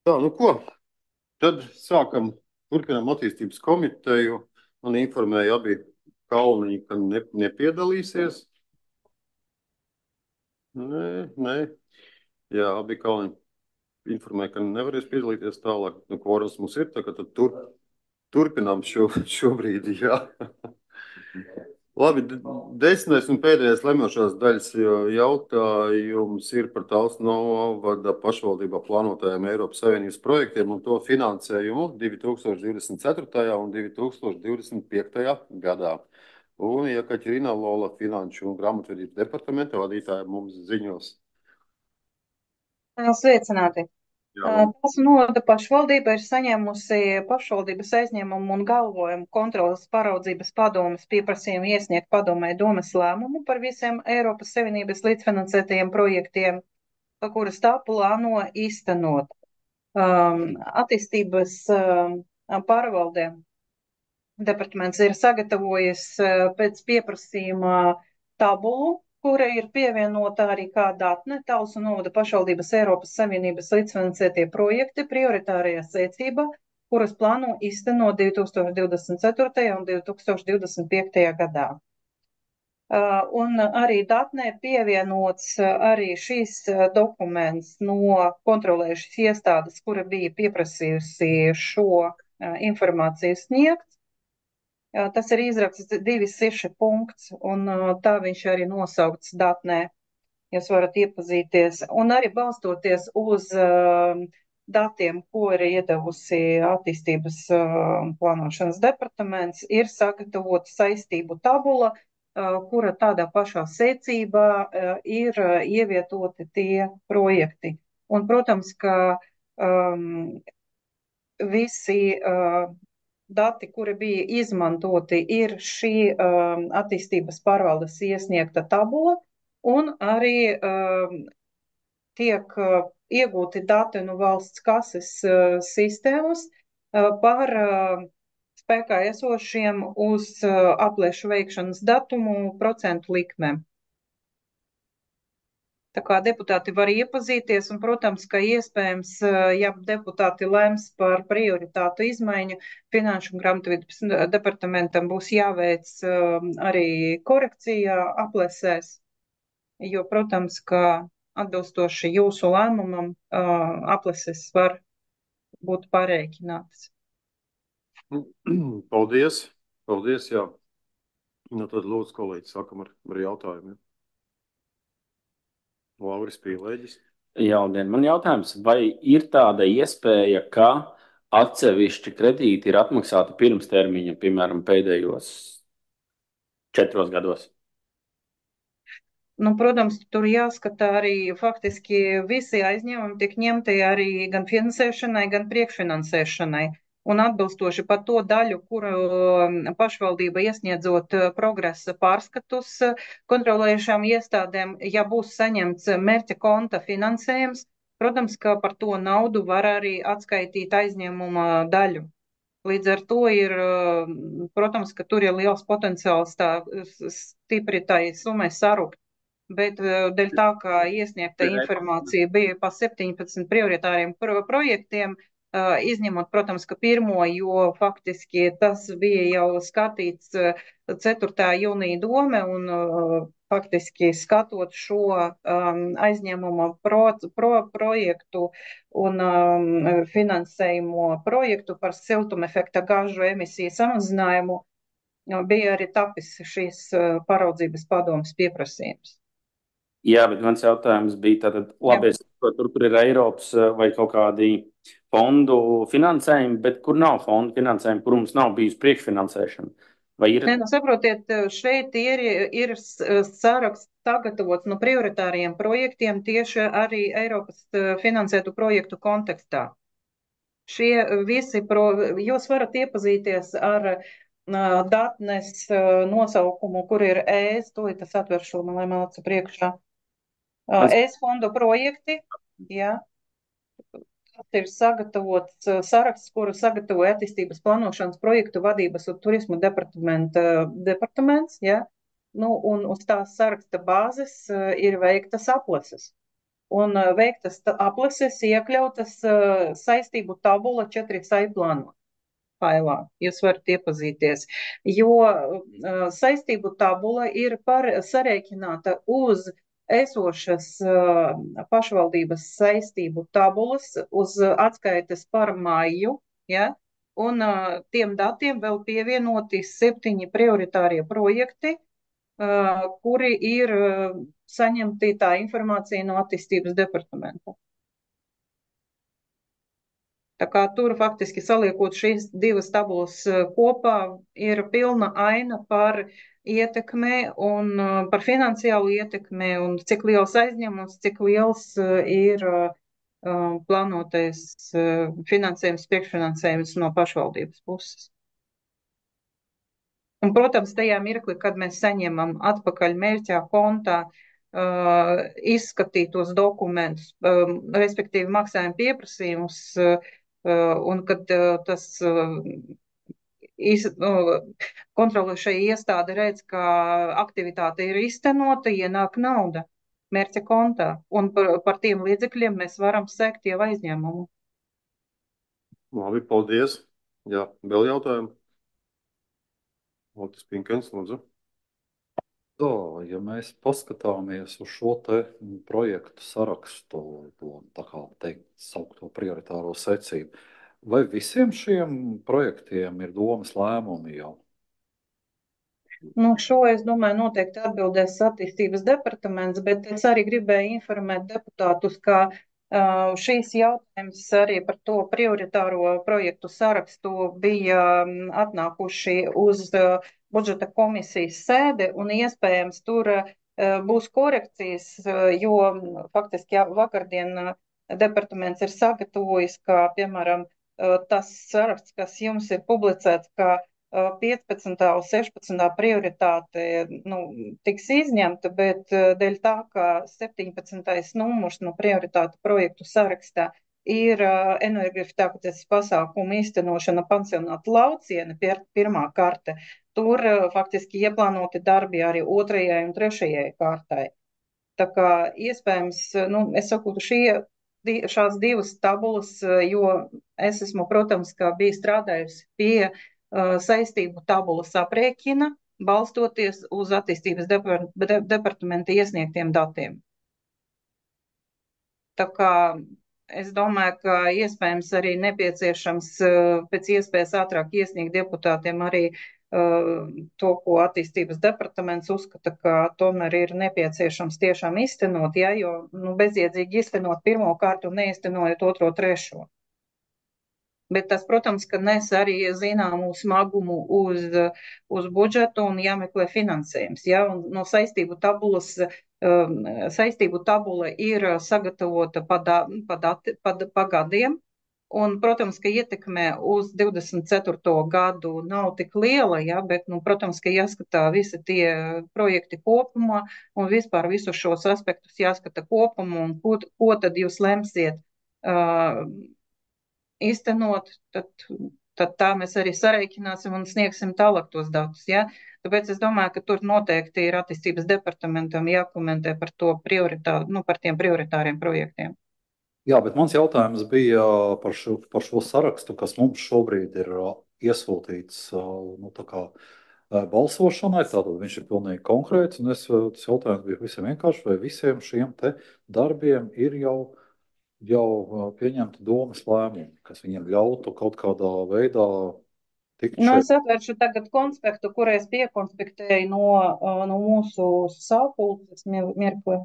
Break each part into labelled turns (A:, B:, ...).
A: Tā, nu ko, tad turpinām attīstības komiteju. Man informēja abi kalniņi, ka nepiedalīsies. Nē. Jā, abi kalniņi informēja, ka nevarēs piedalīties tālāk. Nu, kvorums mums ir, tā kā tad turpinām šobrīd, jā. Labi, desmitais un pēdējais lemošās daļas jautājums ir par Talsu novada pašvaldībā plānotajiem Eiropas Savienības projektiem un to finansējumu 2024. un 2025. gadā. Un Jekaterina Lola Finanšu un grāmatvedības departamenta vadītāja mums ziņos.
B: Sveicināti!
A: Jā, labi.
B: Talsu novada pašvaldība ir saņēmusi pašvaldības aizņēmumu un galvojumu kontrolas paraudzības padomes pieprasījumu iesniegt padomē domes lēmumu par visiem Eiropas Savienības līdzfinansētajiem projektiem, kuras tā plāno īstenot. Attīstības pārvaldē departaments ir sagatavojis pēc pieprasījuma tabulu, kura ir pievienota arī kā datne Talsu novada pašvaldības Eiropas Savienības līdzfinansētie projekti prioritārajā secībā, kuras plāno īstenot 2024. un 2025. gadā. Un arī datnē pievienots arī šīs dokuments no kontrolējušas iestādes, kura bija pieprasījusi šo informāciju sniegt. Tas ir izraksts 2.6 punkts, un tā viņš arī nosaukts datnē. Jūs varat iepazīties. Un arī balstoties uz datiem, ko ir iedevusi attīstības plānošanas departaments, ir sagatavota saistību tabula, kura tādā pašā secībā ir ievietoti tie projekti. Un, protams, ka visi dati, kuri bija izmantoti, ir šī attīstības pārvaldes iesniegta tabula, un arī tiek iegūti dati no valsts kases sistēmas par spēkā esošiem uz aplēšu veikšanas datumu procentu likmēm. Tā kā deputāti var iepazīties, un, protams, ka iespējams, ja deputāti lems par prioritātu izmaiņu, Finanšu un grāmatvedības departamentam būs jāveic arī korekcija aplēsēs, jo, protams, ka atbilstoši jūsu lēmumam aplēses var būt pārēķinātas.
A: Paldies, jā. Nu, tad lūdzu, kolēģi, sākam ar jautājumiem. Lauris Pīlēģis.
C: Jaudien, man jautājums, vai ir tāda iespēja, ka atsevišķi kredīti ir atmaksāti pirms termiņa, piemēram, pēdējos 4 gados?
B: Nu, protams, tur jāskatā arī faktiski visi aizņēmumi tiek ņemti arī gan finansēšanai, gan priekšfinansēšanai. Un atbilstoši par to daļu, kuru pašvaldība iesniedzot progresa pārskatus kontrolējušām iestādēm, ja būs saņemts mērķa konta finansējums, protams, ka par to naudu var arī atskaitīt aizņēmuma daļu. Līdz ar to ir, protams, ka tur ir liels potenciāls tā stipri tai summai sarukt. Bet dēļ tā, ka iesniegta informācija bija pa 17 prioritāriem projektiem, izņemot, protams, ka pirmo, jo faktiski tas bija jau skatīts 4. jūnija dome, un faktiski skatot šo aizņēmumu projektu un finansējumu projektu par siltumefekta gāžu emisiju samazinājumu, bija arī tapis šīs paraudzības padomes pieprasījums.
C: Jā, bet mans jautājums bija tātad, labi, es saprotu, tur ir Eiropas vai kaut kādi fondu finansējumi, bet kur nav fondu finansējumi, kur mums nav bijusi priekšfinansēšana? Vai ir?
B: Nē, nu saprotiet, šeit ir saraksts sagatavots no prioritāriem projektiem tieši arī Eiropas finansētu projektu kontekstā. Šie visi, jūs varat iepazīties ar datnes nosaukumu, kur ir ES, to es atveršu, lai man acu priekšā. ES fondu projekti, jā. Tas ir sagatavots saraksts, kuru sagatavoja attīstības plānošanas projektu vadības un turismu departaments, jā. Nu, un uz tās saraksta bāzes ir veiktas aplases. un veiktas aplases iekļautas saistību tabula 4SAI plānā. Failā. Jūs varat iepazīties, jo saistību tabula ir sarēķināta uz esošas pašvaldības saistību tabulas, uz atskaites par maiju, ja? Un tiem datiem vēl pievienoti 7 prioritārie projekti, kuri ir saņemti tā informācija no attīstības departamenta. Tā kā tur faktiski saliekot šīs divas tabulas kopā, ir pilna aina par ietekmi un par finansiālu ietekmi un cik liels aizņēmums, cik liels ir plānotais finansējums, priekšfinansējums no pašvaldības puses. Un, protams, tajā mirklī, kad mēs saņemam atpakaļ mērķā kontā izskatītos dokumentus, respektīvi maksājuma pieprasījumus, un kad tas kontrolēšai iestāde redz, ka aktivitāte ir iztenota, ienāk nauda mērķa kontā, un par tiem līdzekļiem mēs varam sekt jau aizņēmumu.
A: Labi, paldies. Jā, vēl jautājumi? Otis Pinkens, lūdzu.
D: Ja mēs paskatāmies uz šo te projektu sarakstu, to tā kā teikt, saukto prioritāro secību, vai visiem šiem projektiem ir domas lēmumi jau?
B: Nu, šo, es domāju, noteikti atbildēs attīstības departaments, bet es arī gribēju informēt deputātus, ka šīs jautājums arī par to prioritāro projektu sarakstu bija atnākuši uz budžeta komisijas sēdi, un iespējams tur būs korekcijas, jo faktiski vakardien departaments ir sagatavojis, ka, piemēram, tas saraksts, kas jums ir publicēts, ka 15. un 16. prioritāte tiks izņemta, bet dēļ tā, ka 17. numurs no prioritātu projektu sarakstā ir energoefektivitātes pasākumu īstenošana pansionāta Lauciene, pirmā karte, tur faktiski ieplānoti darbi arī 2. un 3. kārtai. Tā kā iespējams, es saku, šās divas tabulas, jo es esmu, protams, kā bija strādājusi pie saistību tabulas aprēķina, balstoties uz attīstības departamenta iesniegtiem datiem. Tā kā es domāju, ka iespējams arī nepieciešams pēc iespējas ātrāk iesniegt deputātiem arī to, ko attīstības departaments uzskata, ka tomēr ir nepieciešams tiešām iztenot, ja, jo bezjēdzīgi iztenot pirmo kārtu un neiztenojot 2., 3. Bet tas, protams, ka nes arī zināmu smagumu uz budžetu un jāmeklē finansējums. Ja? Un no saistību tabula ir sagatavota pa gadiem. Un, protams, ka ietekme uz 24. gadu nav tik liela, ja? Bet, protams, ka jāskatā visi tie projekti kopumā un vispār visus šos aspektus jāskata kopumā un ko tad jūs lemsiet iztenot, tad tā mēs arī sareikināsim un sniegsim tālāk tos datus. Ja? Tāpēc es domāju, ka tur noteikti ir attīstības departamentam jākomentē par to par tiem prioritāriem projektiem.
D: Jā, bet mans jautājums bija par šo sarakstu, kas mums šobrīd ir iesūtīts balsošanai, tātad viņš ir pilnīgi konkrēts, un tas jautājums bija visiem vienkārši, vai visiem šiem te darbiem ir jau pieņemti domas lēmumi, kas viņiem ļautu kaut kādā veidā tikt šeit.
B: Es atvēršu tagad konspektu, kur es piekonspektēju no mūsu sapulces mirkli.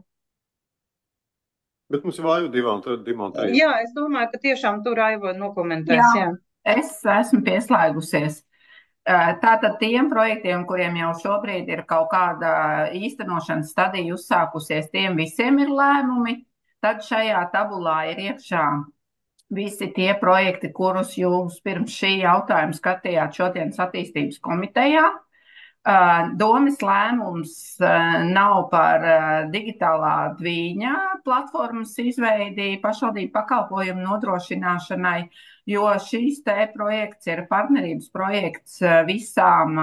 A: Bet mums ir vāju divām, trīs.
B: Jā, es domāju, ka tiešām tur Aiva nokomentēs. Jā.
E: Es esmu pieslēgusies. Tātad tiem projektiem, kuriem jau šobrīd ir kaut kāda īstenošanas stadija uzsākusies, tiem visiem ir lēmumi. Tad šajā tabulā ir iekšā visi tie projekti, kurus jūs pirms šī jautājuma skatījāt šodienas attīstības komitejā. Domas lēmums nav par digitālā dvīņa platformas izveidi pašvaldību pakalpojumu nodrošināšanai, jo šīs te projekts ir partnerības projekts visām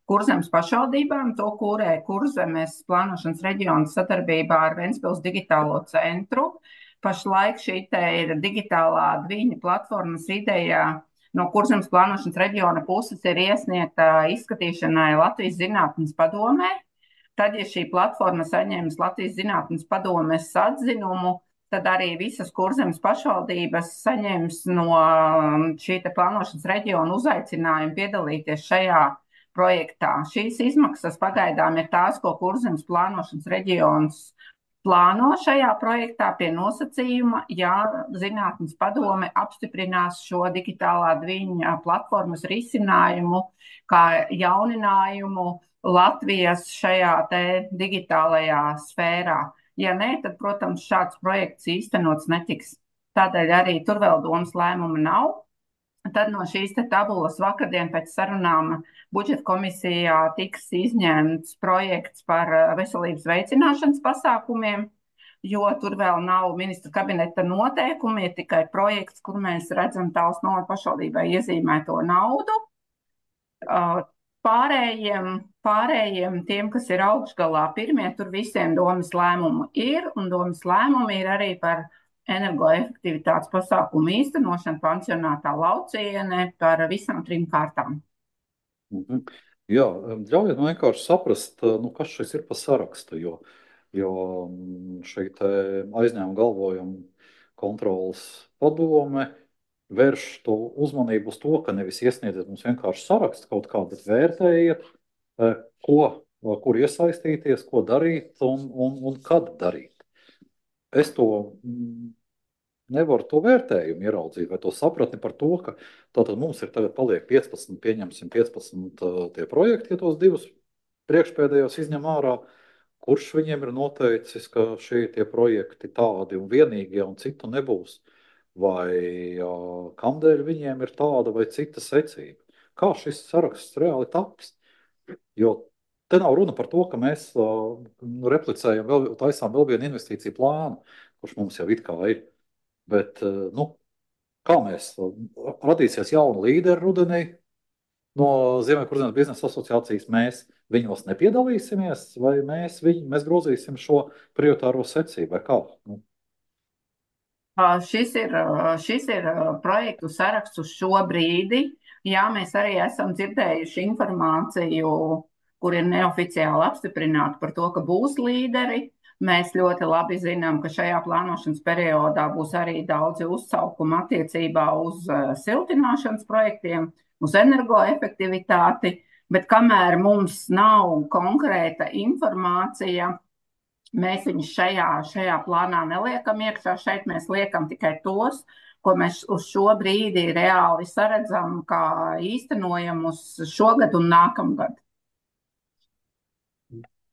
E: Kurzemes pašvaldībām. To kūrē Kurzemes plānošanas reģiona sadarbībā ar Ventspils digitālo centru. Pašlaik šī te ir digitālā dviņa platformas ideja no Kurzemes plānošanas reģiona puses ir iesniegta izskatīšanai Latvijas zinātnes padomē. Tad, ja šī platforma saņems Latvijas zinātnes padomes atzinumu, tad arī visas Kurzemes pašvaldības saņems no šī te plānošanas reģiona uzaicinājumu piedalīties šajā projektā. Šīs izmaksas pagaidām ir tās, ko Kurzemes plānošanas reģions plāno šajā projektā pie nosacījuma, ja zinātnes padome apstiprinās šo digitālā dviņa platformas risinājumu kā jauninājumu Latvijas šajā te digitālajā sfērā. Ja nē, tad, protams, šāds projekts īstenots netiks. Tādēļ arī tur vēl domas lēmuma nav. Tad no šīs te tabulas vakardien pēc sarunām budžeta komisijā tiks izņemts projekts par veselības veicināšanas pasākumiem, jo tur vēl nav ministra kabineta noteikumi, ir tikai projekts, kur mēs redzam Talsu novada pašvaldībai iezīmēto naudu. Pārējiem tiem, kas ir augšgalā pirmie, tur visiem domas lēmumu ir, un domas lēmumi ir arī par energoefektivitātes pasākumu īstenošanu pansionātā Lauciene par visām 3 kārtām.
D: Jā, ļaujiet man vienkārši saprast, kas šis ir pa sarakstu, jo šī te aizņēmuma galvojuma kontrolas padome vērš to uzmanību uz to, ka nevis iesniedziet mums vienkārši sarakstu kaut kā, bet vērtējiet, kur iesaistīties, ko darīt un kad darīt. Es to nevaru to vērtējumu ieraudzīt vai to sapratni par to, ka tātad mums ir tagad paliek 15, pieņemsim 15 tie projekti, ja tos 2 priekšpēdējos izņem ārā, kurš viņiem ir noteicis, ka šie tie projekti tādi un vienīgie un citu nebūs, vai kamdēļ viņiem ir tāda vai cita secība. Kā šis saraksts reāli taps? Jo te nav runa par to, ka mēs replicējam, taisām vēl vienu investīciju plānu, kurš mums jau it kā ir. Bet, kā mēs radīsies jauni līderi rudenī no Ziemeļkurzemes biznesa asociācijas, mēs viņos nepiedalīsimies, vai mēs grozīsim šo prioritāro secību, vai kā?
E: Šis ir projektu saraksts uz šo brīdi. Jā, mēs arī esam dzirdējuši informāciju, kur ir neoficiāli apstiprināti par to, ka būs līderi. Mēs ļoti labi zinām, ka šajā plānošanas periodā būs arī daudzi uzsaukumi attiecībā uz siltināšanas projektiem, uz energoefektivitāti, bet kamēr mums nav konkrēta informācija, mēs viņus šajā plānā neliekam iekšā. Šeit mēs liekam tikai tos, ko mēs uz šo brīdi reāli saredzam, kā īstenojamus šogad un nākamgad.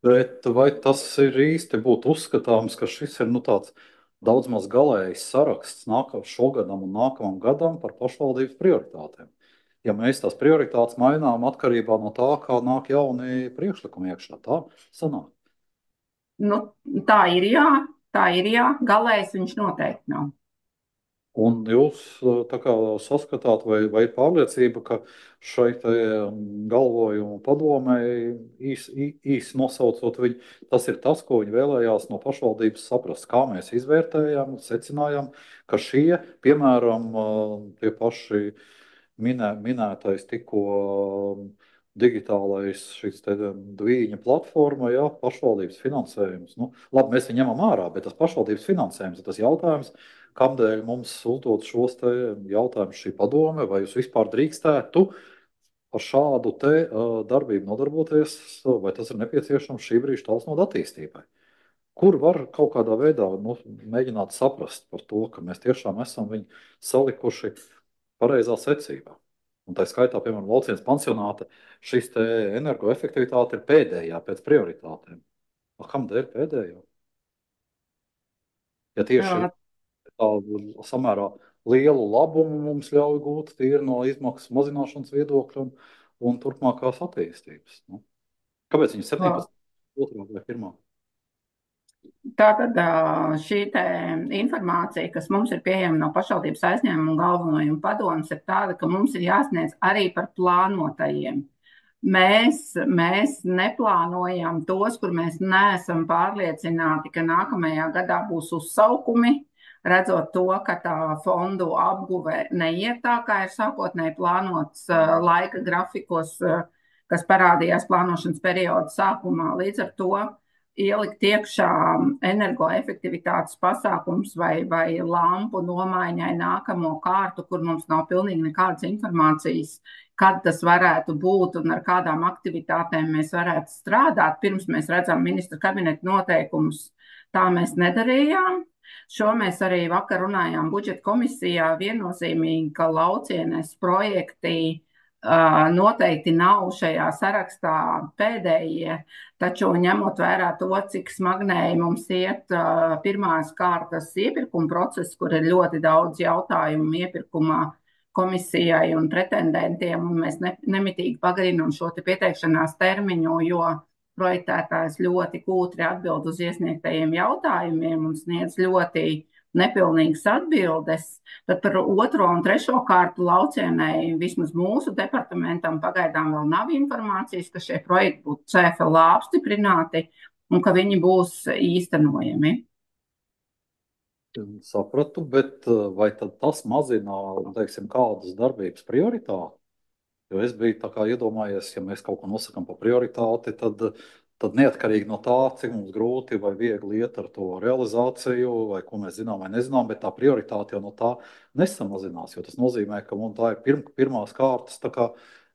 D: Bet vai tas ir īsti būtu uzskatāms, ka šis ir tāds daudz maz galējs saraksts šogadam un nākamam gadam par pašvaldības prioritātēm? Ja mēs tās prioritātes mainām atkarībā no tā, kā nāk jauni priekšlikumi iekšā, tā sanāk?
E: Tā ir jā, galējs viņš noteikti nav.
D: Un jūs tā kā saskatāt vai pārliecība, ka šai galvojumu padomei īsi nosaucot viņu, tas ir tas, ko viņi vēlējās no pašvaldības saprast, kā mēs izvērtējām, secinājām, ka šie, piemēram, tie paši minētais tikko digitālais šis te dviņa platforma, jā, pašvaldības finansējums. Labi, mēs viņu ņemam ārā, bet tas pašvaldības finansējums ir tas jautājums, kamdēļ mums uzdot šos te jautājumus šī padome, vai jūs vispār drīkstētu ar šādu te darbību nodarboties, vai tas ir nepieciešams šī brīža Talsu novada attīstībai. Kur var kaut kādā veidā mēģināt saprast par to, ka mēs tiešām esam viņu salikuši pareizā secībā. Un tā skaitā, piemēram, Laucienes pansionāta, šis te energoefektivitāte ir pēdējā pēc prioritātēm. Kamdēļ pēdējā? Ja tieši tādu samērā lielu labumu mums ļauj gūt tīri no izmaksu mazināšanas viedokļa un turpmākās attīstības. Kāpēc viņi 17. otrā vai pirmā?
E: Tātad šī informācija, kas mums ir pieejama no pašvaldības aizņēmuma galvenojuma padomes, ir tāda, ka mums ir jāsniedz arī par plānotajiem. Mēs neplānojam tos, kur mēs neesam pārliecināti, ka nākamajā gadā būs uzsaukumi, redzot to, ka tā fondu apguve neiet tā, kā ir sākotnēji plānots laika grafikos, kas parādījās plānošanas perioda sākumā. Līdz ar to ielikt iekšā energoefektivitātes pasākums vai lampu nomaiņai nākamo kārtu, kur mums nav pilnīgi nekādas informācijas, kad tas varētu būt un ar kādām aktivitātēm mēs varētu strādāt, pirms mēs redzam ministra kabineta noteikumus. Tā mēs nedarījām. Šo mēs arī vakar runājām budžeta komisijā viennozīmīgi, ka Laucienes projekti noteikti nav šajā sarakstā pēdējie, taču ņemot vērā to, cik smagnēji mums iet pirmās kārtas iepirkuma process, kur ir ļoti daudz jautājumu iepirkumā komisijai un pretendentiem, un mēs nemitīgi pagarinām šo te pieteikšanās termiņu, jo projektētājs ļoti kūtri atbild uz iesniegtajiem jautājumiem un sniedz ļoti nepilnīgas atbildes, tad par otro un trešo kārtu Laucienei vismaz mūsu departamentam pagaidām vēl nav informācijas, ka šie projekti būtu CFLA apstiprināti un ka viņi būs īstenojami.
D: Sapratu, bet vai tad tas mazina, teiksim, kādas darbības prioritāti? Jo es biju tā kā iedomājies, ja mēs kaut ko nosakam par prioritāti, tad neatkarīgi no tā, cik mums grūti vai viegli iet ar to realizāciju, vai ko mēs zinām vai nezinām, bet tā prioritāte jau no tā nesamazinās, jo tas nozīmē, ka mums tā ir pirmās kārtas tā kā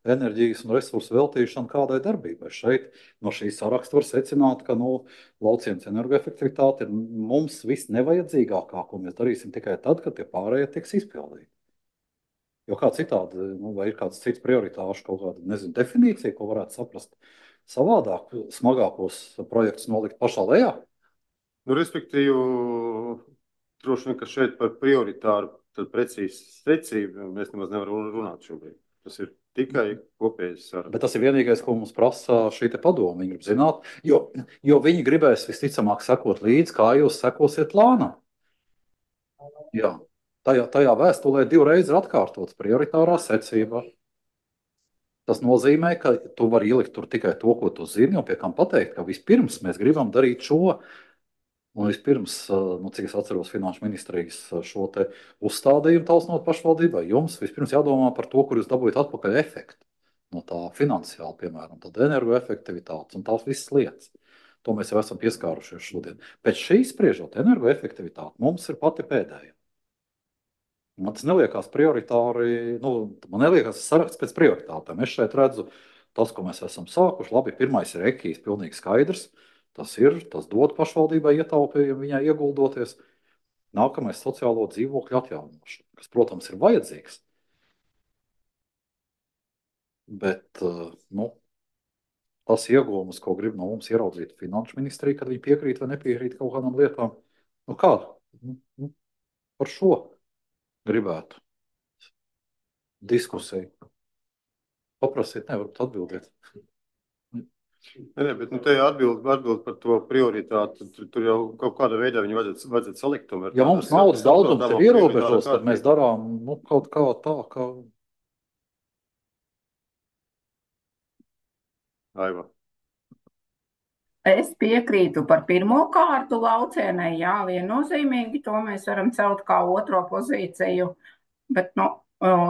D: enerģijas un resursu veltīšana kādai darbībai. Šeit no šī saraksta var secināt, ka Laucienes energoefektivitāte ir mums viss nevajadzīgākā, ko mēs darīsim tikai tad, kad tie pārējie tiks izpildīti. Jo kā citādi, vai ir kāds cits prioritāšu kaut kāda, nezinu, definīcija, ko varētu saprast savādāk, smagākos projektus nolikt pašā lejā?
A: Respektīvi, droši vien, ka šeit par prioritāru tad precīzi secību mēs nemaz nevaram runāt šobrīd. Tas ir tikai kopējais saraksts.
D: Bet tas ir vienīgais, ko mums prasa šī te padoma. Viņi grib zināt, jo viņi gribēs visticamāk sekot līdzi, kā jūs sekosiet plānam. Jā. Tajā vēstulē 2 reizes ir atkārtots prioritārā secība. Tas nozīmē, ka tu vari ielikt tur tikai to, ko tu zini, un pie kam pateikt, ka vispirms mēs gribam darīt šo. Un vispirms, cik es atceros Finanšu ministrijas šo te uzstādījumu tausnot pašvaldībai, jums vispirms jādomā par to, kur jūs dabūjat atpakaļ efektu. No tā finansiāli, piemēram, tad energoefektivitātes un tās visas lietas. To mēs jau esam pieskārušies šodien. Pēc šīs spriežot, energoefektivitāte mums ir pati pēdējā. Man tas neliekās prioritāri, man neliekās saraksts pēc prioritātēm. Es šeit redzu tas, ko mēs esam sākuši. Labi, pirmais ir ekijas, pilnīgi skaidrs. Tas dod pašvaldībai ietaupījumu viņai ieguldoties. Nākamais sociālo dzīvokļu atjaunošana, kas, protams, ir vajadzīgs. Bet, tas iegūmus, ko grib no mums ieraudzīt Finanšu ministrija, kad viņi piekrīt vai nepiekrīt kaut kādām lietām. Kā? Par šo gribētu diskusiju. Paprasiet, nevarat atbildēt.
A: Nē, bet te atbild par to prioritāti. Tur jau kaut kādā veidā viņu vajadzētu salikt. Tomēr.
D: Ja mums naudas daudzums ir ierobežots, tad mēs darām kaut kā tā, kā...
A: Aiva.
E: Es piekrītu par pirmo kārtu Laucienei, jā, viennozīmīgi, to mēs varam celt kā otro pozīciju, bet,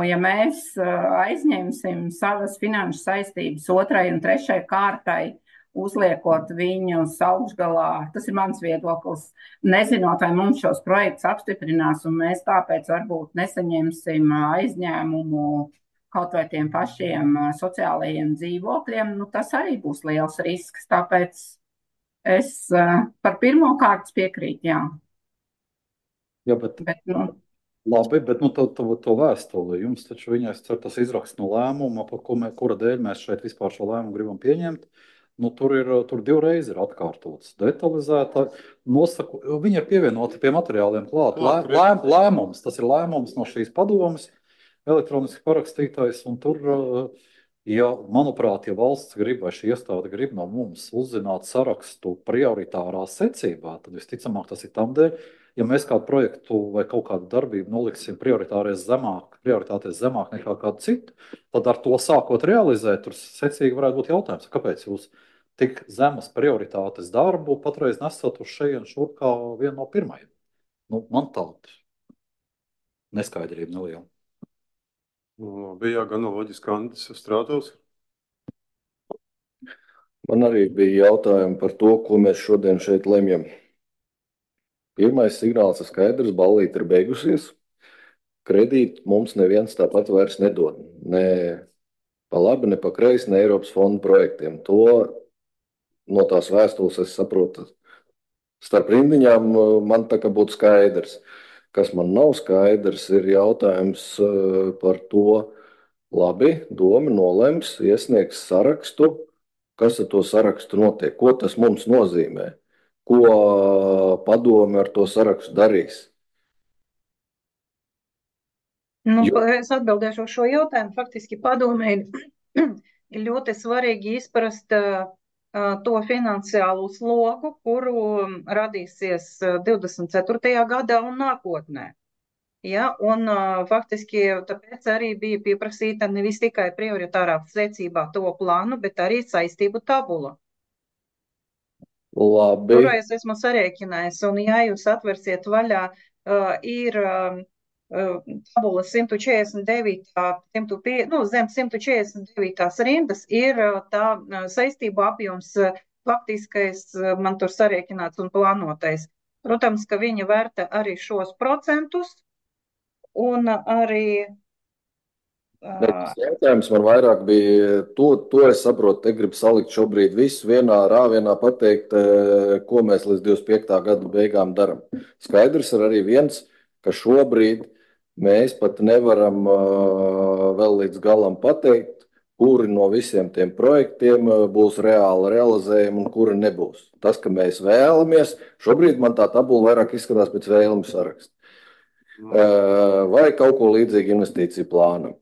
E: ja mēs aizņemsim savas finanšu saistības 2. un 3. kārtai, uzliekot viņus augšgalā, tas ir mans viedoklis, nezinot, vai mums šos projektus apstiprinās, un mēs tāpēc varbūt nesaņemsim aizņēmumu kaut vai tiem pašiem sociālajiem dzīvokļiem, tas arī būs liels risks, tāpēc es par pirmo kārtas piekrītu, jā.
D: Jā, bet labi, bet to vēstuli jums taču viņais cer tas izraksts no lēmuma, par kura dēļ mēs šeit vispār šo lēmumu gribam pieņemt. Tur 2 reizes ir atkārtots, detalizēta, viņi ir pievienoti pie materiāliem klāt. Lēmums, tas ir lēmums no šīs padomas, elektroniski parakstītais, un tur Ja, manuprāt, ja valsts grib vai šī iestāde grib no mums uzzināt sarakstu prioritārā secībā, tad visticamāk tas ir tam dēļ, ja mēs kādu projektu vai kaut kādu darbību noliksim prioritāties zemāk nekā kādu citu, tad ar to sākot realizēt, tur secīgi varētu būt jautājums, kāpēc jūs tik zemas prioritātes darbu patreiz nesat uz šejien šur kā vienu no pirmajiem. Nu, man tāda neskaidrība neliela.
A: Bija gan loģiski Andis Strātos.
F: Man arī bija jautājumi par to, ko mēs šodien šeit lemjam. Pirmais signāls ir skaidrs, ballīte ir beigusies. Kredītu mums neviens tāpat vairs nedod. Ne pa labi, ne pa kreisi, ne Eiropas fondu projektiem. To no tās vēstules es saprotu. Starp rindiņām man tā kā būtu skaidrs. Kas man nav skaidrs, ir jautājums par to, labi, doma nolems, iesniegs sarakstu. Kas ar to sarakstu notiek? Ko tas mums nozīmē? Ko padome ar to sarakstu darīs?
B: Es atbildēšu uz šo jautājumu. Faktiski padomē ir ļoti svarīgi izprast to finansiālo slogu, kuru radīsies 24. gadā un nākotnē. Ja, un faktiski tāpēc arī bija pieprasīta nevis tikai prioritārā secībā to plānu, bet arī saistību tabula.
F: Labi.
B: Kuru es esmu sarēķinājis, un ja jūs atversiet vaļā, ir tabula 149, zem 149 rindas ir tā saistību apjoms faktiskais, man tur sarēķināts un plānotais. Protams, ka viņi vērta arī šos procentus, un arī
F: Tas jautājums man vairāk bija, to es saprotu, te grib salikt šobrīd visu vienā rāvienā pateikt, ko mēs līdz 25. gada beigām daram. Skaidrs ir arī viens, ka šobrīd mēs pat nevaram vēl līdz galam pateikt, kuri no visiem tiem projektiem būs reāli realizējumi un kuri nebūs. Tas, ka mēs vēlamies, šobrīd man tā tabula vairāk izskatās pēc vēlmu saraksta. Vai kaut ko līdzīgi investīciju plānam.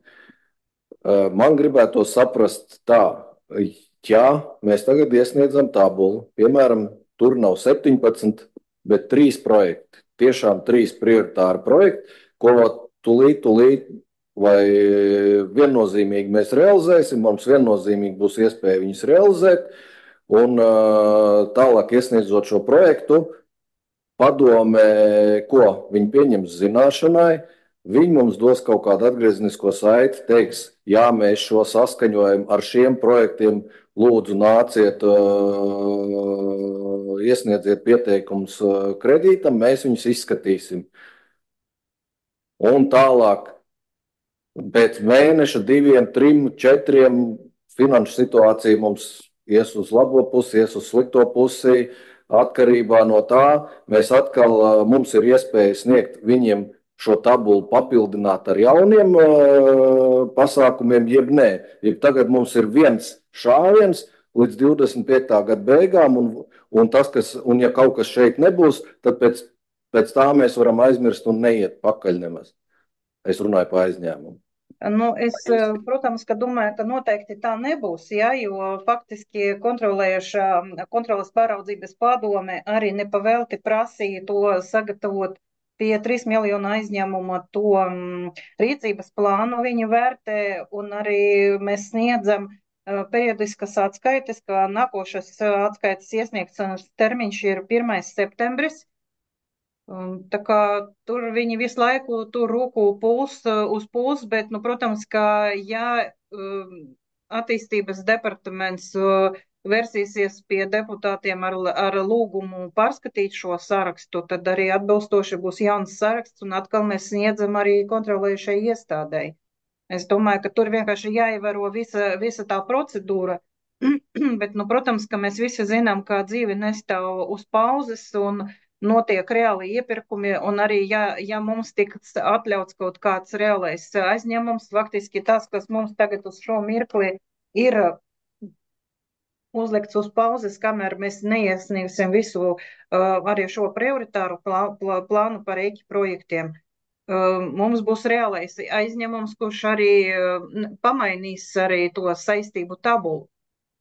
F: Man gribētu saprast tā, ja mēs tagad iesniedzam tabulu, piemēram, tur nav 17, bet 3 projekti, tiešām 3 prioritāri projekti, ko tūlīt vai viennozīmīgi mēs realizēsim, mums viennozīmīgi būs iespēja viņus realizēt, un tālāk iesniedzot šo projektu, padome, ko viņi pieņems zināšanai, viņi mums dos kaut kādu atgrieznisko saiti, teiks, jā, mēs šo saskaņojam ar šiem projektiem, lūdzu nāciet, iesniedziet pieteikums kredītam, mēs viņus izskatīsim. Un tālāk, pēc mēneša, 2, 3, 4 finanšu situācija mums ies uz labo pusi, ies uz slikto pusi, atkarībā no tā, mēs atkal, mums ir iespēja sniegt viņiem šo tabulu papildināt ar jauniem pasākumiem, jeb nē. Jeb tagad mums ir viens šāviens līdz 25. gada beigām, un ja kaut kas šeit nebūs, tad pēc tā mēs varam aizmirst un neiet pakaļ nemaz. Es runāju par aizņēmumu.
B: Es, protams, ka domāju, ka noteikti tā nebūs, ja, jo faktiski kontroles pāraudzības padome arī nepavēlti prasīja to sagatavot pie 3 miljonu aizņēmuma to rīcības plānu viņi vērtē, un arī mēs sniedzam periodiskas atskaites, ka nākošas atskaites iesniegšanas termiņš ir 1. septembris. Tā kā tur viņi visu laiku tur roku uz pulsu, bet, protams, ka ja attīstības departaments versīsies pie deputātiem ar lūgumu pārskatīt šo sarakstu, tad arī atbilstoši būs jauns saraksts, un atkal mēs sniedzam arī kontrolējušai iestādēji. Es domāju, ka tur vienkārši jāievēro visa tā procedūra, bet, protams, ka mēs visi zinām, ka dzīve nestāv uz pauzes un notiek reāli iepirkumi, un arī, ja mums tiks atļauts kaut kāds reālais aizņēmums, faktiski tas, kas mums tagad uz šo mirkli ir uzlikts uz pauzes, kamēr mēs neiesniegsim visu arī šo prioritāru plānu par EIķi projektiem. mums būs reālais aizņēmums, kurš arī pamainīs arī to saistību tabulu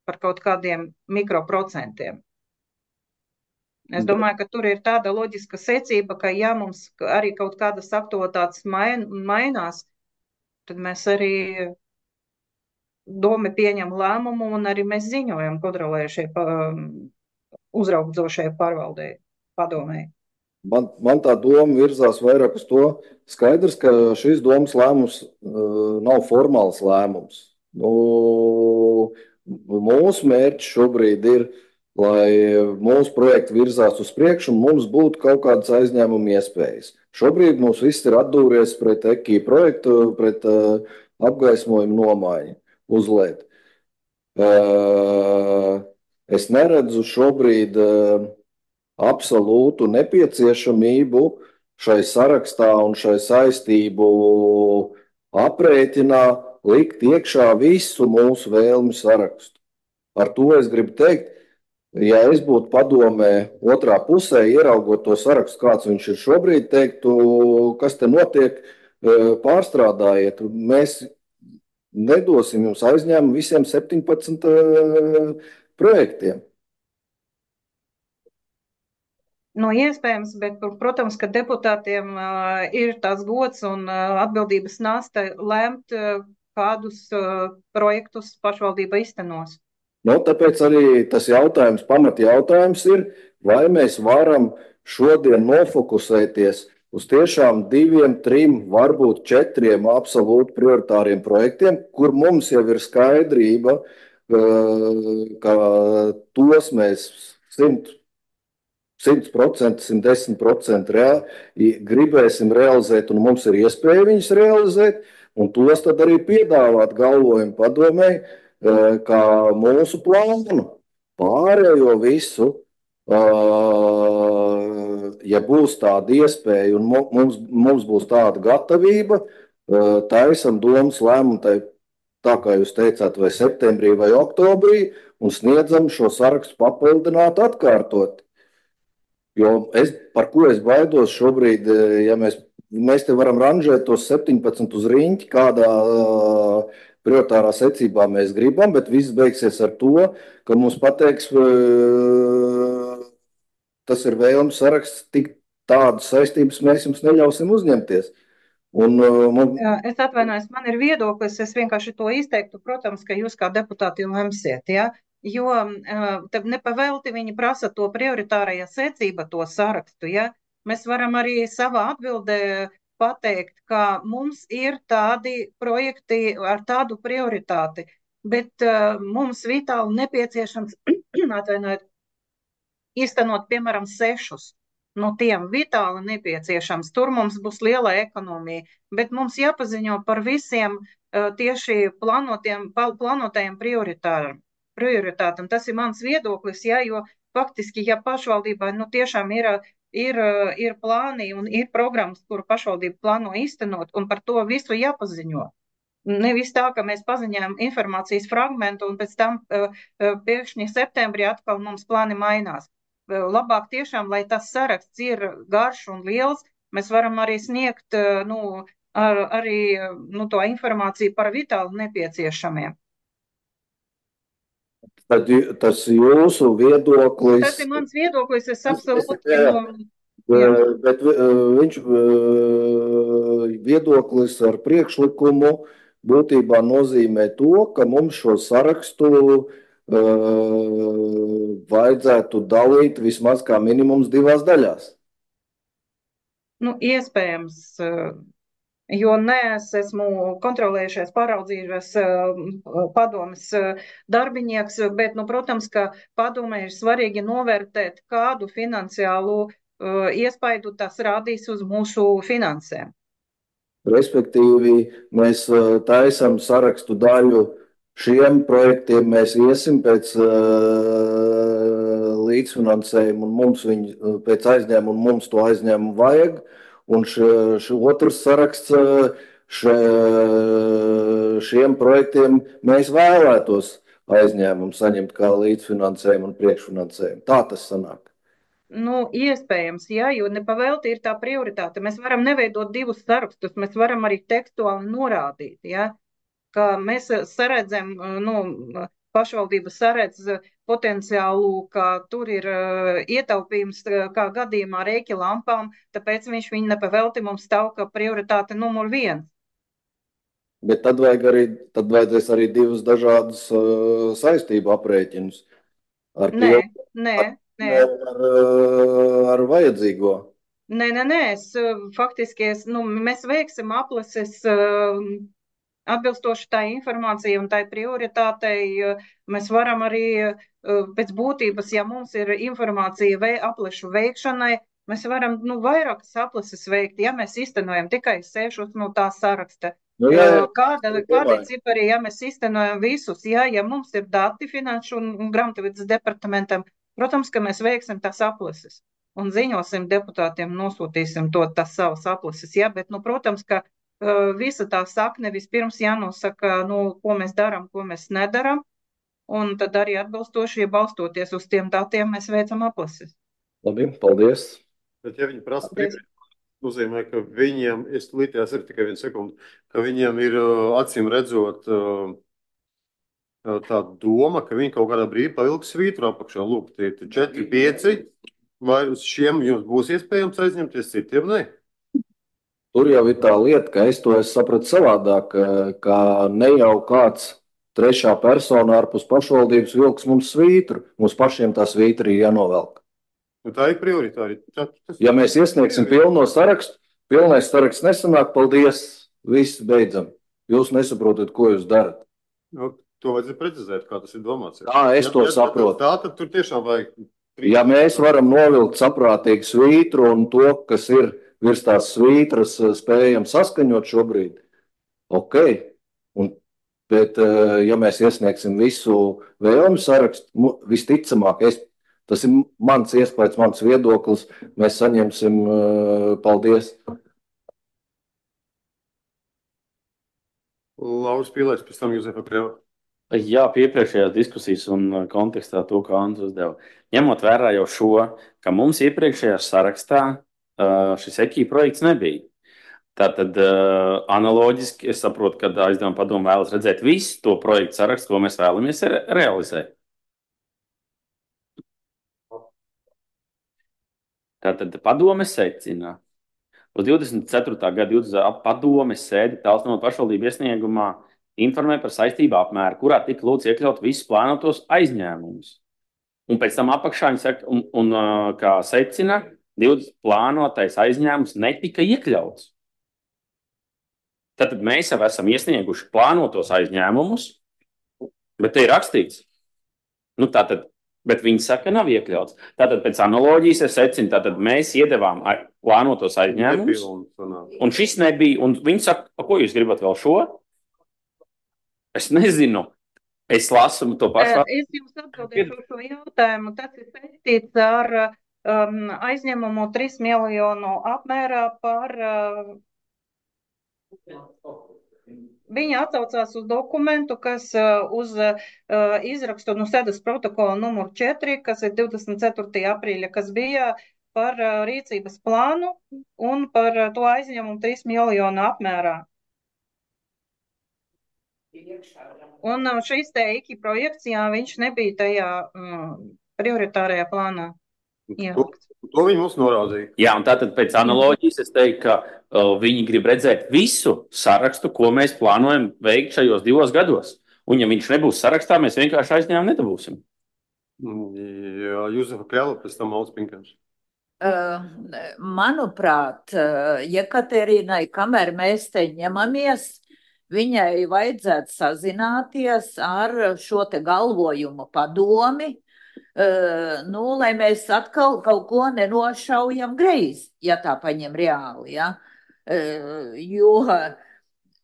B: par kaut kādiem mikroprocentiem. Es domāju, ka tur ir tāda loģiska secība, ka ja mums arī kaut kādas aktualitātes mainās, tad mēs arī doma pieņem lēmumu un arī mēs ziņojam kontrolējušie uzraudzošajai pārvaldei padomēji.
F: Man tā doma virzās vairāk uz to. Skaidrs, ka šīs domas lēmums nav formāls lēmums. Mūsu mērķis šobrīd ir, lai mūsu projekti virzās uz priekšu un mums būtu kaut kādas aizņēmuma iespējas. Šobrīd mums viss ir atdūries pret EKI projektu, pret apgaismojumu nomaiņu uz LED. Es neredzu šobrīd absolūtu nepieciešamību šai sarakstā un šai saistību aprēķinā likt iekšā visu mūsu vēlmi sarakstu. Ar to es gribu teikt, ja es būtu padomē otrā pusē, ieraugot to sarakstu, kāds viņš ir šobrīd, teiktu, kas te notiek, pārstrādājiet. Mēs nedosim jums aizņēmumu visiem 17 projektiem.
B: Nu, iespējams, bet, protams, ka deputātiem ir tās gods un atbildības nasta lēmt, kādus projektus pašvaldība iztenos.
F: Tāpēc arī tas pamatjautājums ir, vai mēs varam šodien nofokusēties uz tiešām 2, 3, varbūt 4 absolūti prioritāriem projektiem, kur mums jau ir skaidrība, ka tos mēs 100%, 110% gribēsim realizēt, un mums ir iespēja viņus realizēt, un tos tad arī piedāvāt galvojumu padomēji, kā mūsu plānu. Pārējo visu, ja būs tāda iespēja un mums būs tāda gatavība, taisam domas lēmumu, tā kā jūs teicāt, vai septembrī vai oktobrī, un sniedzam šo sarakstu papildināt, atkārtot. Jo par ko es baidos šobrīd, ja mēs te varam ranžēt tos 17 uz riņķi, kādā prioritārā secībā mēs gribam, bet viss beigsies ar to, ka mums pateiks, tas ir vēlmes saraksts, tik tādas saistības mēs jums neļausim uzņemties.
B: Es atvainojos, man ir viedoklis, es vienkārši to izteiktu, protams, ka jūs kā deputāti lemsiet, ja? Jo nepavēlti viņi prasa to prioritārajā secība, to sarakstu. Ja? Mēs varam arī savā atbildē pateikt, ka mums ir tādi projekti ar tādu prioritāti, bet mums vitāli nepieciešams īstenot, piemēram, 6. No tiem vitāli nepieciešams. Tur mums būs liela ekonomija, bet mums jāpaziņo par visiem tieši plānotajiem prioritātam. Tas ir mans viedoklis, ja, jo faktiski, ja pašvaldībai tiešām ir plāni un ir programmas, kuru pašvaldība plāno īstenot, un par to visu jāpaziņo. Nevis tā, ka mēs paziņojam informācijas fragmentu un pēc tam pēkšņi septembrī atkal mums plāni mainās. Labāk tiešām, lai tas saraksts ir garš un liels, mēs varam arī sniegt arī to informāciju par vitāli nepieciešamiem.
F: Tas jūsu viedoklis.
B: Tas ir mans viedoklis, es absolūti.
F: Bet viņš viedoklis ar priekšlikumu būtībā nozīmē to, ka mums šo sarakstu vajadzētu dalīt vismaz kā minimums 2 daļās.
B: Iespējams. Jo es esmu kontrolējušies, pāraudzījušies padomes darbinieks, bet, protams, ka padomē ir svarīgi novērtēt, kādu finansiālu iespaidu tas rādīs uz mūsu finansēm.
F: Respektīvi, mēs taisam sarakstu daļu. Šiem projektiem mēs iesim pēc līdzfinansējuma un mums pēc aizņēmuma, mums to aizņēmumu vajag. Un otrs saraksts šiem projektiem mēs vēlētos aizņēmumu saņemt kā līdzfinansējumu un priekšfinansējumu. Tā tas sanāk.
B: Iespējams, jā, jo nepavēlti ir tā prioritāte. Mēs varam neveidot divus sarakstus, mēs varam arī tekstuāli norādīt, jā, ka mēs saredzam, pašvaldība saredz potenciālu, ka tur ir ietaupījums kā gadījumā rēķi lampām, tāpēc viņš viņu nepavēlti mums stāv kā prioritāte numur 1.
F: Bet tad vajadzēs arī divus dažādus saistību aprēķinus.
B: Nē.
F: Ar vajadzīgo.
B: Nē, mēs veiksim aplases atbilstoši tai informācijai un tai prioritātei. Mēs varam arī pēc būtības, ja mums ir informācija aplašu veikšanai, mēs varam vairākas aplases veikt, ja mēs iztenojam tikai 6 no tā saraksta. Kādi cipari, ja mēs iztenojam visus, ja mums ir dati finanšu un grāmatvedības departamentam, protams, ka mēs veiksim tās aplases un ziņosim deputātiem, nosūtīsim tās savas aplases, ja, bet, protams, ka visa tā sakne vispirms jānosaka, ko mēs darām, ko mēs nedaram, un tad arī atbilstoši, ja balstoties uz tiem datiem, mēs veicam aplases.
F: Labi, paldies.
A: Bet ja viņi prasa nozīmē, ka viņiem, es līdz ir tikai 1 sekundi, ka viņiem ir acīm redzot tā doma, ka viņi kaut kādā brīdī pavilks svītru apakšā. Lūk, tie 4, 5, vai uz šiem jums būs iespējams aizņemties, citiem ne?
F: Tur jau ir tā lieta, ka es to sapratu savādāk, ka ne jau kāds trešā persona ārpus pašvaldības vilks mums svītru. Mums pašiem tā svītra ir jānovelk.
A: Tā ir prioritāri.
F: Ja mēs iesniegsim pilno sarakstu, pilnais saraksts nesanāk, paldies, viss beidzam. Jūs nesaprotat, ko jūs darat.
A: To vajadzētu precizēt, kā tas ir domāts.
F: Es to saprotu.
A: Tā tad tur tiešām vajag.
F: Ja mēs varam novilkt saprātīgu svītru un to, kas ir virs tās svītras, spējam saskaņot šobrīd, ok. Bet, ja mēs iesniegsim visu vēlmu sarakstu, visticamāk, tas ir mans iespējas, mans viedoklis, mēs saņemsim paldies.
A: Lauris Pīlēks, pēc tam Juzefa Kreva.
C: Jā, pie iepriekšējās diskusijas un kontekstā to, kā Andris uzdeva. Ņemot vērā jau šo, ka mums iepriekšējā sarakstā šis EKI projekts nebija. Tātad analoģiski es saprotu, ka aizdevuma padome vēlas redzēt visu to projektu sarakstu, ko mēs vēlamies realizēt. Tātad padome secina. Uz 24. gada padomes sēdi Talsnova pašvaldību iesniegumā informē par saistību apmēru, kurā tika lūdzu iekļaut visus plānotos aizņēmumus. Un pēc tam apakšā viņi saka, un kā secina, 20 plānotais aizņēmums netika iekļauts. Tātad mēs jau esam iesnieguši plānotos aizņēmumus, bet te ir rakstīts. Bet viņi saka, nav iekļauts. Tātad pēc analoģijas es secinu, tātad mēs iedevām plānotos aizņēmumus, un šis nebija, un viņi saka, ko jūs gribat vēl šo? Es nezinu. Es lasu to pašu.
B: Es jums atbildēšu šo jautājumu. Tas ir saistīts ar aizņēmumu 3 miljonu apmērā par... Viņa atsaucās uz dokumentu, kas uz izrakstu sēdes protokola numur 4, kas ir 24. aprīļa, kas bija par rīcības plānu un par to aizņēmumu 3 miljonu apmērā. Un šis te EKI projekts, jā, viņš nebija tajā prioritārajā plānā.
A: To viņi mums norādīja.
C: Jā, un tātad pēc analoģijas es teiktu, ka viņi grib redzēt visu sarakstu, ko mēs plānojam veikt šajos 2 gados. Un ja viņš nebūs sarakstā, mēs vienkārši aizņēmumu nedabūsim.
A: Jā, Juzefa Kreva, pēc tam Mauds Pinkēns.
G: Manuprāt, Jekaterīnai, kamēr mēs te ņemamies, viņai vajadzētu sazināties ar šo te galvojumu padomi, lai mēs atkal kaut ko nenošaujam greizi, ja tā paņem reāli, ja? Jo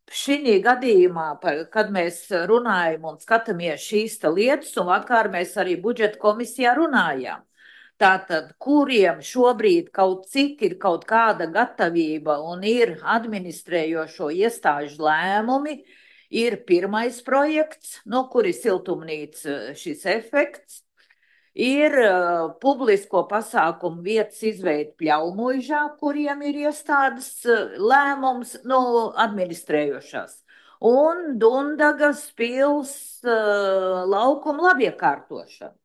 G: šī gadījumā, kad mēs runājam un skatāmies šīs lietas, un vakar mēs arī budžeta komisijā runājām, tātad, kuriem šobrīd kaut cik ir kaut kāda gatavība un ir administrējošo iestāžu lēmumi, ir pirmais projekts, no kura ir siltumnīca šis efekts, ir publisko pasākumu vietas izveida Pļaumuižā, kuriem ir iestādes lēmums, administrējošās, un Dundagas pils laukuma labiekārtošana.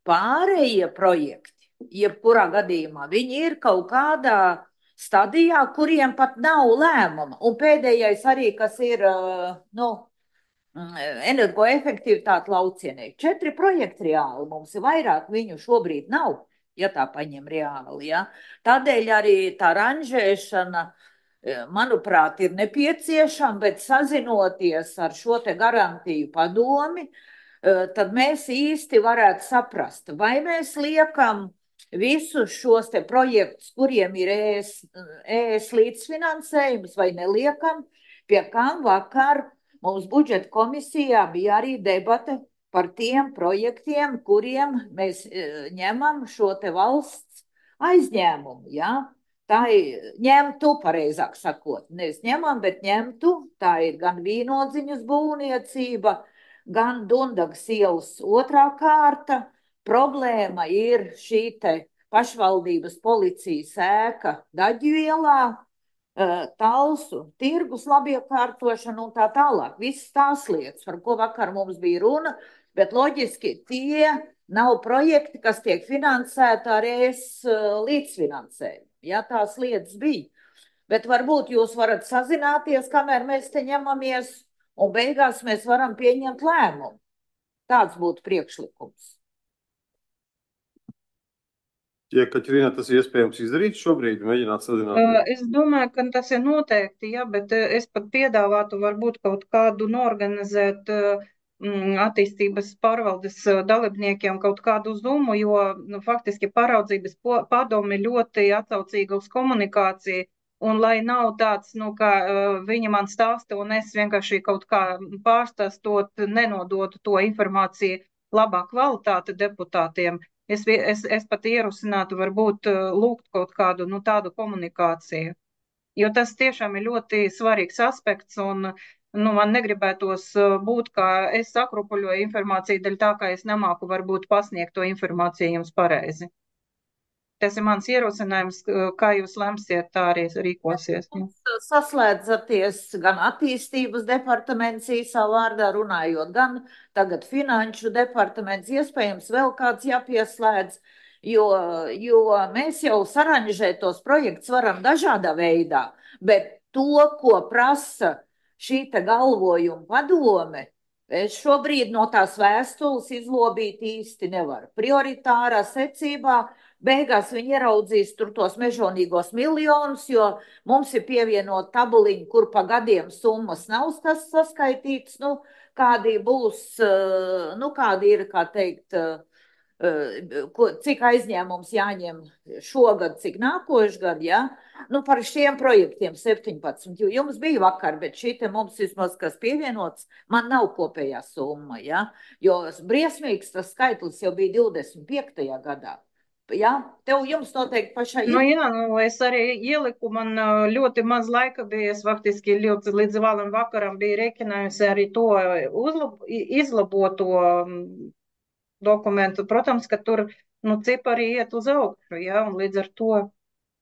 G: Pārējie projekti, jebkurā gadījumā, viņi ir kaut kādā stadijā, kuriem pat nav lēmuma. Un pēdējais arī, kas ir, energoefektivitāte laucienē. 4 projekti reāli mums ir vairāk, viņu šobrīd nav, ja tā paņem reāli. Ja? Tādēļ arī tā ranžēšana, manuprāt, ir nepieciešama, bet sazinoties ar šo te garantiju padomi, tad mēs īsti varētu saprast, vai mēs liekam visus šos te projektus, kuriem ir ES līdzfinansējums, vai neliekam, pie kam vakar mums budžeta komisijā bija arī debate par tiem projektiem, kuriem mēs ņemam šo te valsts aizņēmumu, ja? Tā ir ņemtu, pareizāk sakot, nevis ņemam, bet ņemtu, tā ir gan Vīnodziņas būvniecība, gan Dundagas ielas 2. kārta. Problēma ir šī te pašvaldības policijas ēka Daģu ielā, Talsu tirgus labiekārtošana un tā tālāk. Visas tās lietas, par ko vakar mums bija runa, bet loģiski tie nav projekti, kas tiek finansēti ar ES līdzfinansējumu. Ja tās lietas bija. Bet varbūt jūs varat sazināties, kamēr mēs te ņemamies, un beigās mēs varam pieņemt lēmumu. Tāds būtu priekšlikums.
A: Ja, Kaķrīna, tas ir iespējams izdarīt šobrīd, mēģināt sazināties?
B: Es domāju, ka tas ir noteikti, jā, bet es pat piedāvātu varbūt kaut kādu norganizēt attīstības pārvaldes dalībniekiem kaut kādu Zoomu, jo faktiski pāraudzības padome ļoti atsaucīga uz komunikāciju, un lai nav tāds, ka viņa man stāsta, un es vienkārši kaut kā pārstāstot, nenodotu to informāciju labā kvalitāte deputātiem. Es pat ierosinātu varbūt lūgt kaut kādu tādu komunikāciju, jo tas tiešām ir ļoti svarīgs aspekts, un man negribētos būt, kā es sakrupuļoju informāciju dēļ tā, ka es nemāku varbūt pasniegt to informāciju jums pareizi. Tas ir mans ierosinājums, kā jūs lemsiet, tā arī rīkosies.
G: Saslēdzaties gan attīstības departaments īsā vārdā runājot, gan tagad finanšu departaments, iespējams vēl kāds jāpieslēdz, jo mēs jau saranžēt tos projektus varam dažādā veidā, bet to, ko prasa šī te galvojuma padome, es šobrīd no tās vēstules izlobīt īsti nevaru. Prioritārā secībā beigās viņi ieraudzīs tur tos mežonīgos miljonus, jo mums ir pievienot tabuliņu, kur pa gadiem summas nav saskaitītas, kādi būs, kādi ir, kā teikt, cik aizņēmums jāņem šogad, cik nākošu gadu, ja? Par šiem projektiem 17, jo jums bija vakar, bet šī te mums vismaz, kas pievienots, man nav kopējā summa, ja? Jo briesmīgs tas skaitlis jau bija 25. gadā. Jā, jums noteikti pašai ir.
B: Jā, es arī ieliku, man ļoti maz laika bija, es faktiski līdz vēlam vakaram biju rēķinājusi arī to izlaboto dokumentu. Protams, ka tur cipari iet uz augšu, ja, un līdz ar to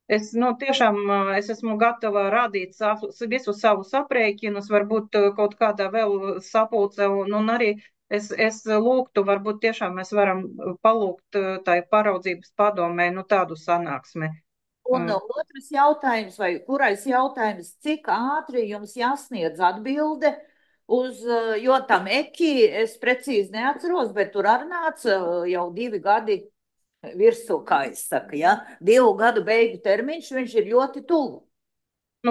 B: es tiešām es esmu gatava rādīt visus savus aprēķinus, varbūt kaut kādā vēl sapulce, un arī es lūgtu, varbūt tiešām mēs varam palūgt tai pāraudzības padomē tādu sanāksmi.
G: Un otrs jautājums, vai kurais jautājums, cik ātri jums jāsniedz atbilde jo tam EKI es precīzi neatceros, bet tur arī nāca jau 2 gadi virsū, kā es saku, ja? 2 gadu beigu termiņš, viņš ir ļoti tuvu.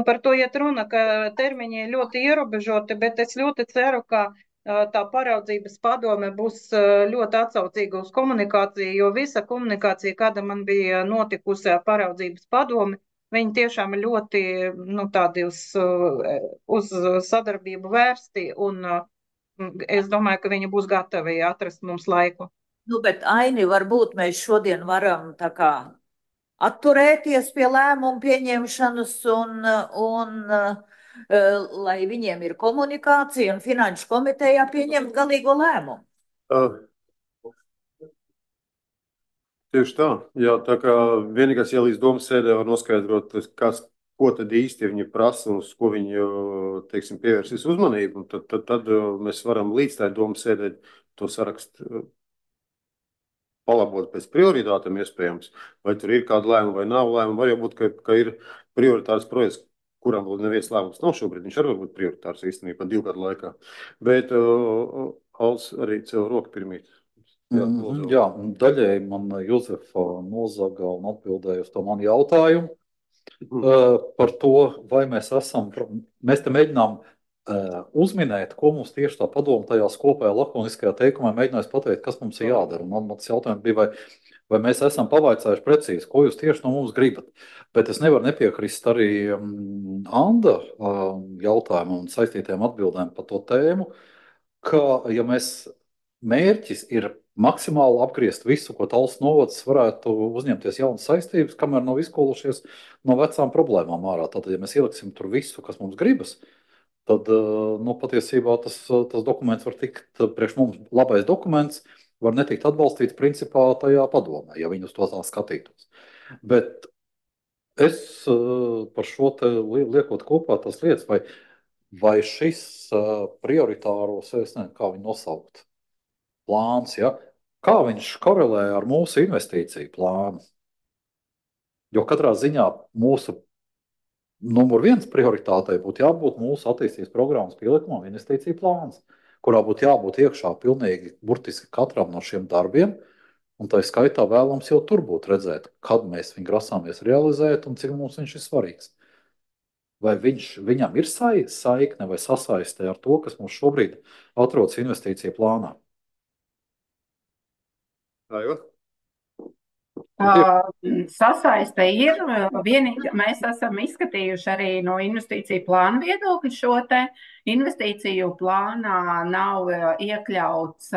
B: Par to iet runa, ka termiņi ir ļoti ierobežoti, bet es ļoti ceru, ka tā pāraudzības padome būs ļoti atsaucīga uz komunikāciju, jo visa komunikācija, kāda man bija notikusi ar pāraudzības padomi, viņi tiešām ir ļoti tādi uz sadarbību vērsti, un es domāju, ka viņi būs gatavi atrast mums laiku.
G: Bet Aini, varbūt mēs šodien varam tā kā atturēties pie lēmumu pieņemšanas un lai viņiem ir komunikācija un finanšu komitejā pieņemt galīgo lēmumu.
A: Tieši tā. Jā, tā kā vienīgais, ja līdz domas sēdē var noskaidrot, ko tad īsti viņi prasa un uz ko viņi, teiksim, pievērsīs uzmanību, tad mēs varam līdz tā domas sēdē to sarakstu palabot pēc prioritātēm iespējams. Vai tur ir kāda lēmuma vai nav lēmuma. Var jau būt, ka ir prioritārs projekts, kuram vēl neviens lēmums nav šobrīd. Viņš arī var būt prioritārs īstenībā 2 gadu laikā. Bet Alts arī cēl roku pirmīt.
D: Jā, daļēji man Jozefa nozaga un atbildēja uz to manu jautājumu par to, vai mēs te mēģinām uzminēt, ko mums tieši tā padoma tajās kopējā lakoniskajā teikumā mēģinājis pateikt, kas mums ir jādara. Un mans jautājums bija, vai mēs esam pavaicājuši precīzi, ko jūs tieši no mums gribat. Bet es nevaru nepiekrist arī Anda jautājumam un saistītiem atbildēm par to tēmu, ka, ja mērķis ir maksimāli apgriezt visu, ko Talsu novads varētu uzņemties jaunas saistības, kamēr nav izkolušies no vecām problēmām ārā. Tātad, ja mēs ieliksim tur visu, kas mums gribas, tad patiesībā tas dokuments var tikt, priekš mums labais dokuments, var netikt atbalstīts principā tajā padomē, ja viņi uz to tā skatītos. Bet es par šo te liekot kopā tas lietas, vai šis prioritāros, es nezinu, kā viņu nosaukt, plāns, ja? Kā viņš korelē ar mūsu investīciju plānu? Jo katrā ziņā mūsu numur 1 prioritātei būtu jābūt mūsu attīstības programmas pielikumam investīciju plāns, kurā būtu jābūt iekšā pilnīgi burtiski katram no šiem darbiem, un tā skaitā vēlams jau tur būtu redzēt, kad mēs viņu grasāmies realizēt un cik mums viņš ir svarīgs. Vai viņam ir saikne vai sasaiste ar to, kas mums šobrīd atrodas investīciju plānā?
E: Sasaiste ir. Vienīgi mēs esam izskatījuši arī no investīciju plāna viedokļa šo te investīciju plānā nav iekļauts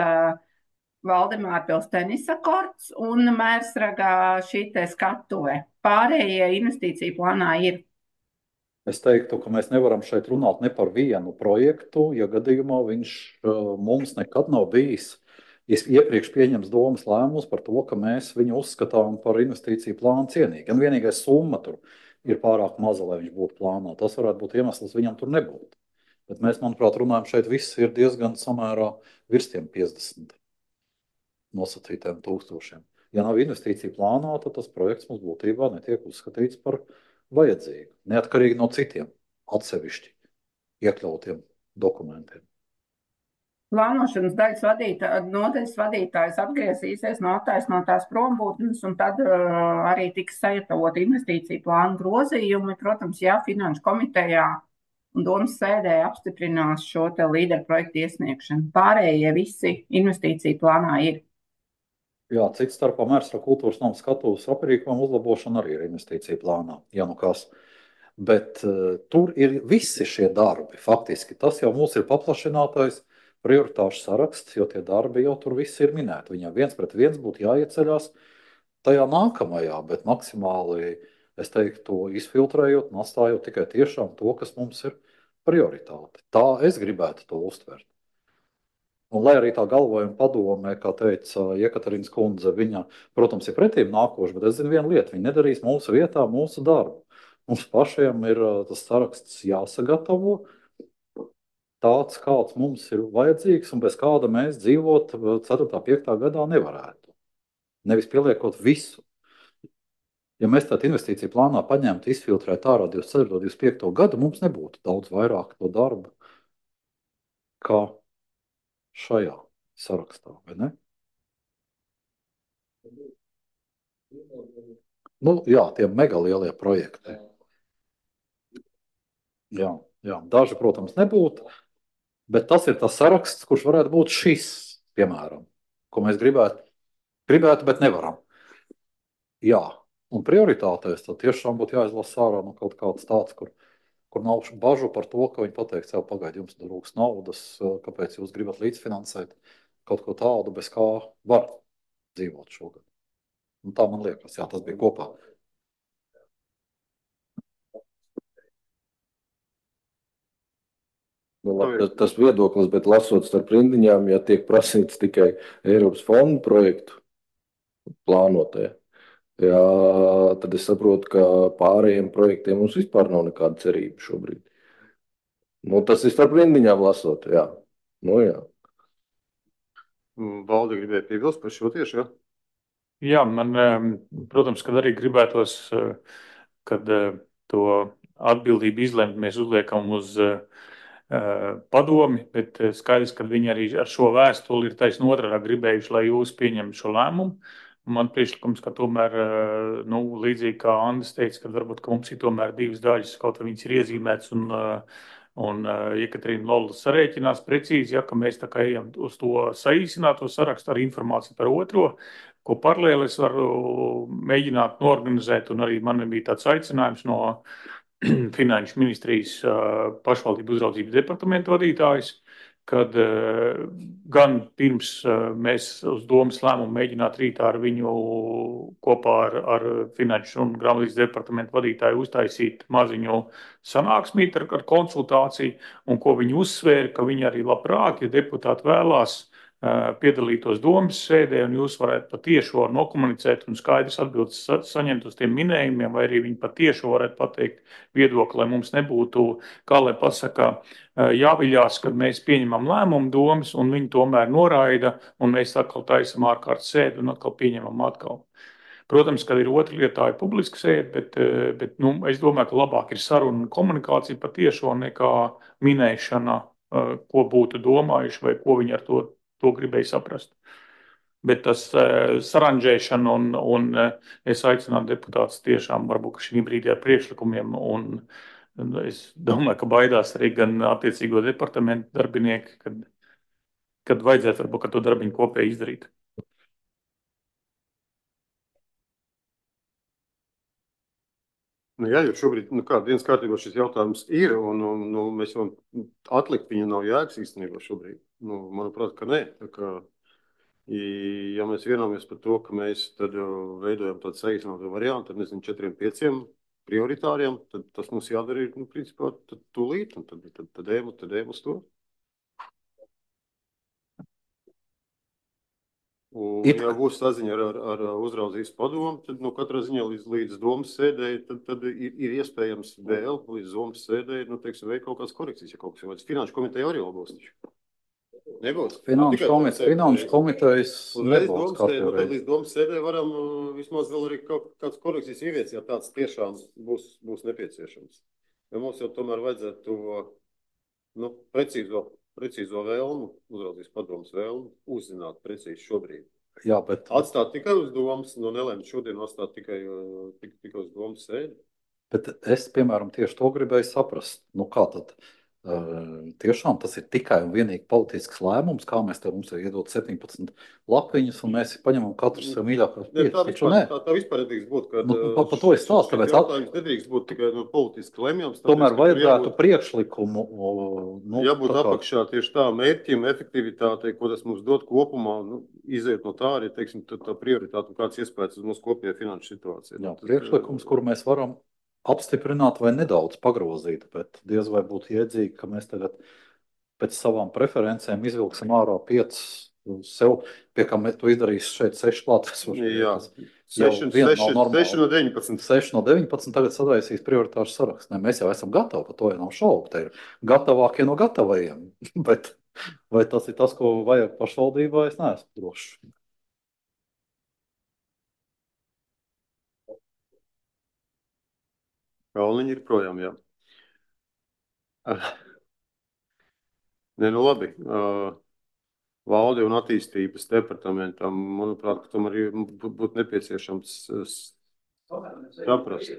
E: Valdemārpils tenisa korts un Mērsragā šī te skatuve. Pārējie investīciju plānā ir.
D: Es teiktu, ka mēs nevaram šeit runāt ne par vienu projektu, ja gadījumā viņš mums nekad nav bijis iepriekš pieņems domas lēmumus par to, ka mēs viņu uzskatām par investīciju plānu cienīgu. Gan vienīgais summa tur ir pārāk maza, lai viņš būtu plānā. Tas varētu būt iemesls viņam tur nebūt. Bet mēs, manuprāt, runājam šeit viss ir diezgan samērā virs tiem 50 nosacītiem tūkstošiem. Ja nav investīcija plānā, tad tas projekts mums būtībā netiek uzskatīts par vajadzīgu, neatkarīgi no citiem atsevišķi iekļautiem dokumentiem.
E: Plānošanas nodaļas vadītājs atgriezīsies no attaisnotās prombūtnes, un tad arī tiks sagatavot investīciju plānu grozījumi. Protams, ja Finanšu komitejā un domas sēdē apstiprinās šo te līderu projektu iesniegšanu. Pārējie visi investīciju plānā ir.
D: Jā, cits starpā Mērsra kultūras nama skatuves aprīkojuma uzlabošana arī ir investīcija plānā. Ja nu kas. Bet tur ir visi šie darbi. Faktiski tas jau mums ir paplašinātais prioritāšu saraksts, jo tie darbi jau tur visi ir minēti. Viņam 1 pret 1 būtu jāieceļās tajā nākamajā, bet maksimāli, es teiktu, izfiltrējot un atstājot tikai tiešām to, kas mums ir prioritāte. Tā es gribētu to uztvert. Un lai arī tā galvojuma padomē, kā teica Jekaterīnas kundze, viņa, protams, ir pretīm nākoša, bet es zinu vienu lietu, viņa nedarīs mūsu vietā mūsu darbu. Mums pašiem ir tas saraksts jāsagatavo, tāds, kāds mums ir vajadzīgs un bez kāda mēs dzīvot 4. 5. gadā nevarētu. Nevis pieliekot visu. Ja mēs tādu investīciju plānā paņemtu, izfiltrētu ārā 24. 25. gadu, mums nebūtu daudz vairāk to darbu kā šajā sarakstā, vai ne? Nu, jā, tie megalielie projekti. Jā, daži, protams, nebūtu. Bet tas ir tas saraksts, kurš varētu būt šis, piemēram, ko mēs gribētu, bet nevaram. Jā, un prioritātēs tad tiešām būtu jāizlasa ārā no kaut kāds tāds, kur nav bažu par to, ka viņi pateiks, jau pagaidi, jums trūks naudas, kāpēc jūs gribat līdzfinansēt kaut ko tādu, bez kā var dzīvot šogad. Un tā man liekas, jā, tas bija kopā.
F: Tas viedoklis, bet lasot starp rindiņām, ja tiek prasīts tikai Eiropas fondu projektu plānotajā. Jā, tad es saprotu, ka pārējiem projektiem mums vispār nav nekāda cerība šobrīd. Nu, tas ir starp rindiņām lasot, jā. Nu, jā.
A: Valde gribēja piebilst par šo tieši, jā?
H: Jā, man, protams, kad arī gribētos, kad to atbildību izlemt mēs uzliekam uz padomi, bet skaidrs, ka viņi arī ar šo vēstuli ir taisn otrādi gribējuši, lai jūs pieņemtu šo lēmumu. Man priekšlikums, ka tomēr, nu, līdzīgi kā Andris teica, ka varbūt ka mums ir tomēr divas daļas, kaut kā viņas ir iezīmētas un Jekaterina Lola sarēķinās precīzi, ja, ka mēs tā kā ejam uz to saīsināto sarakstu ar informāciju par otro, ko paralēli es varu mēģināt norganizēt, un arī man bija tāds aicinājums no Finanšu ministrijas pašvaldību uzraudzības departamenta vadītājs, kad gan pirms mēs uz domas lēmumu mēģināt rītā ar viņu kopā ar Finanšu un grāmatvedības departamentu vadītāju uztaisīt maziņu sanāksmīti ar konsultāciju, un ko viņi uzsvēra, ka viņi arī labprāt, ja deputāti vēlās, piedalītos domas sēdē, un jūs varētu patiešo nokomunicēt un skaidrs atbildes saņemt uz tiem minējumiem, vai arī viņi patiešo varētu pateikt viedokli, lai mums nebūtu, kā lai pasaka, jāviļās, kad mēs pieņemam lēmumu domas, un viņi tomēr noraida, un mēs atkal taisam ārkārtas sēdi un atkal pieņemam atkal. Protams, kad ir otra lieta, tā ir publiska sēde, bet nu, es domāju, ka labāk ir saruna un komunikācija patiešo nekā minēšana, ko būtu domājuši vai ko viņi ar to gribēju saprast. Bet tas saranžēšana un es aicinātu deputātus tiešām varbūt šī brīdī ar priekšlikumiem, un es domāju, ka baidās arī gan attiecīgo departamentu darbinieki, kad vajadzētu varbūt ka to darbiņu kopēji izdarīt.
A: Nu, jā, jo šobrīd, dienas kārtībā šis jautājums ir, un mēs jau atlikt viņu nav jēgas īstenībā šobrīd. Manuprāt, ka nē. Tā kā, ja mēs vienāmies par to, ka mēs tad veidojam tādu saīsinātu variantu, tad, nezinu, 4-5 prioritāriem, tad tas mums jādara ir, principā, tūlīt, un tad ejam uz to. Un, ja būs saziņa ar uzraudzības padomu, tad katrā ziņā līdz domas sēdēji, tad ir iespējams vēl līdz domas sēdēji, veikt kaut kādas korekcijas, ja kaut kas vajadz. Finanšu komiteja arī labos taču. Nebūs.
D: Finanšu komitejas nebūs.
A: Līdz domas sēdēji varam vismaz vēl arī kaut kādas korekcijas ieviest, ja tāds tiešām būs nepieciešams. Jo mums jau tomēr vajadzētu to precīzo vēlmu, uzraudzības padomas vēlmu, uzzināt precīzi šobrīd.
D: Jā, bet...
A: Atstāt tikai uz domas, nelēmt šodien atstāt tikai uz domas sēdi.
D: Bet es, piemēram, tieši to gribēju saprast. Kā tad? Tiešām tas ir tikai un vienīgi politisks lēmums, kā mēs te mums ir iedot 17 lapiņas, un mēs paņemam katru sev mīļākās piecas.
A: Tā vispār nedrīkst būt, ka
D: par to es stāstu, tāpēc
A: jautājums nedrīkst būt tikai politiski lemjams.
D: Tomēr vajadzētu priekšlikumu.
A: Jābūt apakšā tieši tā mērķim, efektivitātei, ko tas mums dod kopumā, iziet no tā arī, teiksim, tā prioritāte un kāds iespējas uz mūsu kopējā finanšu situāciju.
D: Jā, priekšlikums, kuru mēs varam apstiprināt vai nedaudz pagrozīt, bet diez vai būtu jēdzīgi, ka mēs tagad pēc savām preferencēm izvilksim ārā 5 sev, pie kā mēs to izdarīs šeit 6 klātesoši.
A: Jā, 6 no 19.
D: 6 no 19 tagad sadaisīs prioritāšu sarakstu. Ne, mēs jau esam gatavi, par to jau nav šaubu. Te ir gatavākie no gatavajiem, bet vai tas ir tas, ko vajag pašvaldībā, es neesmu drošs.
A: Kalniņi ir projām, jā. Labi. Valde un attīstības departamentam, manuprāt, ka tomēr būtu nepieciešams saprast.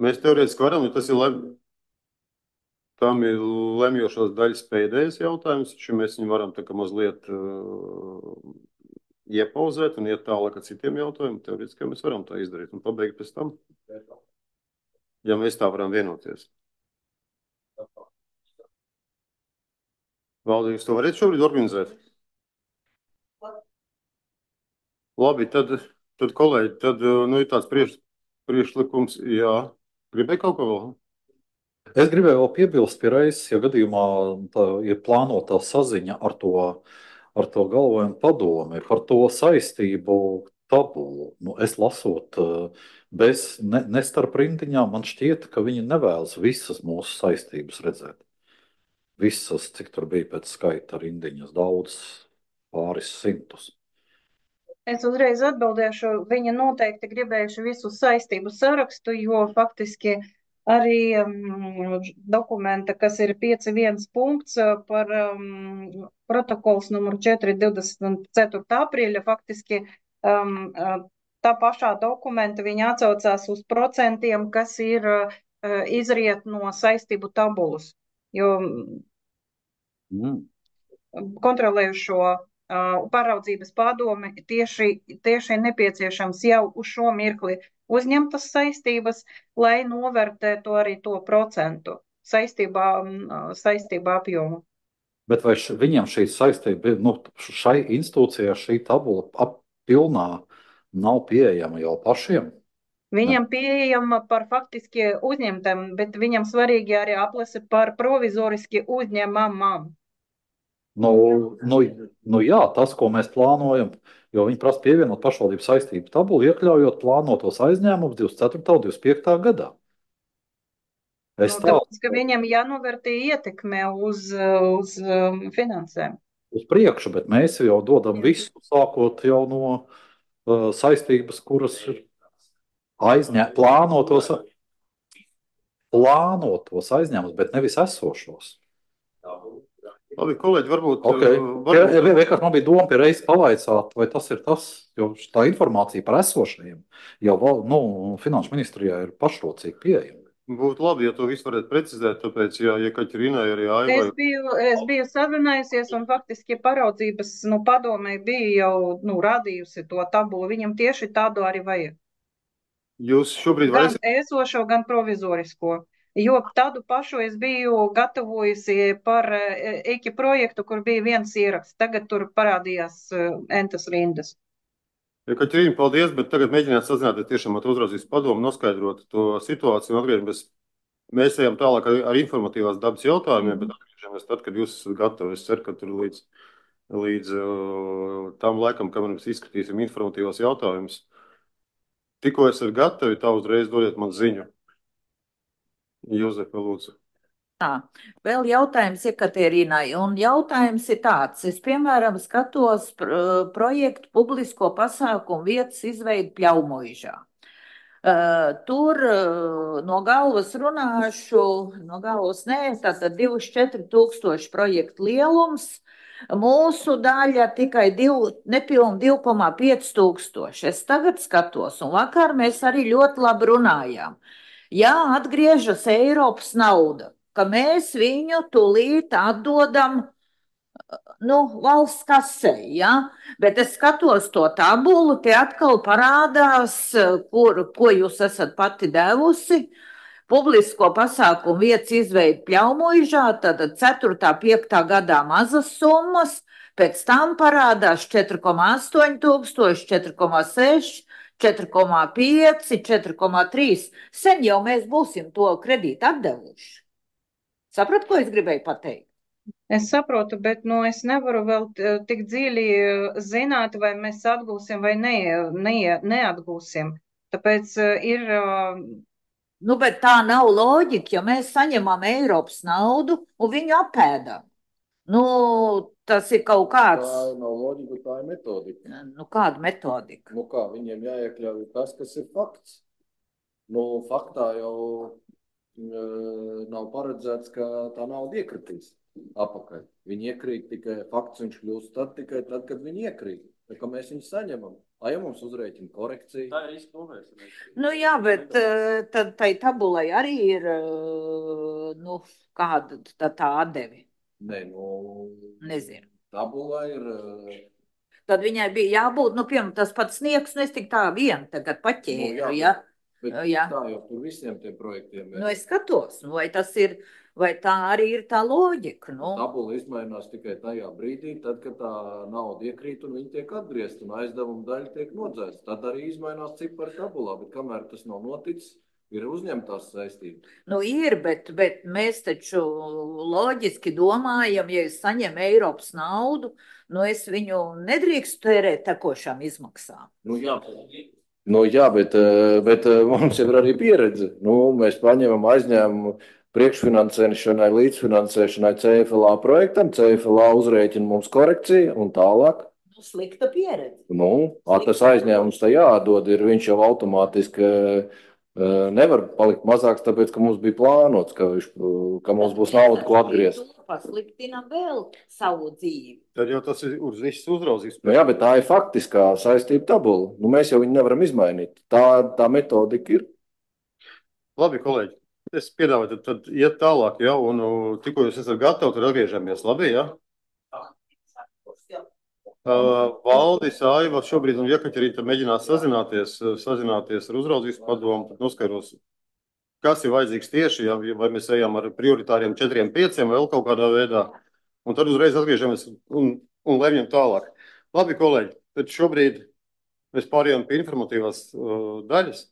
A: Mēs teorētiski varam, jo tas ir tam ir lemjošās daļas pēdējais jautājums, taču mēs viņu varam tā kā mazliet iepauzēt un iet tālāk ar citiem jautājumiem, teorētiski mēs varam tā izdarīt un pabeigt pēc tam. Ja mēs tā varam vienoties. Valdi, jūs to varat šobrīd organizēt? Labi, tad kolēģi, ir tāds priekšlikums, jā. Gribēju kaut ko vēl?
D: Es gribēju vēl piebilst pie reizes, ja gadījumā ir plānota saziņa ar to ar to galvojumu padomi, par to saistību tabulu. Nu, es lasot, ne starp rindiņām, man šķiet, ka viņi nevēlas visas mūsu saistības redzēt. Visas, cik tur bija pēc skaita rindiņas, daudz, pāris simtus.
B: Es uzreiz atbildēšu, viņi noteikti gribējuši visu saistību sarakstu, jo faktiski arī dokumenta, kas ir 5.1 punkts par protokols numuru 4.24. aprīļa, faktiski tā pašā dokumenta viņi atsaucās uz procentiem, kas ir izriet no saistību tabulas, jo kontrolējušo pāraudzības padome tieši nepieciešams jau uz šo mirkli uzņemtas saistības, lai novērtētu arī to procentu saistībā apjomu.
D: Bet vai viņam šī saistība, šai institūcijā šī tabula pilnā nav pieejama jau pašiem?
B: Viņam pieejama par faktiski uzņemtam, bet viņam svarīgi arī aplase par provizoriski uzņemamām.
D: Jā, tas, ko mēs plānojam, jo viņi prasa pievienot pašvaldību saistību tabulu, iekļaujot plānotos aizņēmumus 24. un 25. gadā.
B: Tāpēc, ka viņam jānovērtē ietekme uz finansēm.
D: Uz priekšu, bet mēs jau dodam visu, sākot jau no saistības, kuras ir plānotos aizņēmumus, bet nevis esošos.
A: Labi, kolēģi, varbūt...
D: Vienkārši man bija doma pie reizes pavaicāt, vai tas ir tas, jo tā informācija par esošajiem jau Finanšu ministrijā ir pašrocīgi pieejama.
A: Būtu labi, ja to visu varētu precizēt, tāpēc, ja Kaķerīnai arī
B: Aiva... Es biju sarunājusies un faktiski paraudzības padomē bija jau radījusi to tabulu. Viņam tieši tādu arī vajag.
A: Jūs šobrīd
B: gan esošo, gan provizorisko. Jo tādu pašu es biju gatavojusi par EKI projektu, kur bija viens ieraksts. Tagad tur parādījās entas rindas.
A: Kaķerīna, paldies, bet tagad mēģināt sazināties tiešām ar uzraudzības padomu, noskaidrot to situāciju un atgriežamies. Mēs ejam tālāk ar informatīvās dabas jautājumiem, bet atgriežamies tad, kad jūs esat gatavi. Es ceru, ka tur līdz tam laikam, kad mēs izskatīsim informatīvos jautājumus. Tikko esat gatavi, tā uzreiz dodiet man ziņu. Jozefa, lūdzu.
G: Vēl jautājums Katerīnai, un jautājums ir tāds. Es, piemēram, skatos projektu publisko pasākumu vietas izveidu Pļaumoižā. Tur no galvas runāšu, tātad 24 000 projektu lielums. Mūsu daļa tikai nepilni 2,5 tūkstoši. Es tagad skatos, un vakar mēs arī ļoti labi runājām. Jā, atgriežas Eiropas nauda, ka mēs viņu tūlīt atdodam valsts kasē, ja? Bet es skatos to tabulu, te atkal parādās, ko jūs esat pati devusi. Publisko pasākumu vietas izveida Pļaumoižā, tad 4. 5. gadā mazas summas, pēc tam parādās 4,8 tūkstoši, 4,6, 4,5, 4,3. Sen jau mēs būsim to kredītu atdevuši. Saprat, ko es gribēju pateikt?
B: Es saprotu, bet es nevaru vēl tik dziļi zināt, vai mēs atgūsim vai neatgūsim. Tāpēc ir...
G: bet tā nav loģika, ja mēs saņemam Eiropas naudu un viņu apēdam. Tas ir kaut kāds...
F: Tā nav loģika, tā ir metodika.
G: Kāda metodika?
F: Kā viņiem jāiekļauj tas, kas ir fakts. Faktā jau nav paredzēts, ka tā nauda iekritīs apakaļ. Viņi iekrīt tikai fakts, viņš kļūst tikai tad, kad viņi iekrīt. Tā kā mēs viņu saņemam. Ja mums uzrēķina korekcija. Tā ir riska novēršana.
G: Jā, bet tad tai tabulai arī ir, kāda tā atdevi. Nezinu.
F: Tabula ir...
G: Tad viņai bija jābūt, piemēram, tas pats sniegs, es tik tā vien tagad paķēru, ja?
F: Bet tā jau tur visiem tiem projektiem ir.
G: Es skatos, vai tā arī ir tā loģika,
F: Tabula izmainās tikai tajā brīdī, tad, kad tā nauda iekrīt un viņi tiek atgriezt un aizdevuma daļa tiek nodzēsta. Tad arī izmainās cipari tabulā, bet kamēr tas nav noticis, Ir uzņemtās saistības.
G: Nu, ir, bet mēs taču loģiski domājam, ja es saņemu Eiropas naudu, nu es viņu nedrīkstu tērēt tekošām izmaksām.
F: Nu, jā, bet mums jau ir arī pieredze. Nu, mēs paņemam aizņēmumu priekšfinansēšanai, līdzfinansēšanai CFLA projektam, CFLA uzrēķina mums korekciju un tālāk.
G: Nu, slikta pieredze.
F: Nu, tas aizņēmums tā jādod, viņš jau automātiski nevar palikt mazāks, tāpēc, ka mums bija plānots, ka mums būs nauda, ko atgriezt.
G: Pasliktinam vēl savu dzīvi.
A: Tad jau tas ir uz viss uzraudzības.
F: Nu, jā, bet tā ir faktiskā saistība tabula. Nu, mēs jau viņu nevaram izmainīt. Tā metodika ir.
A: Labi, kolēģi. Es piedāvāju tad iet tālāk, ja, un tikko jūs esat gatavi, tad atgriežamies. Labi, ja? Valdis, Aiva šobrīd un Jekaterīna mēģinās sazināties ar uzraudzības padomu, tad noskaidros, kas ir vajadzīgs tieši, ja, vai mēs ejam ar prioritāriem 4-5 vai vēl kaut kādā veidā, un tad uzreiz atgriežamies un lemjam tālāk. Labi, kolēģi, tad šobrīd mēs pārējām pie informatīvās daļas.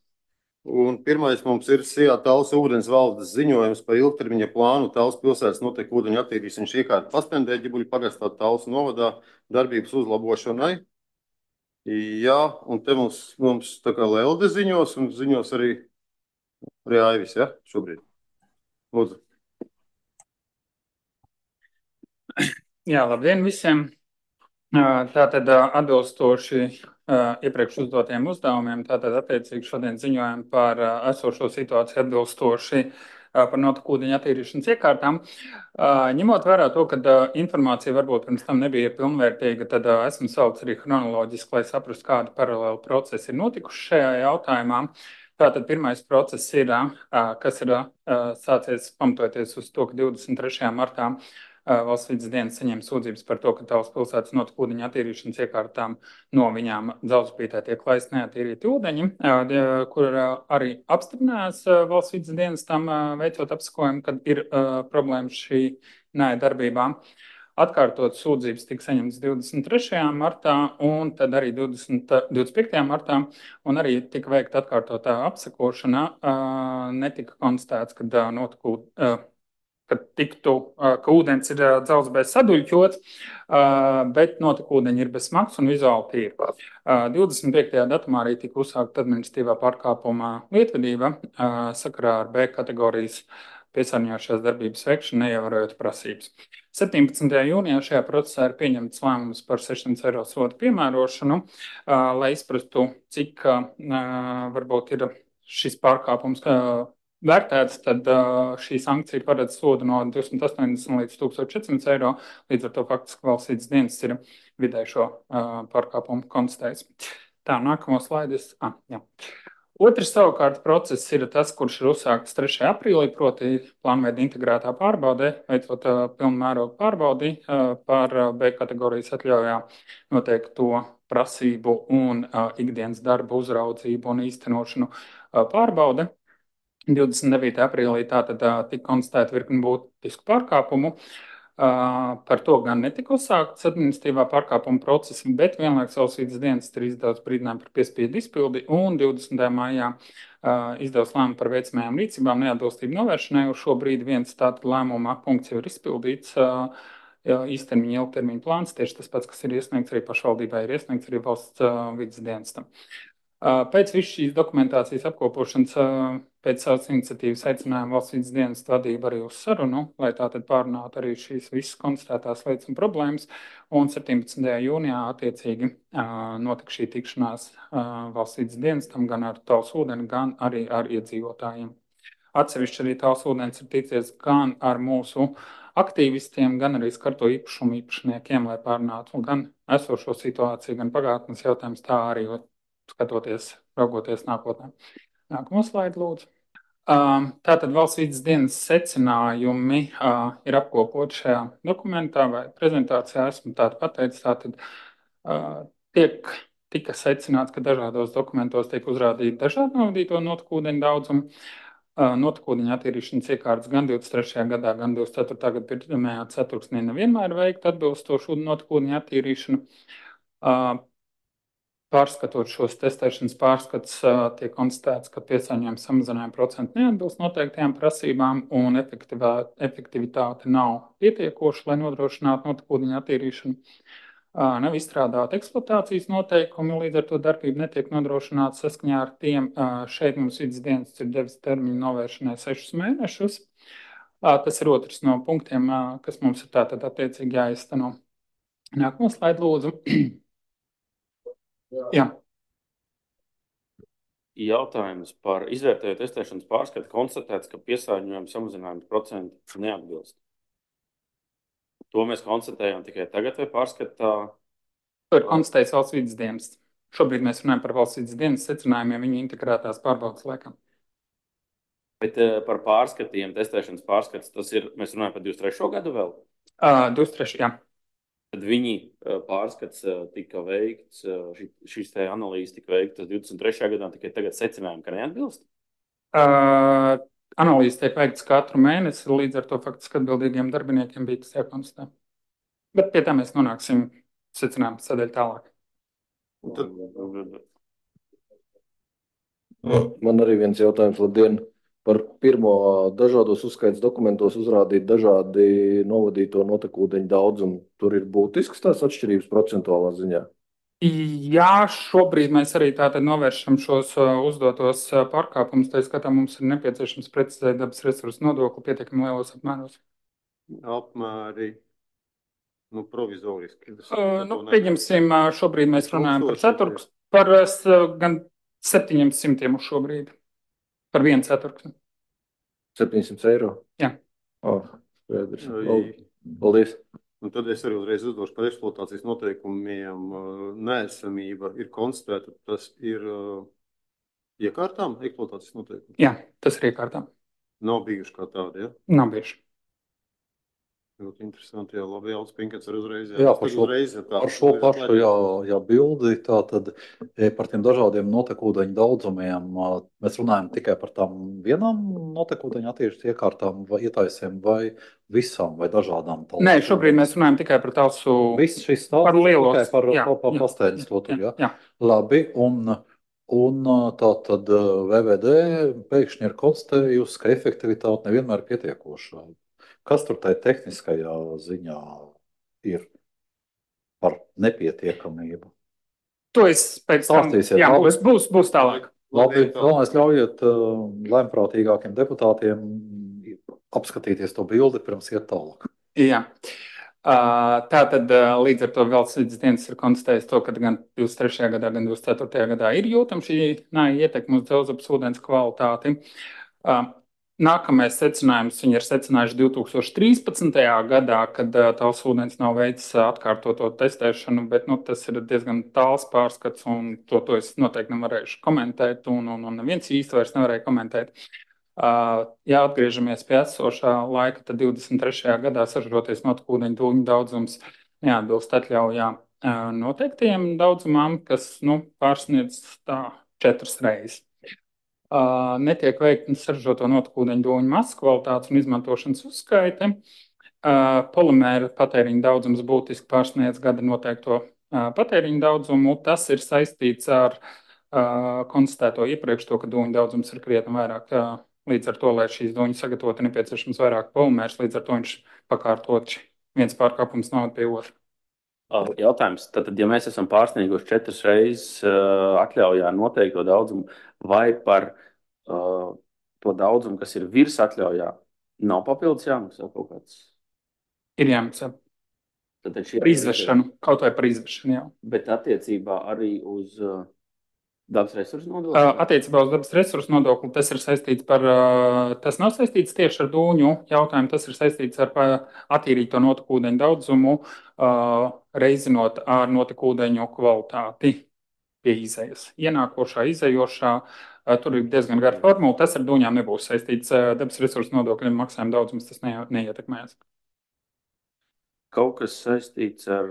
A: Un pirmais mums ir SIA Tallas ūdens valdes ziņojums par ilgtermiņa plānu Tallas pilsētas noteku ūdeņu attīrīšanas iekārtu Paspendē, Ģibuļu pagastā Tallas novadā darbības uzlabošanai. Jā, un te mums tā kā Lelde ziņos un ziņos arī Aivis, ja, šobrīd. Lūdzu.
H: Jā, labdien visiem! Tātad atbilstoši iepriekš uzdotiem uzdevumiem, tātad attiecīgi šodien ziņojam par esošo situāciju atbilstoši par notekūdeņu attīrīšanas iekārtām. Ņemot vērā to, ka informācija varbūt pirms tam nebija pilnvērtīga, tad esmu sauc arī chronoloģiski, lai saprastu, kādi paralēli procesi ir notikuši šajā jautājumā. Tātad pirmais process ir, kas ir sācies pamatoties uz to, ka 23. martā Valsts vides dienas saņem sūdzības par to, ka Tallas pilsētas notekūdeņu attīrīšanas iekārtām no viņām Dzelzupītē tiek laist neattīrīti ūdeņi, kur arī apstiprinājās Valsts vides dienas tam veicot apsakojumu, kad ir problēmas šī darbībā. Atkārtot sūdzības tika saņemtas 23. martā un tad arī 25. martā, un arī tika veikta atkārtotā apsakošana. Netika konstatēts, ka ūdens ir dzelzbēs saduļķots, bet notekūdeņi ir bez smags un vizuāli tīri. 25. datumā arī tika uzsākta administratīvā pārkāpuma lietvedība sakarā ar B kategorijas piesārņojošās darbības veikšanu, neievērojot prasības. 17. jūnijā šajā procesā ir pieņemts lēmums par 600 eiro sodu piemērošanu, lai izprastu, cik varbūt ir šis pārkāpums vērtēts, tad šī sankcija paredz sodu no 280 līdz 1400 eiro. Līdz ar to faktiski Valsts vides dienas ir vidēji šo pārkāpumu konstatējis. Tā, nākamo slaidis. Jā. Otrs savukārt process ir tas, kurš ir uzsākts 3. aprīlī, proti plānveida integrētā pārbaudē, veicot pilnu mērogu pārbaudi par B kategorijas atļaujā noteikto prasību un ikdienas darba uzraudzību un īstenošanu pārbaude. 29. aprīlī tātad tika konstatēta virkni būtisku pārkāpumu. Par to gan netika uzsākts administratīvā pārkāpuma procesa, bet vienlaikus Valsts vides dienas ir izdevusi brīdinājumu par piespiedu izpildi un 20. maijā izdevusi lēmumu par veicamajām rīcībām neatbilstību novēršanai. Uz šo brīdi viens tātad lēmuma punkts jau ir izpildīts. Īstermiņa, ilgtermiņa plāns, tieši tas pats, kas ir iesniegts arī pašvaldībai, ir iesniegts arī Valsts vides dienestam. Pēc visu šīs dokumentācijas apkopošanas pēc savas iniciatīvas aicinājām Valsts vides dienas vadību arī uz sarunu, lai tātad pārunātu arī šīs visas konstatētās lietas un problēmas. Un 17. jūnijā attiecīgi notika šī tikšanās Valsts vides dienestam gan ar Tallas ūdeni, gan arī ar iedzīvotājiem. Atsevišķi arī Tallas ūdens ir ticies gan ar mūsu aktīvistiem, gan arī skarto īpašumu īpašniekiem, lai pārunātu gan esošo situāciju, gan pagātnes jautājums, tā arī skatoties, raugoties nākotnē. Nākamo slaidu, lūdzu. Tātad Valsts vides dienas secinājumi ir apkopoti šajā dokumentā vai prezentācijā. Esmu tādu pateicis, tātad tika secināts, ka dažādos dokumentos tiek uzrādīti dažādi novadīto notekūdeņu daudzumu. Notekūdeņu attīrīšanas iekārtas gan 23. gadā, gan 24. gada pirmajā ceturksnī nevienmēr veikta atbilstošu notekūdeņu attīrīšanu.
I: Pārskatot šos testēšanas pārskatus, tiek konstatēts, ka piesārņojuma samazinājuma procenti neatbilst noteiktajām prasībām un efektivitāte nav pietiekoša, lai nodrošinātu notekūdeņu attīrīšanu. Nav izstrādāti eksploatācijas noteikumi, līdz ar to darbība netiek nodrošināta saskaņā ar tiem. Šeit mums vidas dienas ir devis termiņu novēršanai 6 mēnešus. Tas ir otrs no punktiem, kas mums ir tātad attiecīgi jāizteno. Nākamo slaidu lūdzu. Jā.
C: Jautājums par izvērtējumu testēšanas pārskatu konstatēts, ka piesārņojuma samazinājuma procenti neatbilst. To mēs konstatējam tikai tagad vai pārskatā?
I: To ir konstatējis valsts vidas dienas. Šobrīd mēs runājam par valsts vidas dienas secinājumiem viņu integrētās pārbaudas laikā.
C: Bet par pārskatiem, testēšanas pārskats, tas ir, mēs runājam par 23. gadu vēl?
I: 23. jā.
C: Tad viņi pārskats tika veikts, šīs te analīzes tika veiktas 23. gadā, tikai tagad secinājumi, ka neatbilst?
I: Analīzes tiek veikts katru mēnesi, līdz ar to faktiski atbildīgiem darbiniekiem bija tas jākonstatē. Bet pie tā mēs nonāksim secinājumu sadaļu tālāk.
F: Man arī viens jautājums, labdien, par pirmo dažādos uzskaitas dokumentos uzrādīt dažādi novadīto notekūdeņu daudzumu. Tur ir būtisks tās atšķirības procentuālā ziņā?
I: Jā, šobrīd mēs arī tātad novēršam šos uzdotos pārkāpumus. Tā skatā mums ir nepieciešams precizēt dabas resursu nodokli pietiekami lielos apmēros.
A: Apmēri, provizoriski.
I: Pieņemsim, šobrīd mēs runājam par ceturks, par gan 700 uz šobrīd. Par 1 ceturksni.
F: 700 eiro?
I: Jā.
F: Paldies.
A: Un tad es arī uzreiz uzdošu par eksploatācijas noteikumiem. Neesamība ir konstatēta, tas ir iekārtām eksploatācijas noteikumi?
I: Jā, tas ir iekārtām.
A: Nav bijuši kā tādi, ja?
I: Nav bijuši.
A: Ļoti interesanti, jā, labi, Jālis Pinkets ar uzreiz.
D: Jā, par šo pašu bildi, tātad par tiem dažādiem notekūdeņu daudzumiem, mēs runājam tikai par tām vienām notekūdeņu attīrīšanas iekārtām vai ietaisēm vai visām vai dažādām talsām?
I: Nē, šobrīd mēs runājam tikai par talsu.
D: Viss šis talsu
I: par lielos.
D: Tikai par pastēļas to tur, jā?
I: Jā.
D: Labi, un tātad VVD pēkšņi ir konstatējusi, ka efektivitāte nevienmēr pietiekoša. Kas tur tai tehniskajā ziņā ir par nepietiekamību?
I: To es pēc tam, jā, būs tālāk.
D: Labi, vēlreiz ļaujiet lēmprātīgākiem deputātiem apskatīties to bildi pirms iet tālāk.
I: Jā. Tātad līdz ar to valsts vidas dienas ir konstatējis to, ka gan 23. gadā, gan 24. gadā ir jūtama šī ietekme uz dzelzceļa ūdens kvalitāti. Nākamais secinājums viņi ir secinājuši 2013. gadā, kad talsu ūdens nav veicis atkārtoto testēšanu, bet tas ir diezgan tāls pārskats, un to es noteikti nevarēšu komentēt, un neviens īsti vairs nevarēja komentēt. Ja atgriežamies pie esošā laika, tad 23. gadā saražoties notekūdeņu dūņu daudzums neatbilst atļaujā noteiktajiem daudzumam, kas pārsniedz 4 reizes. Netiek veikta saražoto notekūdeņu dūņu masas kvalitātes un izmantošanas uzskaite. Polimēra patēriņa daudzums būtiski pārsniedz gada noteikto patēriņa daudzumu. Tas ir saistīts ar konstatēto iepriekš to, ka dūņu daudzums ir krietni vairāk. Līdz ar to, lai šīs dūņas sagatavotu, nepieciešams vairāk polimērs, līdz ar to viņš pakārtot viens pārkāpums noved pie otra.
C: Jautājums, tad, ja mēs esam pārsnieguši 4 reizes atļaujā noteikto daudzumu, vai par to daudzumu, kas ir virs atļaujā, nav papildus jāmaksā kaut kāds?
I: Ir jāmaksā. Par izvešanu, kaut vai par izvešanu, jā.
C: Bet attiecībā arī uz dabas resursu nodokli?
I: Attiecībā uz dabas resursu nodokli tas ir saistīts tas nav saistīts tieši ar dūņu jautājumu, tas ir saistīts ar attīrīto notekūdeņu daudzumu, reizinot ar notekūdeņu kvalitāti pie izējas. Ienākošā, izējošā, tur ir diezgan gara formula, tas ar dūņām nebūs saistīts. Dabas resursu nodokļu maksājuma daudzums tas neietekmēs.
C: Kaut kas saistīts ar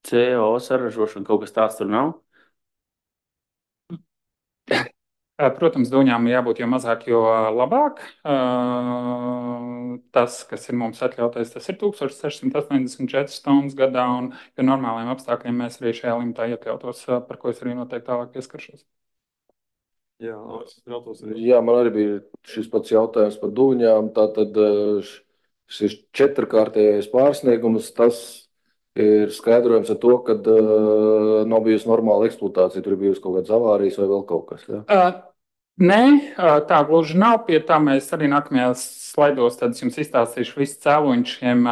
C: CO saražošanu, kaut kas tāds tur nav?
I: Protams, dūņām jābūt jo mazāk, jo labāk. tas, kas ir mums atļautais, tas ir 1684 stundas gadā, un pie normāliem apstākļiem mēs arī šajā limitā iekļautos, par ko es arī noteikti tālāk pieskaršos.
A: Jā,
F: Jā, man arī bija šis pats jautājums par dūņām. Tātad šis 4-kārtējais pārsniegums, tas ir skaidrojums ar to, ka nav bijusi normāla eksploatācija, tur ir bijusi kaut kādas avārijas vai vēl kaut kas. Ja?
I: Nē, tā gluži nav. Pie tā mēs arī nākamajās slaidos jums izstāstīšu visu cēloņu šiem.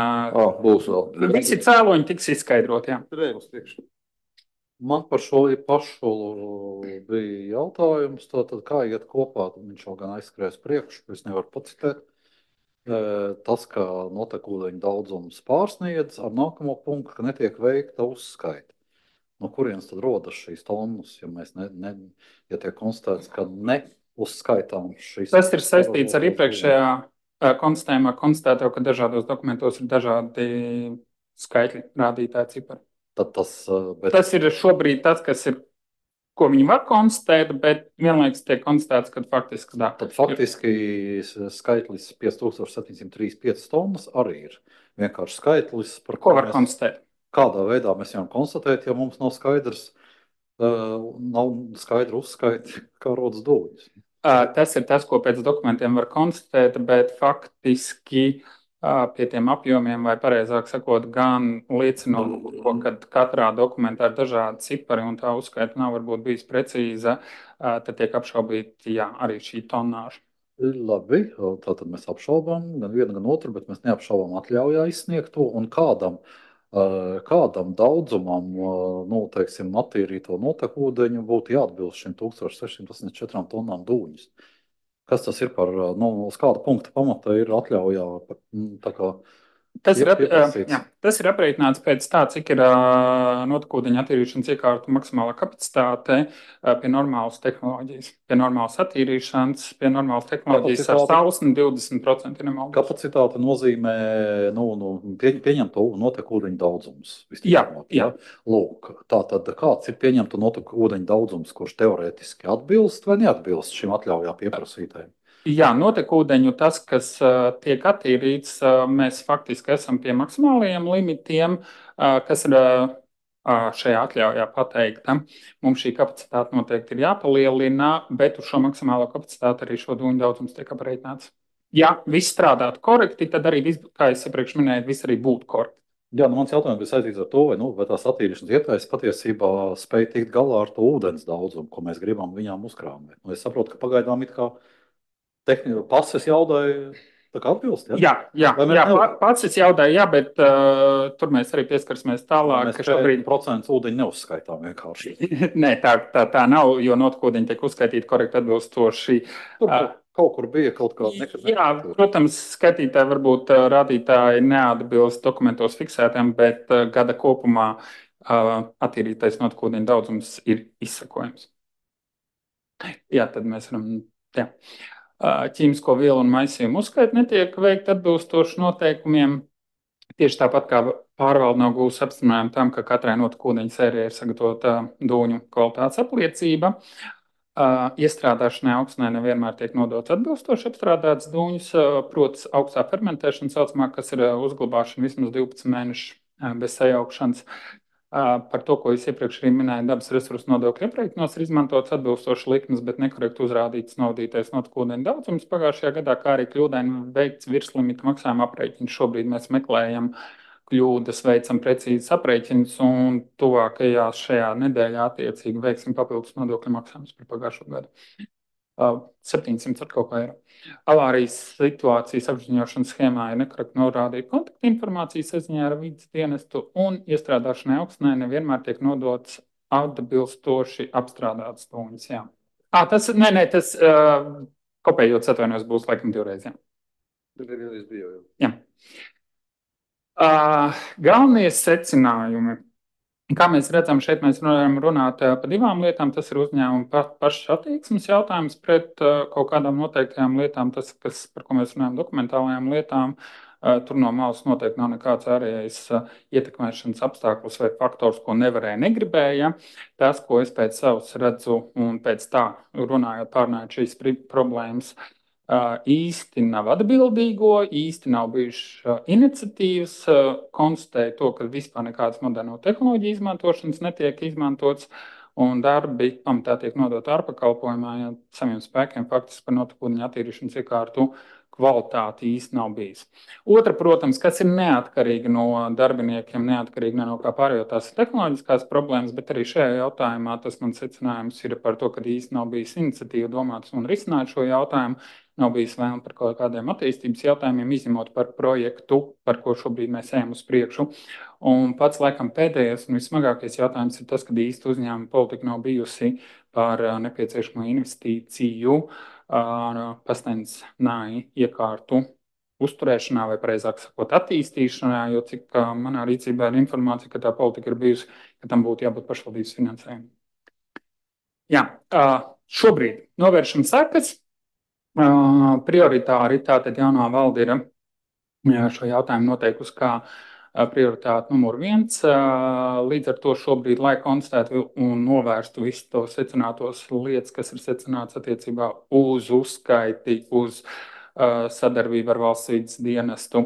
F: Būs vēl.
I: Visi cēloņi tiks izskaidroti, jā.
D: Man par šo pašu bija jautājums, tātad kā iet kopā, viņš jau gan aizskrēs priekšu, es nevaru pacitēt. Tas, ka notekūdeņu daudzums pārsniedz ar nākamo punktu, ka netiek veikta uzskaita. No kurienes tad rodas šīs tonnas, ja mēs ja tiek konstatēts, ka neuzskaitām šīs?
I: Tas ir saistīts ar iepriekšējā konstatējumā, konstatēto, ka dažādos dokumentos ir dažādi skaitļi, rādītāji cipari. Tas ir šobrīd tas, ko viņi var konstatēt, bet vienlaikus tiek konstatēts, ka faktiski tā.
D: Tad faktiski skaitlis 5735 tonnas arī ir vienkārši skaitlis, par
I: ko var konstatēt.
D: Kādā veidā mēs varam konstatēt, ja mums nav skaidrs, nav skaidra uzskaita, kā rodas dūļas?
I: Tas ir tas, ko pēc dokumentiem var konstatēt, bet faktiski pie tiem apjomiem, vai pareizāk sakot, gan liecinot to, ka katrā dokumentā ir dažādi cipari un tā uzskaita nav varbūt bijis precīza, tad tiek apšaubīti, arī šī tonnāža.
D: Labi, tātad mēs apšaubām gan vienu, gan otru, bet mēs neapšaubām atļaujā izsniegto un kādam daudzumam, teiksim, attīrīto notekūdeņu būtu jāatbilst šim 1684 tonnām dūņas. Kas tas ir par, uz kāda punkta pamata ir atļaujā?
I: Tas ir aprēķināts pēc tā, cik ir notekūdeņa attīrīšanas iekārtu maksimālā kapacitāte pie normālas tehnoloģijas. Pie normālas attīrīšanas, pie normālas tehnoloģijas ar sausni 20% nemaldos.
D: Kapacitāte nozīmē pieņemto notekūdeņu daudzums.
I: Jā.
D: Lūk, tātad kāds ir pieņemto notekūdeņu daudzums, kurš teorētiski atbilst vai neatbilst šim atļaujā pieprasītājiem?
I: Jā, notekūdeņu tas, kas tiek attīrīts, mēs faktiski esam pie maksimālajiem limitiem, kas ir šajā atļaujā pateikta. Mums šī kapacitāte noteikti ir jāpalielina, bet uz šo maksimālo kapacitāti arī šo dūņu daudzums tiek aprēķināts. Ja viss strādātu korekti, tad arī, kā es iepriekš minēju, viss arī būtu korekti.
D: Jā, mans jautājums bija saistīts ar to, vai tās attīrīšanas ietājs patiesībā spēj tikt galā ar to ūdens daudzumu, ko mēs gribam viņām uzkrāmēt. Es saprotu, ka pagaidām it kā pases jaudai atbilst, ja?
I: Jā, pases jaudai, bet tur mēs arī pieskarsimies tālāk.
D: Mēs šobrīd 40% ūdeņu neuzskaitām vienkārši.
I: Nē, tā nav, jo notekūdeņi tiek uzskaitīti korekti atbilstoši.
D: Kaut kur bija kaut kāda nekad.
I: Jā, protams, skaitītāji varbūt rādītāji neatbilst dokumentos fiksētiem, bet gada kopumā attīrītais notekūdeņu daudzums ir izsakojams. Jā, tad mēs varam, ķīmisko vielu un maisījumu uzskaita netiek veikta atbilstoši noteikumiem. Tieši tāpat kā pārvalde nav gūs apstiprinājumu tam, ka katrai notekūdeņa sērijai ir sagatavota dūņu kvalitātes apliecība. Iestrādāšanai augsnē nevienmēr tiek nodots atbilstoši apstrādāts dūņus, proti augstā fermentēšana saucamā, kas ir uzglabāšana vismaz 12 mēnešu bez sajaukšanas. Par to, ko es iepriekš arī minēju, dabas resursu nodokļu aprēķinos ir izmantots atbilstoši likmes, bet nekorekti uzrādīts naudītais notekūdeņu daudzums pagājušajā gadā, kā arī kļūdaini veikts virslimita maksājuma aprēķins. Šobrīd mēs meklējam kļūdas, veicam precīzes aprēķinus un tuvākajās šajā nedēļā attiecīgi veiksim papildus nodokļu maksājumus par pagājušo gadu. 700 ar kaut kā eiro. Avārijas situācijas apziņošanas schēmā ir nekorekti norādīta kontaktinformācija saziņā ar vides dienestu un iestrādāšanai augsnē nevienmēr tiek nodots atbilstoši apstrādāts dūņus. Tas kopējot atvainojos būs laikam divreiz. Jā. Galvenie secinājumi. Kā mēs redzam, šeit mēs varam runāt par divām lietām. Tas ir uzņēmuma pašas attieksmes jautājums pret kaut kādām noteiktajām lietām. Tas, par ko mēs runājam, dokumentālajām lietām, tur no malas noteikti nav nekāds ārējais ietekmēšanas apstākļus vai faktors, ko nevarēja, negribēja. Tas, ko es pēc savas redzu un pēc tā runājot, pārnājot šīs problēmas, īsti nav atbildīgo, īsti nav bijušas iniciatīvas, konstatēja to, ka vispār nekādas moderno tehnoloģiju izmantošanas netiek izmantots, un darbi pamatā tiek nodot ārpakalpojumā, ja saviem spēkiem faktiski par notekūdeņu attīrīšanas iekārtu kvalitāti īsti nav bijis. Otra, protams, kas ir neatkarīga no darbiniekiem, neatkarīga ne no kā pārējo tās tehnoloģiskās problēmas, bet arī šajā jautājumā tas man secinājums ir par to, ka īsti nav bijis iniciatīva domāts un risināt šo jautājumu. Nav bijis vēlme par kaut kādiem attīstības jautājumiem, izņemot par projektu, par ko šobrīd mēs ejam uz priekšu. Un pats laikam pēdējais un vismagākais jautājums ir tas, ka īsti uzņēmuma politika nav bijusi par nepieciešamo investīciju pastāvīgu iekārtu uzturēšanā, vai precīzāk sakot, attīstīšanā, jo cik manā rīcībā ir informācija, ka tā politika ir bijusi, ka tam būtu jābūt pašvaldības finansējumam. Jā, šobrīd novēršam sekas. Prioritāri tātad jaunā valde ir šo jautājumu noteikusi kā prioritāti numur 1. Līdz ar to šobrīd, lai konstatētu un novērstu visu to secinātos lietas, kas ir secināts attiecībā uz uzskaiti, uz sadarbību ar valsts vides dienestu,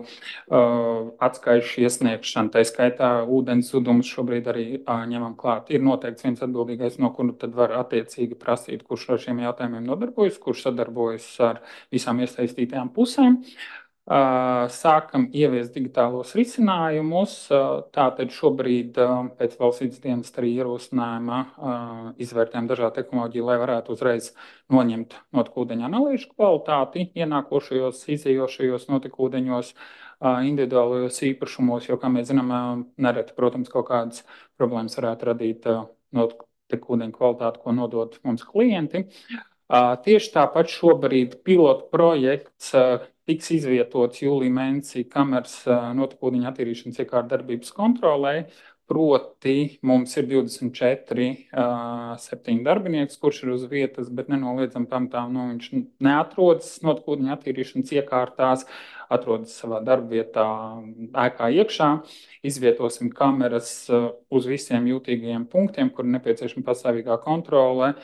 I: atskaišu iesniegšanu, tā skaitā ūdens zudumus šobrīd arī ņemam klāt. Ir noteikts viens atbildīgais, no kura tad var attiecīgi prasīt, kurš ar šiem jautājumiem nodarbojas, kurš sadarbojas ar visām iesaistītajām pusēm. Sākam ieviest digitālos risinājumus. Tātad šobrīd pēc valsts vides dienesta arī ierosinājuma izvērtējam dažādu tehnoloģiju, lai varētu uzreiz noņemt notekūdeņu analīžu kvalitāti ienākošajos, izējošajos notekūdeņos, individuālajos īpašumos, jo, kā mēs zinām, nereti, protams, kaut kādas problēmas varētu radīt notekūdeņu kvalitāti, ko nodot mums klienti. Tieši tāpat šobrīd pilotu projekts tiks izvietots jūlijā mēnesī kameras notekūdeņu attīrīšanas iekārtu darbības kontrolē. Proti mums ir 24, 7 darbinieks, kurš ir uz vietas, bet nenoliedzam pamatā, viņš neatrodas notekūdeņu attīrīšanas iekārtās, atrodas savā darbvietā, ēkā iekšā. Izvietosim kameras uz visiem jūtīgajiem punktiem, kur nepieciešama pastāvīgā kontrole.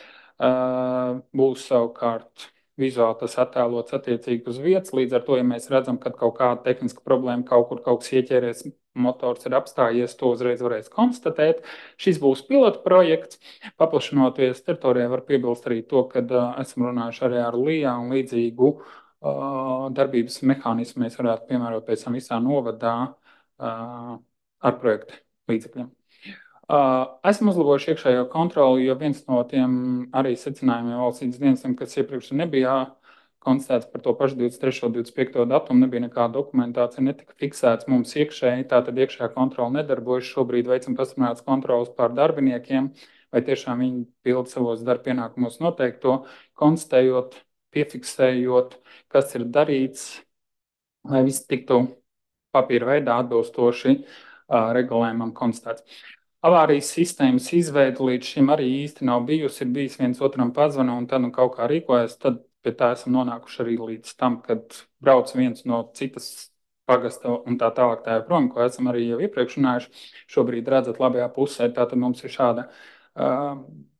I: Būs savukārt vizuāli tas attēlots attiecīgi uz vietas. Līdz ar to, ja mēs redzam, ka kaut kāda tehniska problēma kaut kur kaut kas ieķēries, motors ir apstājies, to uzreiz varēs konstatēt. Šis būs pilota projekts. Paplašinoties teritorijā, var piebilst arī to, ka esam runājuši arī ar LIA un līdzīgu darbības mehānismu mēs varētu piemērot pēc tam visā novadā ar projektu līdzekļiem. Esmu uzlabojuši iekšējo kontroli, jo viens no tiem arī secinājumiem valsts vides dienestam, kas iepriekš nebija konstatēts par to pašu 23. un 25. datumu, nebija nekāda dokumentācija, netika fiksēts mums iekšēji, tātad iekšējā kontrola nedarbojas. Šobrīd veicam pastiprinātas kontrolas pār darbiniekiem, vai tiešām viņi pilda savos darba pienākumos noteikto, konstatējot, piefiksējot, kas ir darīts, lai viss tiktu papīra veidā atbilstoši regulējumam konstatēts. Avārijas sistēmas izveide līdz šim arī īsti nav bijusi, ir bijis viens otram pazvana un tad kaut kā rīkojas, tad pie tā esam nonākuši arī līdz tam, kad brauc viens no citas pagasta un tā tālāk tā joprojām, ko esam arī jau iepriekš runājuši. Šobrīd redzat labajā pusē, tātad mums ir šāda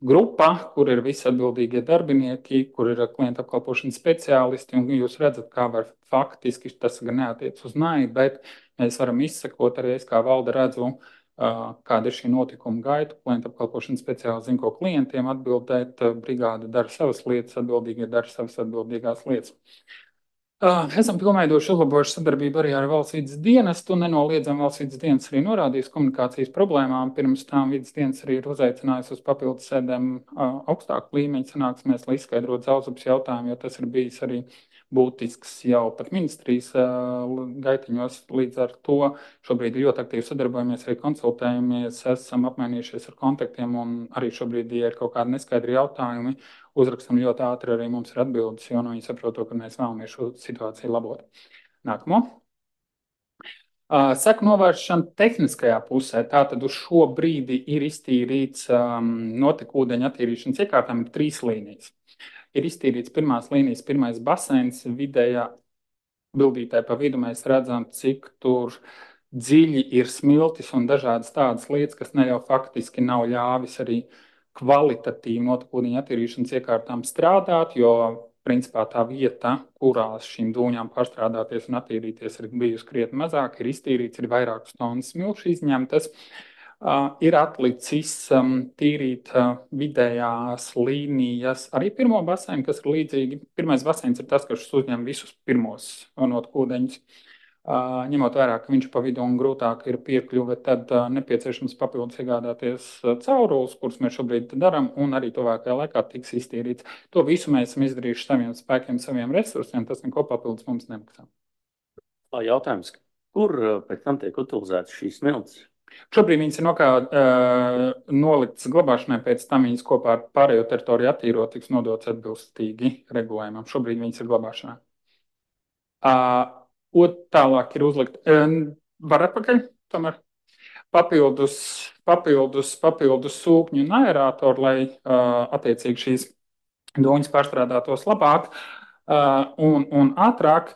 I: grupa, kur ir visi atbildīgie darbinieki, kur ir klienta apkalpošanas speciālisti, un jūs redzat, kā var faktiski, tas gan neatiec uz naidu, bet mēs varam izsekot arī, es kā valde redzu, kāda ir šī notikuma gaita. Klienta apkalpošanas speciālisti zina, ko klientiem atbildēt, brigāde dara savas lietas, atbildīgie dara savas atbildīgās lietas. Esam pilnveidojuši, uzlabojuši sadarbību arī ar valsts vides dienestu. Nenoliedzam, valsts vides dienests arī norādījis komunikācijas problēmām. Pirms tam vides dienests arī ir uzaicinājusi uz papildus sēdēm augstāku līmeņu sanāksmēs, lai izskaidrotu zaudzupas jautājumu, jo tas ir bijis arī būtisks jau pat ministrijas gaitiņos. Līdz ar to šobrīd ļoti aktīvi sadarbojamies, arī konsultējamies, esam apmainījušies ar kontaktiem, un arī šobrīd, ja ir kaut kādi neskaidri jautājumi, uzrakstam ļoti ātri, arī mums ir atbildes, jo viņi saprot to, ka mēs vēlamies šo situāciju labot. Nākamo. Seku novēršana tehniskajā pusē. Tātad uz šo brīdi ir iztīrīts notekūdeņu attīrīšanas iekārtām 3 līnijas. Ir iztīrīts pirmās līnijas, pirmais baseins, vidējā bildītē pa vidu mēs redzam, cik tur dziļi ir smiltis un dažādas tādas lietas, kas ne jau faktiski nav ļāvis arī kvalitatīvi notekūdeņu attīrīšanas iekārtām strādāt, jo principā tā vieta, kurās šīm dūņām pārstrādāties un attīrīties, ir bijusi krietni mazāk, ir iztīrīts, ir vairākas tonnas smilšu izņemtas. Ir atlicis tīrīt vidējās līnijas arī pirmo baseinu, kas ir līdzīgi. Pirmais baseins ir tas, kas uzņem visus pirmos notekūdeņus. Ņemot vērā, ka viņš pa vidu un grūtāk ir piekļuve, tad nepieciešams papildus iegādāties caurules, kurus mēs šobrīd darām, un arī tuvākajā laikā tiks iztīrīts. To visu mēs esam izdarījuši saviem spēkiem, saviem resursiem, tas neko papildus mums nemaksā.
C: Jautājums, kur pēc tam tiek utilizētas šīs smiltis?
I: Šobrīd viņas ir noliktas glabāšanai, pēc tam viņas kopā ar pārējo teritoriju attīrot, tiks nodots atbilstīgi regulējumam. Šobrīd viņas ir glabāšanā. Tālāk ir uzlikt, var atpakaļ, tomēr papildus sūkņu un aerātoru, lai attiecīgi šīs dūņas pārstrādātos labāk un ātrāk.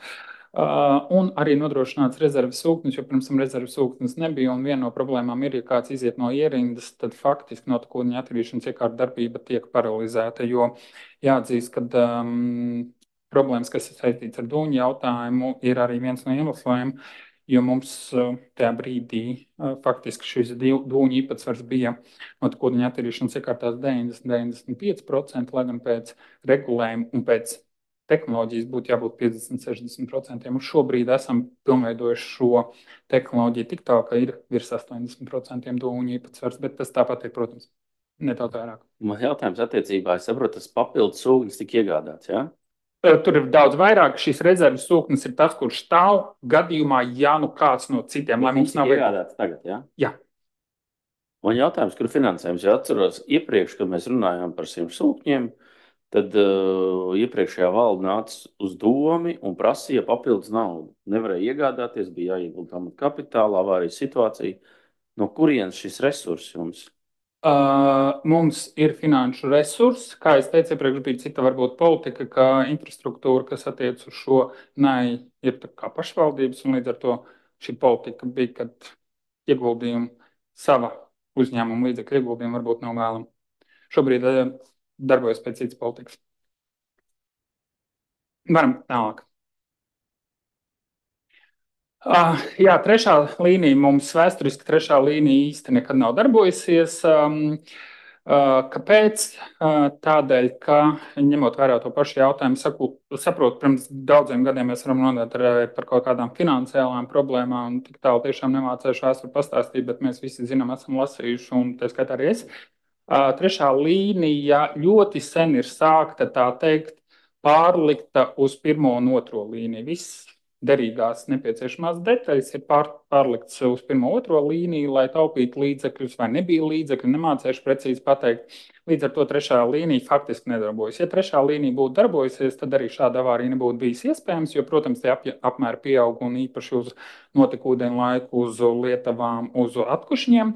I: Un arī nodrošināts rezerves sūknis, jo pirms tam rezerves sūknis nebija. Un viena no problēmām ir, ja kāds iziet no ierindas, tad faktiski notekūdeņa attīrīšanas iekārta darbība tiek paralizēta. Jo jāatzīst, ka problēmas, kas ir saistīts ar dūņu jautājumu, ir arī viens no iemesliem, jo mums tajā brīdī faktiski šis dūņu īpatsvars bija notekūdeņa attīrīšanas iekārtās 90–95%, lai gan pēc regulējuma un pēc tehnoloģijas būtu jābūt 50–60%. Un šobrīd esam pilnveidojuši šo tehnoloģiju tik tā, ka ir virs 80% dūņu īpatsvars, bet tas tāpat ir, protams, nedaudz vairāk.
C: Man jautājums attiecībā, es saprotu, tas papildus sūknis tika iegādāts, jā?
I: Tur ir daudz vairāk. Šīs rezerves sūknis ir tas, kurš stāv gadījumā, ja nu kāds no citiem, lai mums nav
C: iegādāts tagad, jā?
I: Jā.
C: Man jautājums, kur finansējums? Ja atceros iepriekš, kad mēs runājām par šiem sūkņiem, tad iepriekšējā valde nāca uz domi un prasīja papildus naudu. Nevarēja iegādāties, bija jāiegulda kapitālā, avārijas situācija. No kurienes šis resurs jums?
I: Mums ir finanšu resursi. Kā es teicu, iepriekš bija cita varbūt politika, ka infrastruktūra, kas attiec uz šo ir tā kā pašvaldības, un līdz ar to šī politika bija, kad ieguldījumi sava uzņēmuma līdzekļu ieguldījumi varbūt nav vēlami. Šobrīd darbojas pēc citas politikas. Varam tālāk. Jā, trešā līnija mums vēsturiski trešā līnija īsti nekad nav darbojusies. Kāpēc? Tādēļ, ka ņemot vērā to pašu jautājumu, saprotu, pirms daudziem gadiem mēs varam runāt par kaut kādām finansiālām problēmām, un tik tālu tiešām nemācēšu vēsturi pastāstīt, bet mēs visi zinām, esam lasījuši, un tā skaitā arī es. Trešā līnija ļoti sen ir sākta, tā teikt, pārlikta uz pirmo un otro līniju. Viss derīgās nepieciešamās detaļas ir pārlikts uz pirmo otro līniju, lai taupītu līdzekļus, vai nebija līdzekļi, nemācēšu precīzi pateikt. Līdz ar to trešā līnija faktiski nedarbojas. Ja trešā līnija būtu darbojusies, tad arī šāda avārija nebūtu bijis iespējams, jo, protams, tie apmēri pieaug un īpaši uz notekūdeņu laiku, uz lietavām, uz atkušņiem.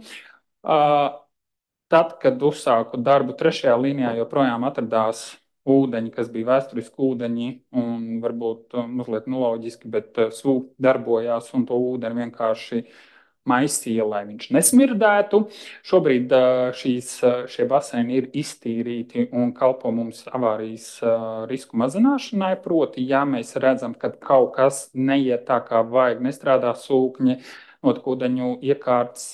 I: Tad, kad uzsāku darbu trešajā līnijā, joprojām atradās ūdeņi, kas bija vēsturiski ūdeņi un varbūt mazliet neloģiski, bet sūkņi darbojās un to ūdeni vienkārši maisīja, lai viņš nesmirdētu. Šobrīd šie baseini ir iztīrīti un kalpo mums avārijas risku mazināšanai. Proti, ja mēs redzam, ka kaut kas neiet tā, kā vajag, nestrādā sūkņi, notekūdeņu iekārtas,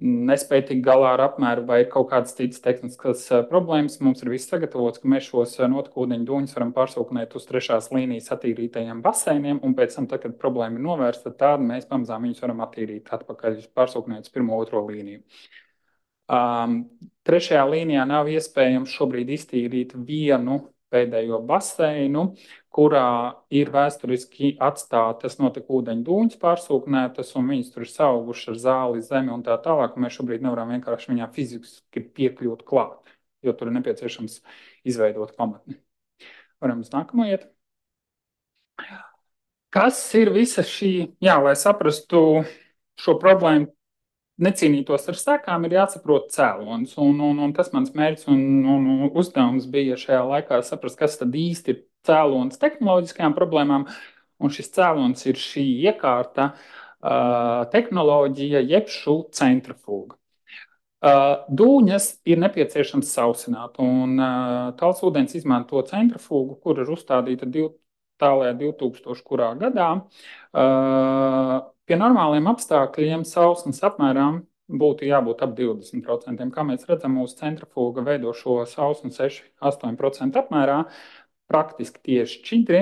I: nespēja tikt galā ar apmēru vai kaut kādas citas tehniskas problēmas, mums ir viss sagatavots, ka mēs šos notekūdeņu dūņus varam pārsūknēt uz trešās līnijas attīrītajiem baseiniem, un pēc tam, kad problēma ir novērsta, tad mēs pamazām viņus varam attīrīt atpakaļ, pārsūknēt uz pirmo, otro līniju. Trešajā līnijā nav iespējams šobrīd iztīrīt vienu pēdējo baseinu, kurā ir vēsturiski atstātas notekūdeņu dūņas pārsūknētas, un viņas tur ir saugušas ar zāli, zemi un tā tālāk, un mēs šobrīd nevaram vienkārši viņā fiziski piekļūt klāt, jo tur ir nepieciešams izveidot pamatni. Varam uz nākamo iet. Kas ir visa šī, lai saprastu šo problēmu, necīnītos ar sekām, ir jāsaprot cēlonis. Un tas mans mērķis un uzdevums bija šajā laikā saprast, kas tad īsti ir cēlonis tehnoloģiskajām problēmām. Un šis cēlonis ir šī iekārta tehnoloģija, jeb šo centrifūga. Dūņas ir nepieciešams sausināt, un tālsūdens izmanto centrifūgu, kur ir uzstādīta tālajā 2000. kurā gadā. Pie normāliem apstākļiem sausnes apmēram būtu jābūt ap 20%. Kā mēs redzam, mūsu centrifūga veido šo sausni 6–8% apmērā, praktiski tieši šķidri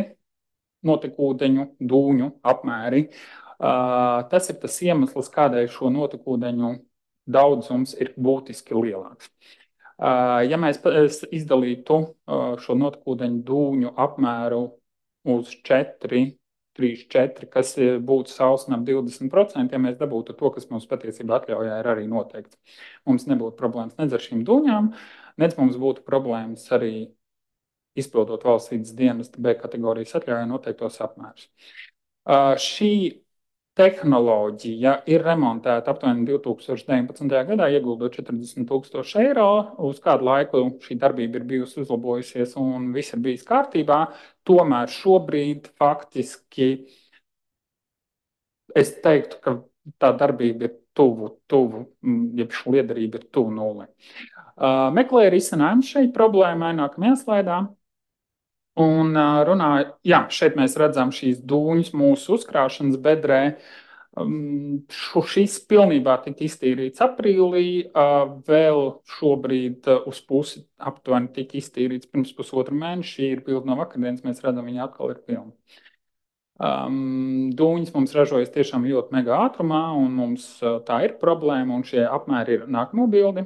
I: notekūdeņu dūņu apmēri. Tas ir tas iemesls, kādēļ šo notekūdeņu daudzums ir būtiski lielāks. Ja mēs izdalītu šo notekūdeņu dūņu apmēru uz 4, 3, 4, kas būtu sausne ap 20%, ja mēs dabūtu to, kas mums patiesībā atļaujā ir arī noteikts. Mums nebūtu problēmas nedz ar šīm dūņām, nedz mums būtu problēmas arī izpildot valsts vides dienesta B kategorijas atļaujā noteiktos apmērus. Šī tehnoloģija ir remontēta aptuveni 2019. gadā, ieguldot 40,000 eiro. Uz kādu laiku šī darbība ir bijusi uzlabojusies un viss ir bijis kārtībā. Tomēr šobrīd faktiski es teiktu, ka tā darbība ir tuvu, jeb šī liederība ir tuvu nulli. Meklēju risinājumu šai problēmai nākamajā slaidā. Un runāju, jā, šeit mēs redzam šīs dūņas mūsu uzkrāšanas bedrē. Šis pilnībā tika iztīrīts aprīlī, vēl šobrīd uz pusi aptuveni tika iztīrīts pirms pusotru mēnešu. Šī ir bilde no vakardienas, mēs redzam, viņa atkal ir pilna. Dūņas mums ražojas tiešām ļoti mega ātrumā, un mums tā ir problēma, un šie apmēri ir nākamo bildi.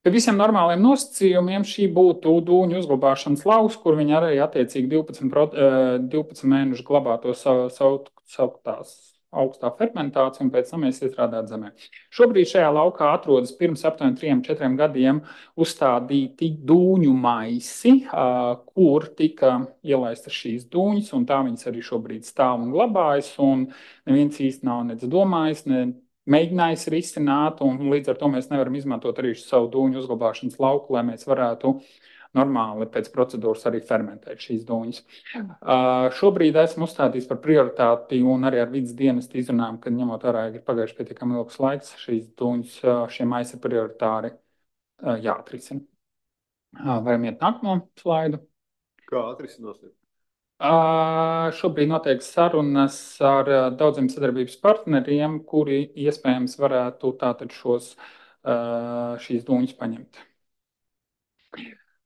I: Pie visiem normāliem nosacījumiem šī būtu dūņu uzglabāšanas lauks, kur viņi arī attiecīgi 12 mēnešu glabāto sauktās augstā fermentācija, un pēc tam mēs iestrādāt zemē. Šobrīd šajā laukā atrodas pirms aptuveni 3–4 gadiem uzstādīti dūņu maisi, kur tika ielaistas šīs dūņas, un tā viņas arī šobrīd stāv un glabājas, un neviens īsti nav nec domājis, mēģinājis risināt, un līdz ar to mēs nevaram izmantot arī savu dūņu uzglabāšanas lauku, lai mēs varētu normāli pēc procedūras arī fermentēt šīs dūņas. Šobrīd esmu uzstādījis par prioritāti un arī ar vides dienestu izrunājam, ka ņemot vērā, ir pagājuši pietiekami ilgs laiks, šīs dūņas, šie maisi ir prioritāri jāatrisina. Varam iet nākamo slaidu.
A: Kā atrisināsiet?
I: Šobrīd notiek sarunas ar daudziem sadarbības partneriem, kuri iespējams varētu tātad šīs dūņas paņemt.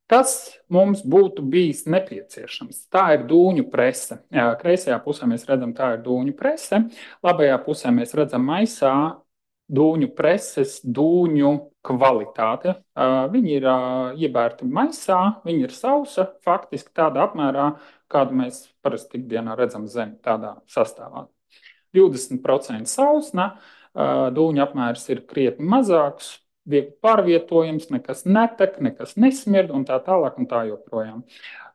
I: Tas mums būtu bijis nepieciešams. Tā ir dūņu prese. Kreisajā pusē mēs redzam, tā ir dūņu prese. Labajā pusē mēs redzam maisā dūņu preses, dūņu kvalitāte. Viņi ir iebērti maisā, viņi ir sausa, faktiski tādā apmērā, kādu mēs parasti ikdienā redzam zemi, tādā sastāvā. 20% sausna, dūņu apmērs ir krietni mazāks, viegli pārvietojams, nekas netek, nekas nesmird un tā tālāk un tā joprojām.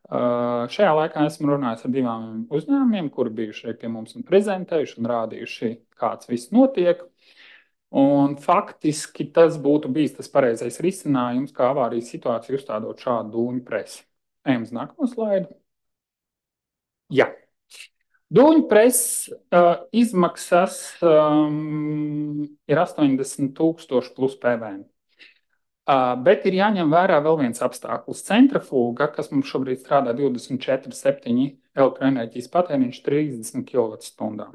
I: Šajā laikā esmu runājis ar 2 uzņēmumiem, kuri bijuši pie mums un prezentējuši un rādījuši, kāds viss notiek. Un faktiski tas būtu bijis tas pareizais risinājums, kā avārijas situācija uzstādot šādu dūņu presi. Ejam uz nākamo slaidu. Jā. Dūņu preses izmaksas ir 80,000 plus PVN. Bet ir jāņem vērā vēl viens apstākļus. Centrifūga, kas mums šobrīd strādā 24/7, elektroenerģijas patēriņš 30 kWh.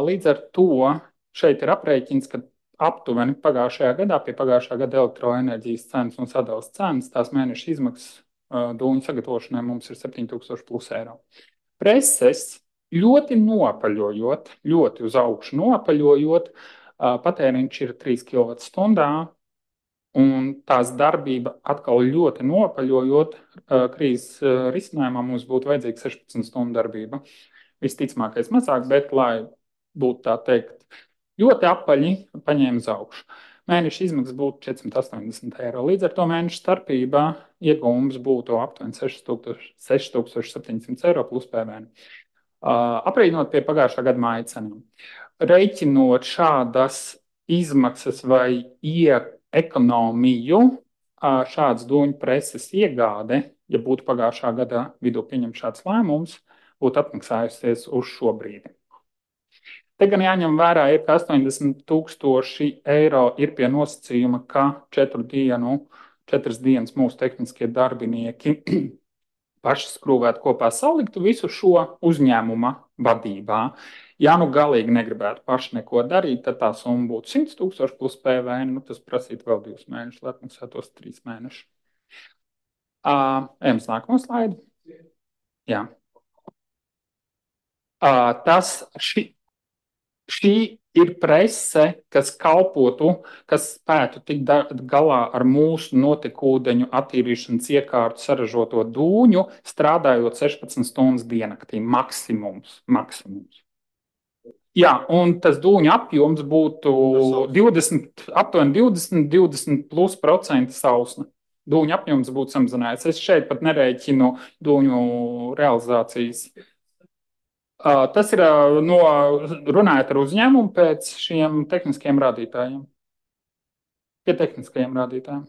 I: Līdz ar to šeit ir aprēķins, ka aptuveni pagājušajā gadā pie pagājušā gada elektroenerģijas cenas un sadalas cenas tās mēneša izmaksas dūņu sagatavošanai mums ir 7,000 plus eiro. Preses ļoti nopaļojot, ļoti uz augšu nopaļojot, patēriņš ir 3 kWh, un tās darbība atkal ļoti nopaļojot, krīzes risinājumā mums būtu vajadzīga 16 stundu darbība. Visticamākais mazāk, bet, lai būtu tā teikt, ļoti apaļi paņēma uz augšu. Mēneša izmaksas būtu 480 eiro. Līdz ar to mēneša starpībā iegūms būtu aptuveni 6,700 eiro plus PVN. Aprēķinot pie pagājušā gada māja cenām. Reiķinot šādas izmaksas vai ekonomiju, šāds dūņu preses iegāde, ja būtu pagājušā gada vidū pieņemt šāds lēmums, būtu atmaksājusies uz šo brīdi. Te gan jāņem vērā, ka 80,000 eiro ir pie nosacījuma, ka 4 dienas mūsu tehniskie darbinieki paši skrūvētu kopā, saliktu visu šo uzņēmuma vadībā. Ja nu galīgi negribētu paši neko darīt, tad tā summa būtu 100,000 plus PVN. Tas prasītu vēl 2 mēnešus, lai atmaksātos 3 mēnešus. Ejam uz nākamo slaidu. Jā. Šī ir prese, kas kalpotu, kas spētu tikt galā ar mūsu notekūdeņu attīrīšanas iekārtu saražoto dūņu, strādājot 16 stundas diennaktī. Maksimums. Jā, un tas dūņu apjoms būtu aptuveni 20% sausna. Dūņu apjoms būtu samazinājies. Es šeit pat nerēķinu dūņu realizācijas. Tas ir runājot ar uzņēmumu pēc šiem tehniskiem rādītājiem. Pie tehniskajiem rādītājiem.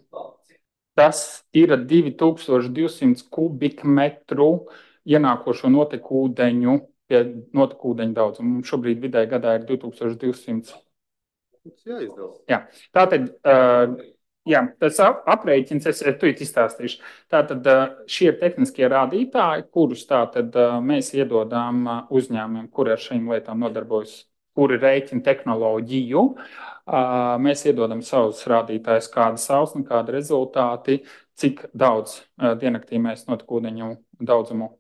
I: Tas ir 2200 kubikmetru ienākošo notekūdeņu pie notekūdeņu daudzuma. Šobrīd vidēji gadā ir 2200. Jā. Tātad, tas aprēķins, es tūlīt izstāstīšu. Tātad šie ir tehniskie rādītāji, kurus tātad mēs iedodām uzņēmumiem, kuri ar šīm lietām nodarbojas, kuri rēķina tehnoloģiju. Mēs iedodam savus rādītājus, kāda sausna, kāda rezultāti, cik daudz diennaktī mēs notekūdeņu daudzumu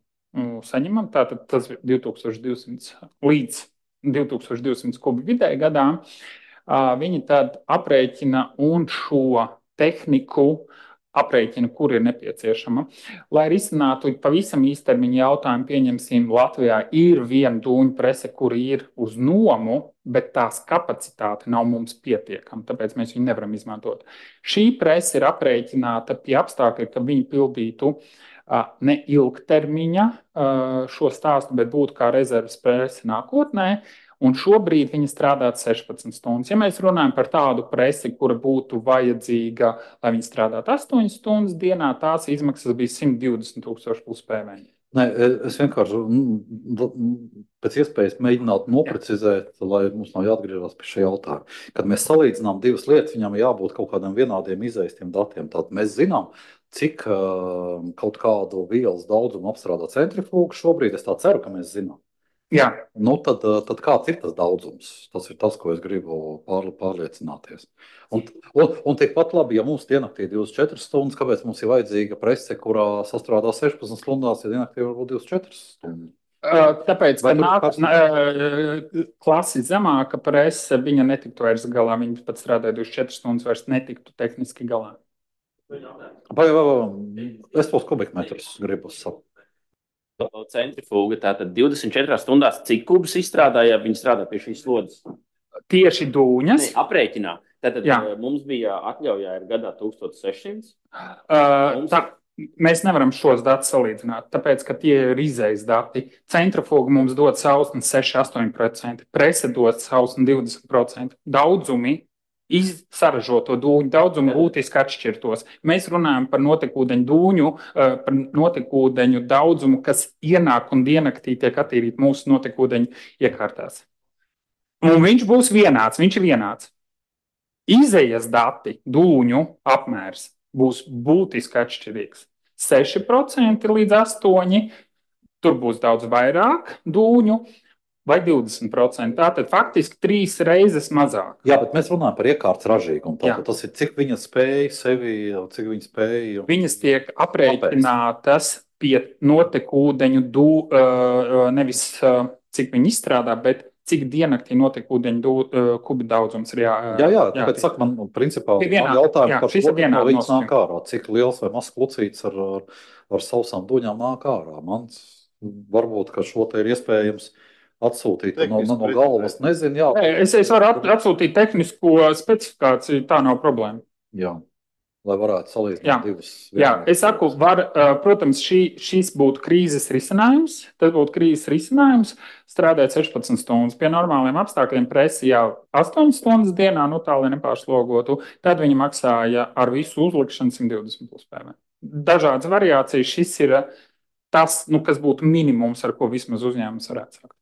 I: saņemam. Tātad tas ir 2200 līdz 2200 kubi vidēji gadā. Viņi tad aprēķina un šo tehniku aprēķina, kur ir nepieciešama. Lai risinātu pavisam īstermiņa jautājumu, pieņemsim, Latvijā ir viena dūņu prese, kura ir uz nomu, bet tās kapacitāte nav mums pietiekama, tāpēc mēs viņu nevaram izmantot. Šī prese ir aprēķināta pie apstākļa, ka viņi pildītu ne ilgtermiņa šo stāstu, bet būtu kā rezerves prese nākotnē. Un šobrīd viņi strādā 16 stundas. Ja mēs runājam par tādu presi, kura būtu vajadzīga, lai viņi strādātu 8 stundas dienā, tās izmaksas bija 120,000 plus PVN.
D: Nē, es vienkārši pēc iespējas mēģinātu noprecizēt, lai mums nav jāatgriežas pie šī jautājuma. Kad mēs salīdzinām divas lietas, viņam jābūt kaut kādiem vienādiem izeistiem datiem. Tātad mēs zinām, cik kaut kādu vielas daudzumu apstrādā centrifuga šobrīd. Es tā ceru, ka mēs zinām.
I: Jā.
D: Tad kāds ir tas daudzums? Tas ir tas, ko es gribu pārliecināties. Un tikpat labi, ja mums diennaktī ir 24 stundas, kāpēc mums ir vajadzīga prese, kurā sastrādā 16 stundās, ja diennaktī var būt 24 stundas?
I: Tāpēc, ka klasi zemāka prese, viņa netiktu vairs galā, viņa pat strādāja 24 stundas, vairs netiktu tehniski galā.
D: Es tos kubikmetrus gribu saprast.
C: Centrifuga, tātad 24 stundās, cik kubus izstrādāja, viņi strādā pie šīs slodzes?
I: Tieši dūņas?
C: Ne, aprēķinā. Tātad mums bija atļaujā ir gadā 1600.
I: Mēs nevaram šos datus salīdzināt, tāpēc, ka tie ir izējas dati. Centrifuga mums dod sausni 6-8%, prese dod sausni 20%. Daudzumi saražoto dūņu daudzumu būtiski atšķirtos. Mēs runājam par notekūdeņu dūņu, par notekūdeņu daudzumu, kas ienāk un diennaktī tiek attīrīt mūsu notekūdeņu iekārtās. Un viņš būs vienāds, viņš ir vienāds. Izējas dati, dūņu apmērs būs būtiski atšķirīgs. 6% līdz 8%, tur būs daudz vairāk dūņu, vai 20%. Tātad faktiski 3 reizes mazāk.
D: Jā, bet mēs runājam par iekārtas ražīgumu. Tas ir, cik viņa spēja sevi, cik viņa spēja.
I: Viņas tiek aprēķinātas pie notekūdeņu, nevis cik viņi izstrādā, bet cik diennaktī notekūdeņu kubi daudzums ir
D: Jā, tāpēc saka man, principā, jautājums par šo, no viņas nāk ārā. Cik liels vai mazs klucīts ar sausām dūņām nāk ārā. Man varbūt, ka šo te ir iespējams atsūtīt no galvas, nezinu, jā.
I: Es varu atsūtīt tehnisko specifikāciju, tā nav problēma.
D: Jā, lai varētu salīdzināt divas.
I: Jā, es saku, protams, šis būtu krīzes risinājums, tas būtu krīzes risinājums strādāt 16 stundas. Pie normāliem apstākļiem presi jau 8 stundas dienā, tā lai nepārslogotu, tad viņi maksāja ar visu uzlikšanu 120 plus PVN. Dažādas variācijas, šis ir tas, kas būtu minimums, ar ko vismaz uzņēmums varētu sākt.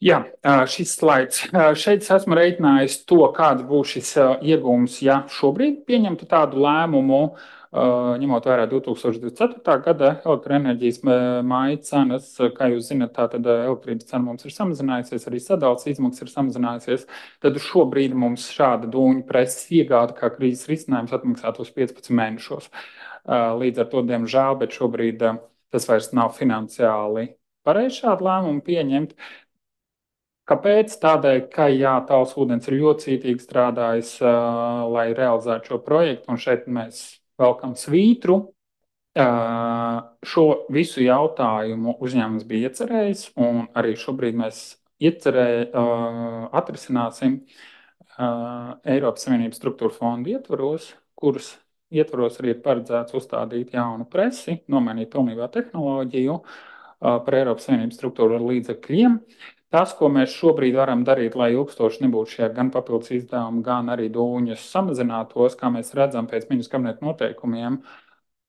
I: Jā, šis slaids. Šeit es esmu reiķinājis to, kāds būs šis iegūms, ja šobrīd pieņemtu tādu lēmumu, ņemot vērā 2024. gada elektroenerģijas māja cenas. Kā jūs zinat, tātad elektrības cena mums ir samazinājusies, arī sadales izmaksas ir samazinājusies. Tad šobrīd mums šāda dūņu preses iegāde kā krīzes risinājums atmaksātu uz 15 mēnešos. Līdz ar to, diemžēl, bet šobrīd tas vairs nav finansiāli pareizi šādu lēmumu pieņemt. Kāpēc? Tādēļ, ka Talsu ūdens ir ļoti cītīgi strādājis, lai realizētu šo projektu, un šeit mēs velkam svītru. Šo visu jautājumu uzņēmums bija iecerējis, un arī šobrīd mēs atrisināsim Eiropas Savienības struktūra fondu ietvaros, kurus ietvaros arī ir paredzēts uzstādīt jaunu presi, nomainīt pilnībā tehnoloģiju par Eiropas Savienības struktūra līdzekļiem. Tas, ko mēs šobrīd varam darīt, lai ilgstoši nebūtu šie gan papildus izdevumi, gan arī dūņas samazinātos, kā mēs redzam pēc ministra kabineta noteikumiem,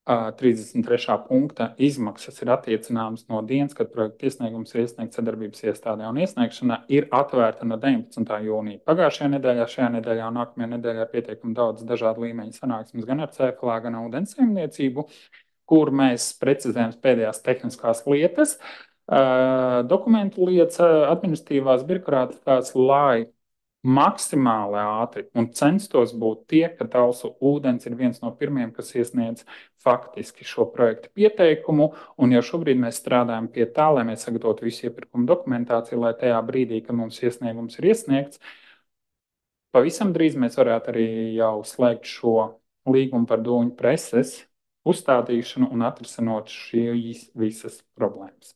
I: 33. punkta izmaksas ir attiecināmas no dienas, kad projekta iesniegums ir iesniegts sadarbības iestādē, un iesniegšana ir atvērta no 19. jūnija. Pagājušajā nedēļā, šajā nedēļā un nākamajā nedēļā ir pietiekami daudz dažādu līmeņu sanāksmes gan ar CFLA, gan ūdens saimniecību, kur mēs precizējam pēdējās tehniskās lietas, dokumentu lietas, administratīvās, birokrātiskās, lai maksimāli ātri un censtos būt tie, ka Talsu ūdens ir viens no pirmiem, kas iesniedz faktiski šo projektu pieteikumu, un jau šobrīd mēs strādājam pie tā, lai mēs sagatavotu visu iepirkumu dokumentāciju, lai tajā brīdī, kad mums iesniegums ir iesniegts, pavisam drīz mēs varētu arī jau slēgt šo līgumu par dūņu preses uzstādīšanu un atrisinot šīs visas problēmas.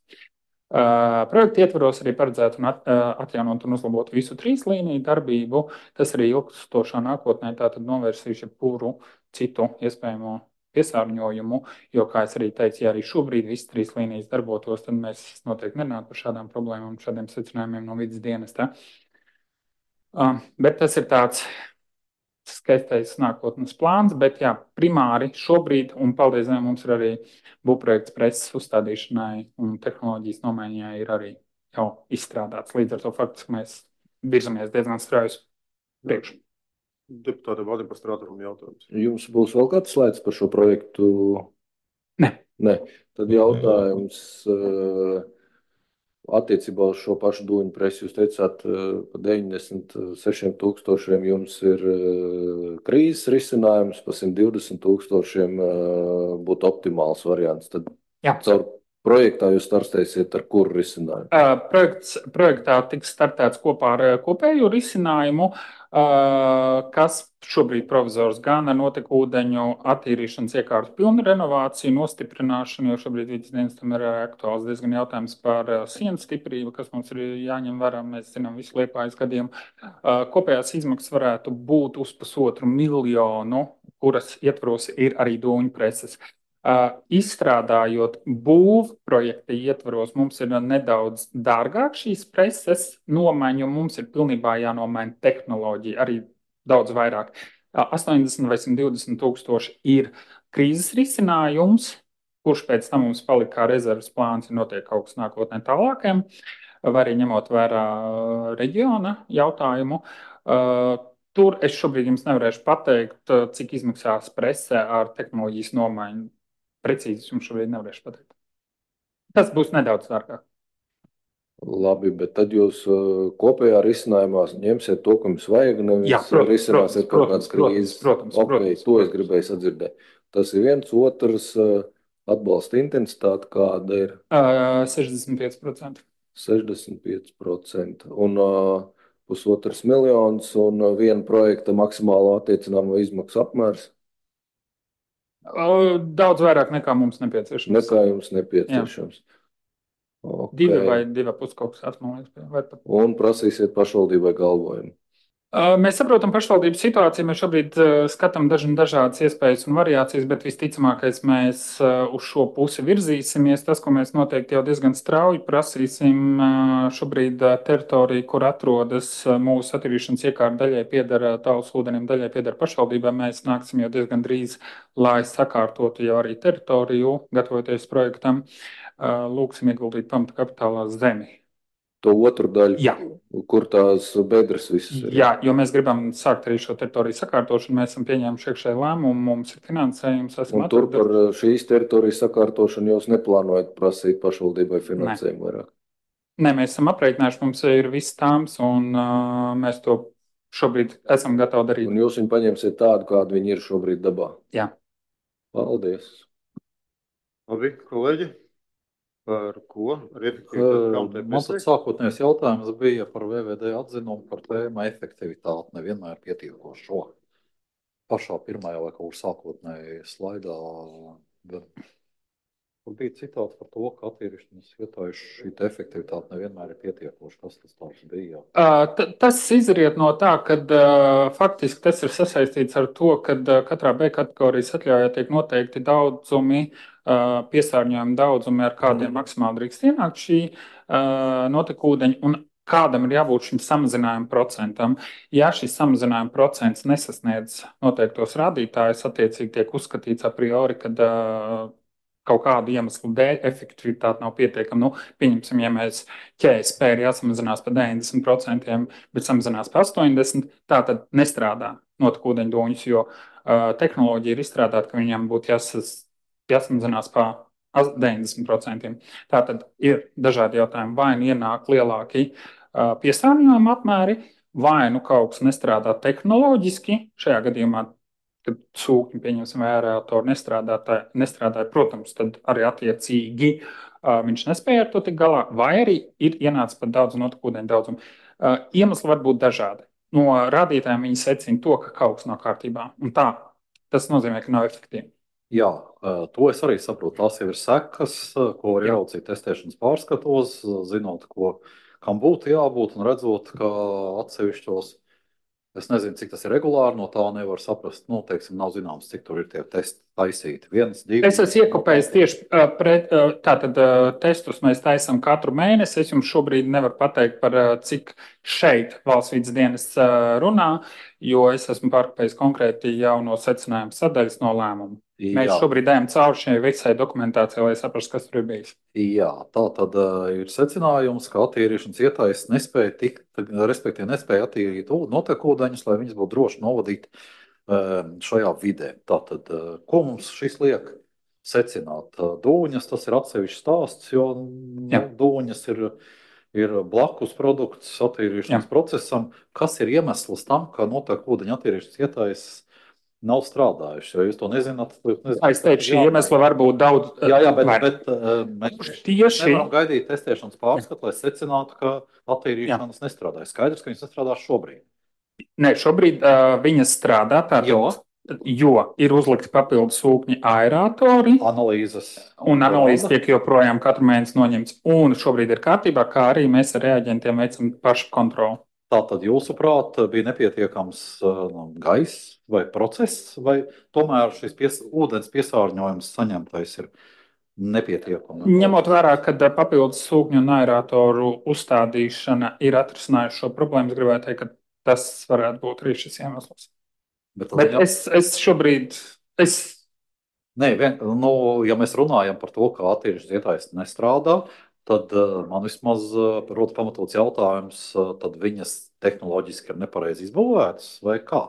I: Projekta ietvaros arī paredzētu atjaunot un uzlabot visu 3 līniju darbību. Tas arī ilgstošā nākotnē tātad novērsīs jebkuru citu iespējamo piesārņojumu, jo, kā es arī teicu, ja arī šobrīd visas 3 līnijas darbotos, tad mēs noteikti nerunātu par šādām problēmām un šādiem secinājumiem no vidas dienesta. Bet tas ir tāds skaistais nākotnes plāns, bet jā, primāri šobrīd, un paldies Dievam, mums ir arī būvprojekts preses uzstādīšanai un tehnoloģijas nomaiņai ir arī jau izstrādāts. Līdz ar to faktiski mēs virzamies diezgan strauji priekšu.
A: Deputāte Vadim par strātumu jautājums.
F: Jums būs vēl kāds slaids par šo projektu?
I: Ne.
F: Tad jautājums attiecībā uz šo pašu dūņu presi. Jūs teicāt, pa 96,000 jums ir krīzes risinājums, pa 120,000 būtu optimāls variants. Tad caur projektā jūs startēsiet ar kuru risinājumu?
I: Projektā tiks startēts kopā ar kopēju risinājumu, kas šobrīd provizors gan ar notekūdeņu attīrīšanas iekārtu pilnu renovāciju, nostiprināšanu, jo šobrīd vidas dienestam ir aktuāls diezgan jautājums par sienu stiprību, kas mums ir jāņem vērā. Mēs zinām visu Liepājas gadiem. Kopējās izmaksas varētu būt uz 1,5 miljonu, kuras ietvaros ir arī dūņu preses. Izstrādājot būvprojekta ietvaros, mums ir nedaudz dārgāk šīs preses nomaiņa, un mums ir pilnībā jānomaina tehnoloģija arī daudz vairāk. 80 vai 120,000 ir krīzes risinājums, kurš pēc tam mums palika kā rezerves plāns, ja notiek kaut kas nākotnē tālākiem, vai arī ņemot vērā reģiona jautājumu. Tur es šobrīd jums nevarēšu pateikt, cik izmaksās prese ar tehnoloģijas nomaiņu. Precīzi jums šobrīd nevarēšu pateikt. Tas būs nedaudz dārgāk.
F: Labi, bet tad jūs kopējā risinājumā ņemsiet to, ko jums vajag, nevis risināsiet kaut kādas krīzes.
I: Protams.
F: To es gribēju sadzirdēt. Tas ir viens, otrs atbalsta intensitāte kāda ir?
I: 65%.
F: 65%. Un 1,5 miljonus un viena projekta maksimālo attiecināmo izmaksu apmērs?
I: Daudz vairāk nekā mums nepieciešams.
F: Nekā jums nepieciešams.
I: Okay. 2 vai 2,5 kaut kas atmalies.
F: Un prasīsiet pašvaldībai galvojumu.
I: Mēs saprotam pašvaldības situāciju, mēs šobrīd skatām dažādas iespējas un variācijas, bet visticamākais mēs uz šo pusi virzīsimies. Tas, ko mēs noteikti jau diezgan strauji prasīsim, šobrīd teritorija, kur atrodas mūsu attīrīšanas iekārta, daļai pieder Talsu ūdenim, daļai pieder pašvaldībai. Mēs nāksim jau diezgan drīz, lai sakārtotu jau arī teritoriju, gatavoties projektam, lūksim ieguldīt pamata kapitālā zemi.
F: To otru daļu,
I: Jā.
F: kur tās bedres visas ir.
I: Jā, jo mēs gribam sākt arī šo teritoriju sakārtošanu. Mēs esam pieņēmuši iekšēju lēmumu, mums ir finansējums, esam
F: Un tur par
I: atraduši.
F: šīs teritorijas sakārtošanu jūs neplānojat prasīt pašvaldībai finansējumu vairāk?
I: Nē, mēs esam aprēķinājuši, mums ir viss tāms, un mēs to šobrīd esam gatavi darīt.
F: Un jūs viņu paņemsiet tādu, kādu viņi ir šobrīd dabā?
I: Jā.
F: Paldies.
A: Labi, kolēģi, par ko? Ar efektivitāti kam te
D: Man tad sākotnējais jautājums bija par VVD atzinumu par tēmu efektivitāti nevienmēr pietiekošo. Pašā pirmajā vai kaut kur sākotnēji slaidā. Tur bija citāts par to, ka attīrīšanas ietājus šī efektivitāte nevienmēr ir pietiekoša. Kas tas tāds bija?
I: Tas izriet no tā, ka faktiski tas ir sasaistīts ar to, ka katrā B kategorijas atļaujā tiek noteikti daudzumi, piesārņojuma daudzumi, ar kādiem maksimāli drīkst ienākt šī notekūdeņa, un kādam ir jābūt šim samazinājuma procentam. Ja šis samazinājuma procents nesasniedz noteiktos rādītājus, attiecīgi tiek uzskatīts a priori, ka kaut kādu iemeslu dēļ efektivitāte nav pietiekama. Pieņemsim, ja mēs ķēspē ir jāsamazinās par 90%, bet samazinās par 80%, tā tad nestrādā notekūdeņu doņus, jo tehnoloģija ir izstrādāta, ka viņam būtu jāsamazinās par 90%. Tātad ir dažādi jautājumi. Vai nu ienāk lielāki piesārņojuma apmēri, vai nu kaut kas nestrādā tehnoloģiski, šajā gadījumā, kad sūkņi, pieņemsim, aeratori nestrādāja, protams, tad arī attiecīgi viņš nespēja ar to tik galā, vai arī ir ienācis pat daudz notekūdeņu daudzumu. Iemesli var būt dažādi. No rādītājiem viņi secina to, ka kaut kas nav kārtībā. Un tā, tas nozīmē, ka nav efektīvi.
D: Jā, to es arī saprotu. Tās jau ir sekas, ko var ieraudzīt testēšanas pārskatos, zinot, kam būtu jābūt un redzot, ka atsevišķos, es nezinu, cik tas ir regulāri, no tā nevar saprast. Teiksim, nav zināms, cik tur ir tie testi taisīti. 1, 2.
I: Es esmu iekopējis tieši tātad testus mēs taisam katru mēnesi. Es jums šobrīd nevaru pateikt par cik šeit valsts vides dienests runā, jo es esmu pārkopējis konkrēti jau no secinājuma sadaļas no lēmuma. Mēs šobrīd ejam cauri šai visai dokumentācijai, lai saprastu, kas tur ir bijis.
D: Jā, tā tad ir secinājums, ka attīrīšanas ietājs nespēja attīrīt notekūdeņus, lai viņas būtu droši novadīt šajā vidē. Tātad, ko mums šis liek secināt? Dūņas, tas ir atsevišķs stāsts, jo dūņas ir blakus produkts attīrīšanas procesam. Kas ir iemesls tam, ka notekūdeņu attīrīšanas ietājs nav strādājuši, jo jūs to nezināt.
I: Es teikšu, šī iemesla var būt daudz.
D: Jā, bet mēs nevaram gaidīt testēšanas pārskatu, lai secinātu, ka attīrīšanas nestrādā. Skaidrs, ka viņas nestrādā šobrīd.
I: Nē, šobrīd viņas strādā, jo ir uzlikti papildus sūkņi aeratori. Un analīzes tiek joprojām katru mēnesi noņemts. Un šobrīd ir kārtībā, kā arī mēs ar reaģentiem veicam pašu kontroli.
D: Tātad, jūsuprāt, bija nepietiekams gaiss vai process, vai tomēr šis ūdens piesārņojums saņemtais ir nepietiekams?
I: Ņemot vērā, ka papildus sūkņu un aeratoru uzstādīšana ir atrisinājusi šo problēmu, es gribētu teikt, ka tas varētu būt arī šis iemesls. Bet es šobrīd...
D: Nē, ja mēs runājam par to, ka attīrīšanas ietājs nestrādā, tad man vismaz rodas pamatots jautājums, tad viņas tehnoloģiski ir nepareizi izbūvētas vai kā?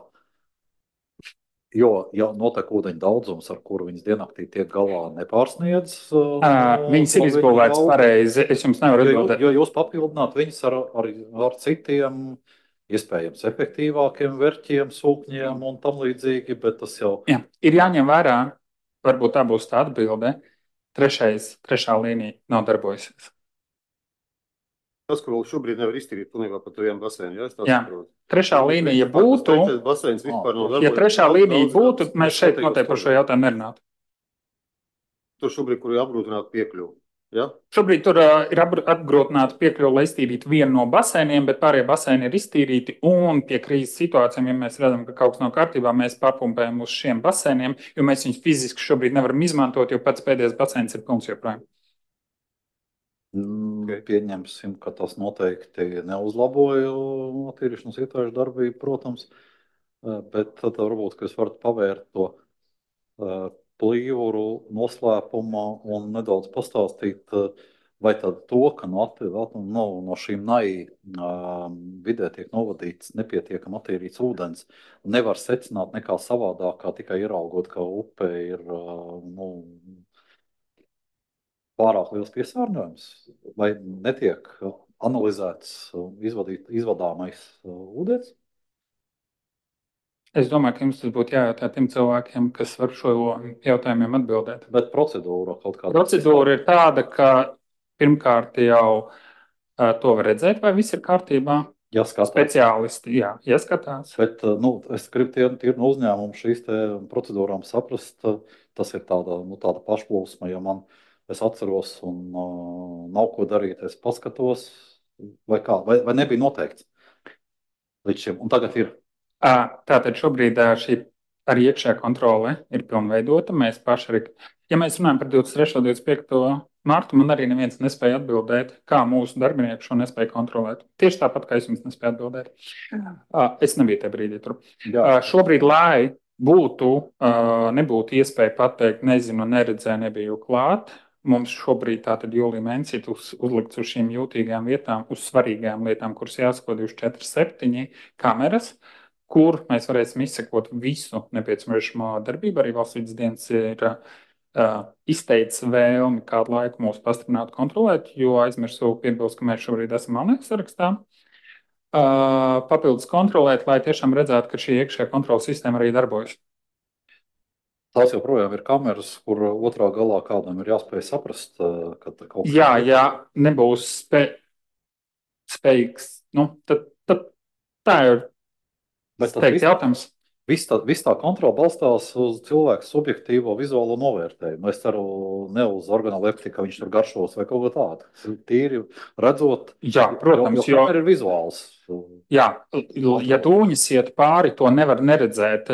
D: Jo notekūdeņu daudzums, ar kuru viņas diennaktī tiek galā, nepārsniedz.
I: Viņas ir izbūvētas pareizi. Es jums nevaru atbildēt.
D: Jo jūs papildināt viņas ar citiem, iespējams, efektīvākiem verķiem, sūkņiem un tam līdzīgi, bet tas jau...
I: Jā, ir jāņem vērā, varbūt tā būs tā atbilde. Trešā līnija nav darbojusies.
A: Tas, ko vēl šobrīd nevar iztīrīt pilnībā par taviem basēniem,
I: jā? Trešā līnija būtu, ja trešā līnija būtu, mēs šeit noteikti par šo jautājumu nerunātu.
A: Tur šobrīd, kur ir apgrūtināta piekļuva, ja?
I: Šobrīd tur ir apgrūtināta piekļuva, lai iztīrītu vienu no basēniem, bet pārējie basēni ir iztīrīti, un pie krīzes situācijām, ja mēs redzam, ka kaut kas nav kārtībā, mēs papumpējam uz šiem basēniem, jo mēs viņus fiziski šobrīd nevaram izmantot, jo pats pēdējais basēns ir pilns joprojām.
D: Pieņemsim, ka tas noteikti neuzlaboja attīrīšanas ietājšu darbību, protams, bet tad varbūt, ka jūs varat pavērt to plīvuru noslēpumā un nedaudz pastāstīt, vai tad to, ka no šīm vidē tiek novadīts nepietiekami attīrīts ūdens, nevar secināt nekā savādāk, kā tikai ieraugot, ka upe ir pārāk liels piesārņojums, vai netiek analizēts izvadāmais ūdens?
I: Es domāju, ka jums tas būtu jājautā tiem cilvēkiem, kas var šo jautājumiem atbildēt.
D: Bet procedūra kaut kāda?
I: Procedūra ir tāda, ka pirmkārt jau to var redzēt, vai viss ir kārtībā.
D: Jāskatās.
I: Speciālisti, jāskatās.
D: Bet es gribu tīri no uzņēmuma šīs procedūrām saprast, tas ir tāda pašplūsma, ja es atceros un nav ko darīt, es paskatos, vai nebija noteikts līdz šim, un tagad ir.
I: Tātad šobrīd šī arī iekšējā kontrole ir pilnveidota. Mēs paši arī, ja mēs runājam par 23. un 25. martu, man arī neviens nespēja atbildēt, kā mūsu darbinieki šo nespēja kontrolēt. Tieši tāpat, kā es jums nespēju atbildēt. Es nebiju tajā brīdī tur. Šobrīd, lai nebūtu iespēja pateikt, nezinu, neredzēju, nebiju klāt, mums šobrīd tātad jūlijā mēnesī uzlikts uz šīm jūtīgām vietām, uz svarīgām lietām, kuras jāsako 24/7 kameras, kur mēs varēsim izsekot visu nepieciešamo darbību. Arī Valsts vides dienas ir izteicis vēlmi kādu laiku mūs pastiprināt kontrolēt, jo aizmirsu piebilst, ka mēs šobrīd esam Alnieku sarakstā. Papildus kontrolēt, lai tiešām redzētu, ka šī iekšējā kontrolas sistēma arī darbojas.
D: Tās joprojām ir kameras, kur otrā galā kādam ir jāspēj saprast, ka kaut kas...
I: Jā, nebūs spējīgs. Tad tā ir. Tas ir jautājums.
D: Viss tā kontrola balstās uz cilvēku subjektīvo vizuālo novērtējumu. Es ceru, ne uz organoleptiku, ka viņš tur garšos vai kaut ko tādu. Tīri redzot,
I: protams,
D: jo ir vizuāls.
I: Jā, ja dūņas iet pāri, to nevar neredzēt.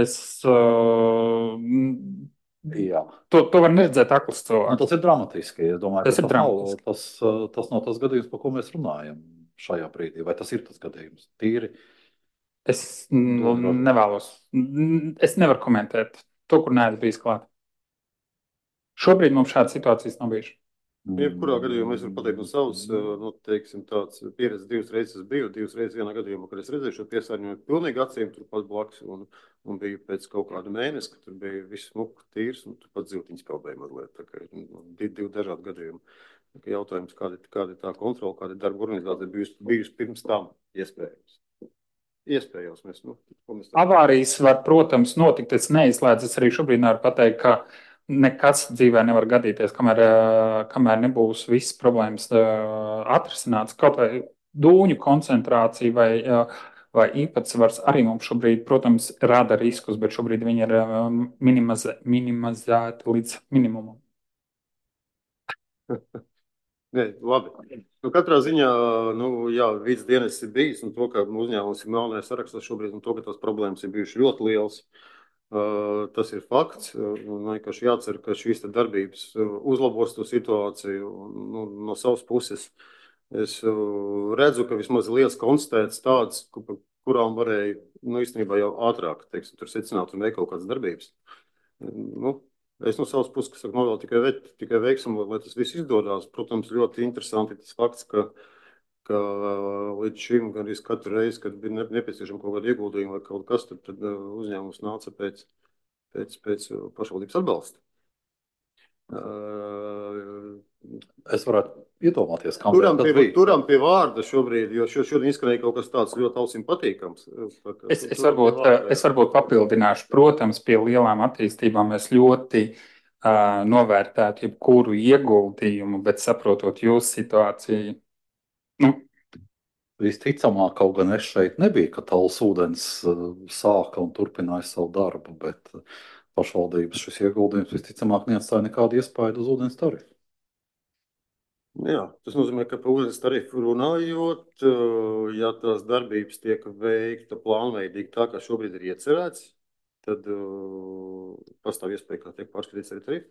I: To var neredzēt akls cilvēks.
D: Tas ir dramatiski. Es domāju,
I: tas ir dramatiski.
D: Tas nav tas gadījums, par ko mēs runājam šajā brīdī. Vai tas ir tas gadījums? Tīri.
I: Es nevēlos. Es nevaru komentēt to, kur neesmu bijis klāt. Šobrīd mums šādas situācijas nav bijušas.
A: Jebkurā gadījumā es varu pateikt no savas, tāds pieredzes 2 reizes es biju, 2 reizes vienā gadījumā, kad es redzēju šo piesārņojumu pilnīgi acīm turpat blakus un biju pēc kaut kāda mēnesi, kad tur bija viss smuku tīrs un turpat ziltiņas peldēja mazliet. Tā kā divi dažādi gadījumi. Jautājums, kāda ir tā kontrola, kāda ir darba organizācija bijusi pirms tam iespējams. Iespējams,
I: Avārijas var, protams, notikt. Es neizslēdzu, es arī šobrīd nevaru pateikt, ka nekas dzīvē nevar gadīties, kamēr nebūs visas problēmas atrisināts. Kaut vai dūņu koncentrācija vai īpatsvars arī mums šobrīd, protams, rada riskus, bet šobrīd viņi ir minimizēti līdz minimumam.
A: Labi. Katrā ziņā, vides dienas ir bijis, un to, ka uzņēmums ir melnajā sarakstā šobrīd, un to, ka tās problēmas ir bijušas ļoti lielas, tas ir fakts. Vienkārši jācer, ka šīs darbības uzlabos to situāciju no savas puses. Es redzu, ka vismaz liels konstatēts tāds, kurām varēja, īstenībā jau ātrāk, tur secināt un veikt kaut kādas darbības. Es no savas puses, kas novēl tikai veiksumu, lai tas viss izdodās. Protams, ļoti interesanti tas fakts, ka līdz šim gan arī katru reizi, kad bija nepieciešama kaut kāda ieguldījuma vai kaut kas, tad uzņēmums nāca pēc pašvaldības atbalsta.
D: Es varētu iedomāties,
A: Turam pie vārda šobrīd, jo šodien izskanēja kaut kas tāds ļoti ausīm patīkams.
I: Es varbūt papildināšu. Protams, pie lielām attīstībām mēs ļoti novērtētu jebkuru ieguldījumu, bet saprotot jūsu situāciju.
D: Visticamāk, kaut gan es šeit nebija, ka Tallas ūdens sāka un turpināja savu darbu, bet pašvaldības šis ieguldījums visticamāk neatstāja nekādu iespaidu uz ūdens tarifu.
A: Jā, tas nozīmē, ka par ūdens tarifu runājot, ja tās darbības tiek veikta plānveidīgi tā, kā šobrīd ir iecerēts, tad pastāv iespēja, kā tiek pārskatīts arī tarifu.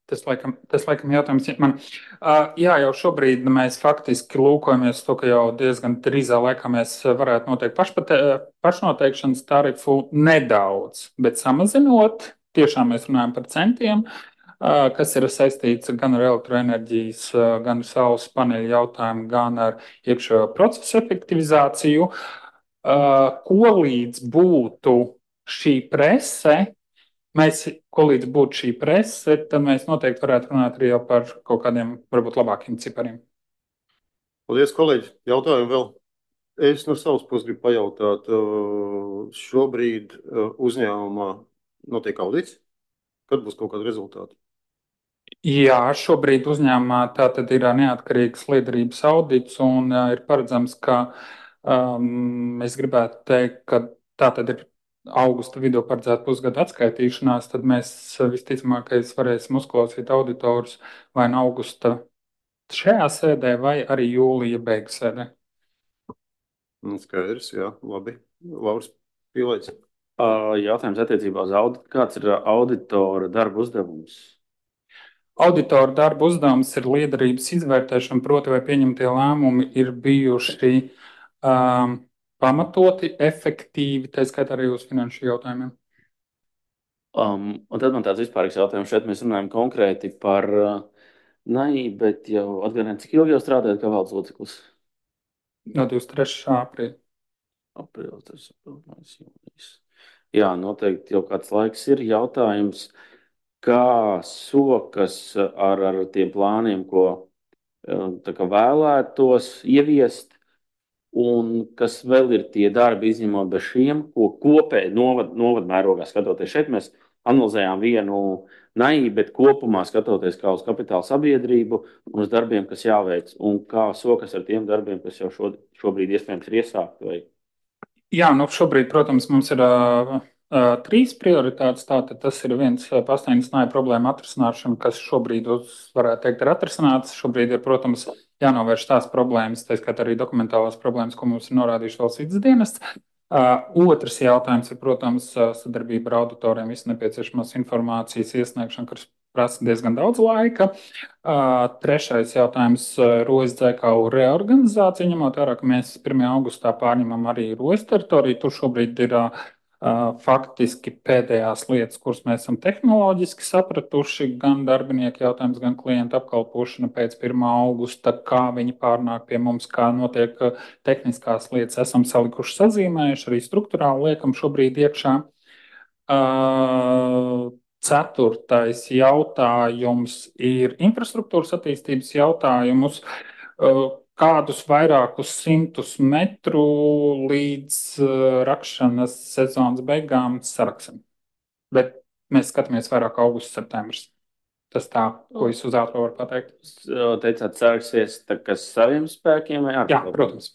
I: Tas laikam jautājums man. Jā, jau šobrīd mēs faktiski lūkojamies to, ka jau diezgan drīzā laikā mēs varētu noteikt pašnoteikšanas tarifu nedaudz, bet samazinot, tiešām mēs runājam par centiem, kas ir saistīts gan ar elektroenerģijas, gan ar saules paneļu jautājumu, gan ar iekšējo procesu efektivizāciju. Ko līdz būtu šī prese, tad mēs noteikti varētu runāt arī jau par kaut kādiem varbūt labākiem cipariem.
A: Paldies, kolēģi. Jautājumu vēl. Es no savas puses gribu pajautāt, šobrīd uzņēmumā notiek audits? Kad būs kaut kādi rezultāti?
I: Jā, šobrīd uzņēmumā tātad ir neatkarīgs liederības audits un ir paredzams, ka es gribētu teikt, ka tātad ir augusta vidū paredzēta pusgada atskaitīšanās, tad mēs visticamākais varēsim uzklausīt auditorus vai no augusta šajā sēdē vai arī jūlija beigu sēdē.
A: Skaidrs, jā, labi. Lauris Pīlēts.
C: Jautājums attiecībā uz auditu. Kāds ir auditora darba uzdevums?
I: Auditora darba uzdevums ir liederības izvērtēšana, proti, vai pieņemtie lēmumi ir bijuši pamatoti, efektīvi, tā skaitā arī uz finanšu jautājumiem.
C: Un tad man tāds vispārīgs jautājums. Šeit mēs runājam konkrēti par NAI, bet jau atgādājam, cik ilgi jau strādājat kā valdes loceklis?
I: No 23. aprīļa.
C: Aprīlis, jūnijas. Jā, noteikti jau kāds laiks ir jautājums, kā sokas ar tiem plāniem, ko tā kā vēlētos ieviest, un kas vēl ir tie darbi, izņemot bez šiem, ko kopēji novada mērogā skatoties. Šeit mēs analizējām vienu NAI, bet kopumā skatoties kā uz kapitāla sabiedrību un uz darbiem, kas jāveic, un kā sokas ar tiem darbiem, kas jau šobrīd iespējams ir iesākti. Vai...
I: Jā, nu šobrīd, protams, mums ir 3 prioritātes. Tātad tas ir viens pastāvīgs NAI problēma atrisināšana, kas šobrīd, varētu teikt, ir atrisināts. Šobrīd ir, protams, jānovērš tās problēmas, tā skaitā arī dokumentālās problēmas, ko mums ir norādījuši valsts vides dienests. Otrs jautājums ir, protams, sadarbība ar auditoriem, visu nepieciešamās informācijas iesniegšana, kas prasa diezgan daudz laika. Trešais jautājums - Rojas dzēkālu reorganizācija, ņemot vērā, ka mēs 1. augustā pārņemam arī Rojas teritoriju. Tur šobrīd ir faktiski pēdējās lietas, kuras mēs esam tehnoloģiski sapratuši, gan darbinieku jautājums, gan klientu apkalpošana pēc 1. augusta, kā viņi pārnāk pie mums, kā notiek tehniskās lietas, esam salikuši sazīmējuši, arī struktūrāli liekam šobrīd iekšā. Ceturtais jautājums ir infrastruktūras attīstības jautājumus. Kādus vairākus 100 metru līdz rakšanas sezonas beigām saraksim. Bet mēs skatāmies vairāk augusts, septembris. Tas tā, ko es uz ātru varu pateikt.
C: Teicāt, saraksies saviem spēkiem vai
I: Jā, protams.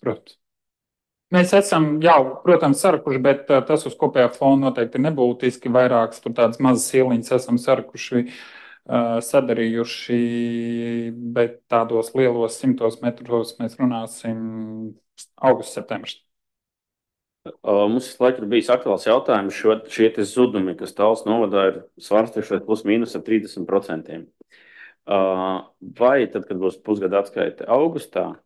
I: Mēs esam jau, protams, sarakuši, bet tas uz kopējā fona noteikti ir nebūtiski. Vairākas tur tādas mazas ieliņas esam sarakuši, sadarījuši, bet tādos lielos 100 metros mēs runāsim augusts, septembris.
C: Mums visu laiku ir bijis aktuāls jautājums, šie zudumi, kas Tallas novadā ir svārstējušies plus mīnus ar 30%. Vai tad, kad būs pusgada atskaite augustā,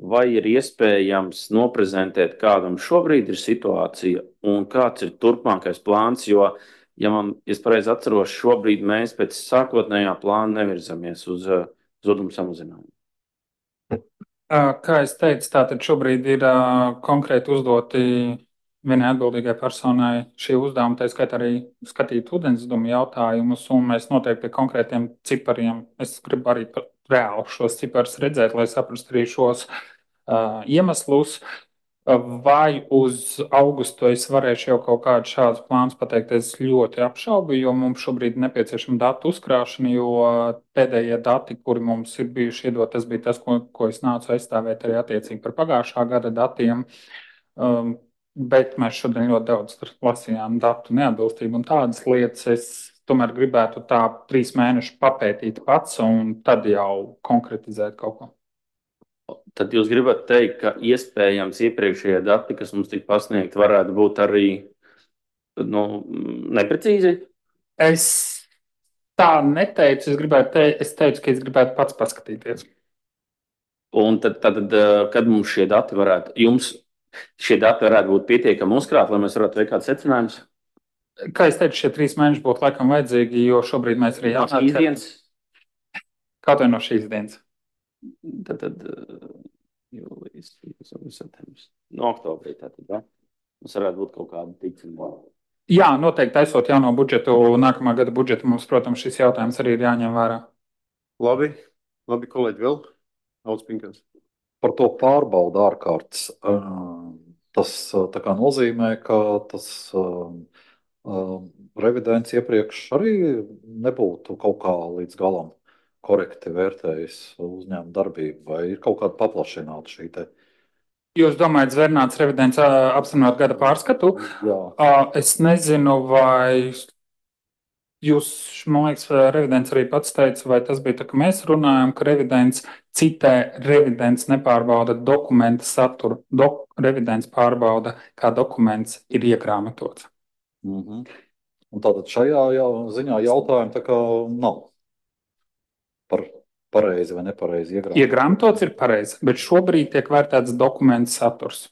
C: vai ir iespējams noprezentēt, kādam šobrīd ir situācija un kāds ir turpmākais plāns, jo, ja es pareizi atceros, šobrīd mēs pēc sākotnējā plāna nevirzamies uz zudumu samazinājumu.
I: Kā es teicu, tātad šobrīd ir konkrēti uzdoti vienai atbildīgai personai šie uzdevumi, tā skaitā arī skatīt ūdenszudumu jautājumus, un mēs noteikti pie konkrētiem cipariem, es gribu arī reāli šos ciparus redzēt, lai saprastu arī šos iemeslus. Vai uz augustu es varēšu jau kaut kādu šādus plānus pateikt, es ļoti apšaubu, jo mums šobrīd ir nepieciešama datu uzkrāšana, jo pēdējie dati, kuri mums ir bijuši iedot, tas bija tas, ko es nācu aizstāvēt arī attiecīgi par pagājušā gada datiem. Bet mēs šodien ļoti daudz lasījām datu neatbilstību un tādas lietas. Es tomēr gribētu tā 3 mēnešu papētīt pats un tad jau konkretizēt kaut ko.
C: Tad jūs gribat teikt, ka iespējams iepriekšējie dati, kas mums tika pasniegti, varētu būt arī neprecīzi?
I: Es tā neteicu. Es teicu, ka es gribētu pats paskatīties.
C: Un tad kad mums šie dati varētu būt pietiekami uzkrāti, lai mēs varētu veikt kādus secinājumus?
I: Kā es teicu, šie 3 mēneši būtu laikam vajadzīgi, jo šobrīd mēs arī
C: No šīs dienas,
I: kaut vai no šīs dienas.
C: tad jūlijas, septembris. No oktobrī tātad, ja? Mums varētu būt kaut kāda ticība.
I: Jā, noteikti taisot jauno budžetu, nākamā gada budžetu mums, protams, šis jautājums arī ir jāņem vērā.
A: Labi, kolēģi, vēl Alts Pinkans.
D: Par to pārbaudu ārkārtas. Tas tā kā nozīmē, ka tas revidents iepriekš arī nebūtu kaut kā līdz galam korekti vērtējis uzņēmuma darbību, vai ir kaut kāda paplašināta šī te.
I: Jūs domājat, Zvērnāts revidents apstiprināt gada pārskatu?
D: Jā.
I: Es nezinu, vai jūs, man liekas, revidents arī pats teica, vai tas bija tā, ka mēs runājam, ka revidents citē, revidents nepārbauda dokumenta saturu. Revidents pārbauda, kā dokuments ir iegrāmatots.
D: Un tātad šajā ziņā jautājumi tā kā nav par pareizi vai nepareizi iegrāmatots.
I: Iegrāmatots ir pareizi, bet šobrīd tiek vērtēts dokumenta saturs.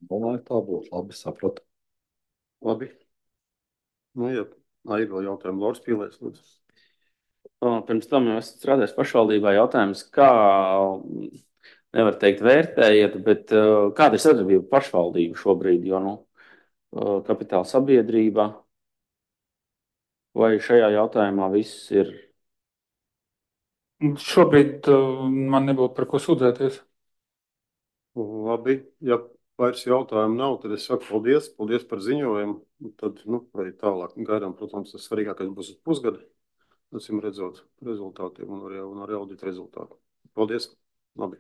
D: Domāju, tā būtu labi sapratu.
A: Labi. Nu, jā, ir vēl jautājumi. Lors Pīlēs, lūdzu.
C: Pirms tam jau esat strādājis pašvaldībā, jautājums, kā, nevar teikt vērtējiet, bet kāda ir sadarbība pašvaldību šobrīd, jo, kapitāla sabiedrība, vai šajā jautājumā viss ir?
I: Šobrīd man nebūtu par ko sūdzēties.
A: Labi, ja vairs jautājumu nav, tad es saku paldies. Paldies par ziņojumu. Tad, arī tālāk gaidām, protams, tas svarīgākais būs uz pusgada. Acīm redzot rezultātiem un arī audita rezultātu. Paldies. Labi.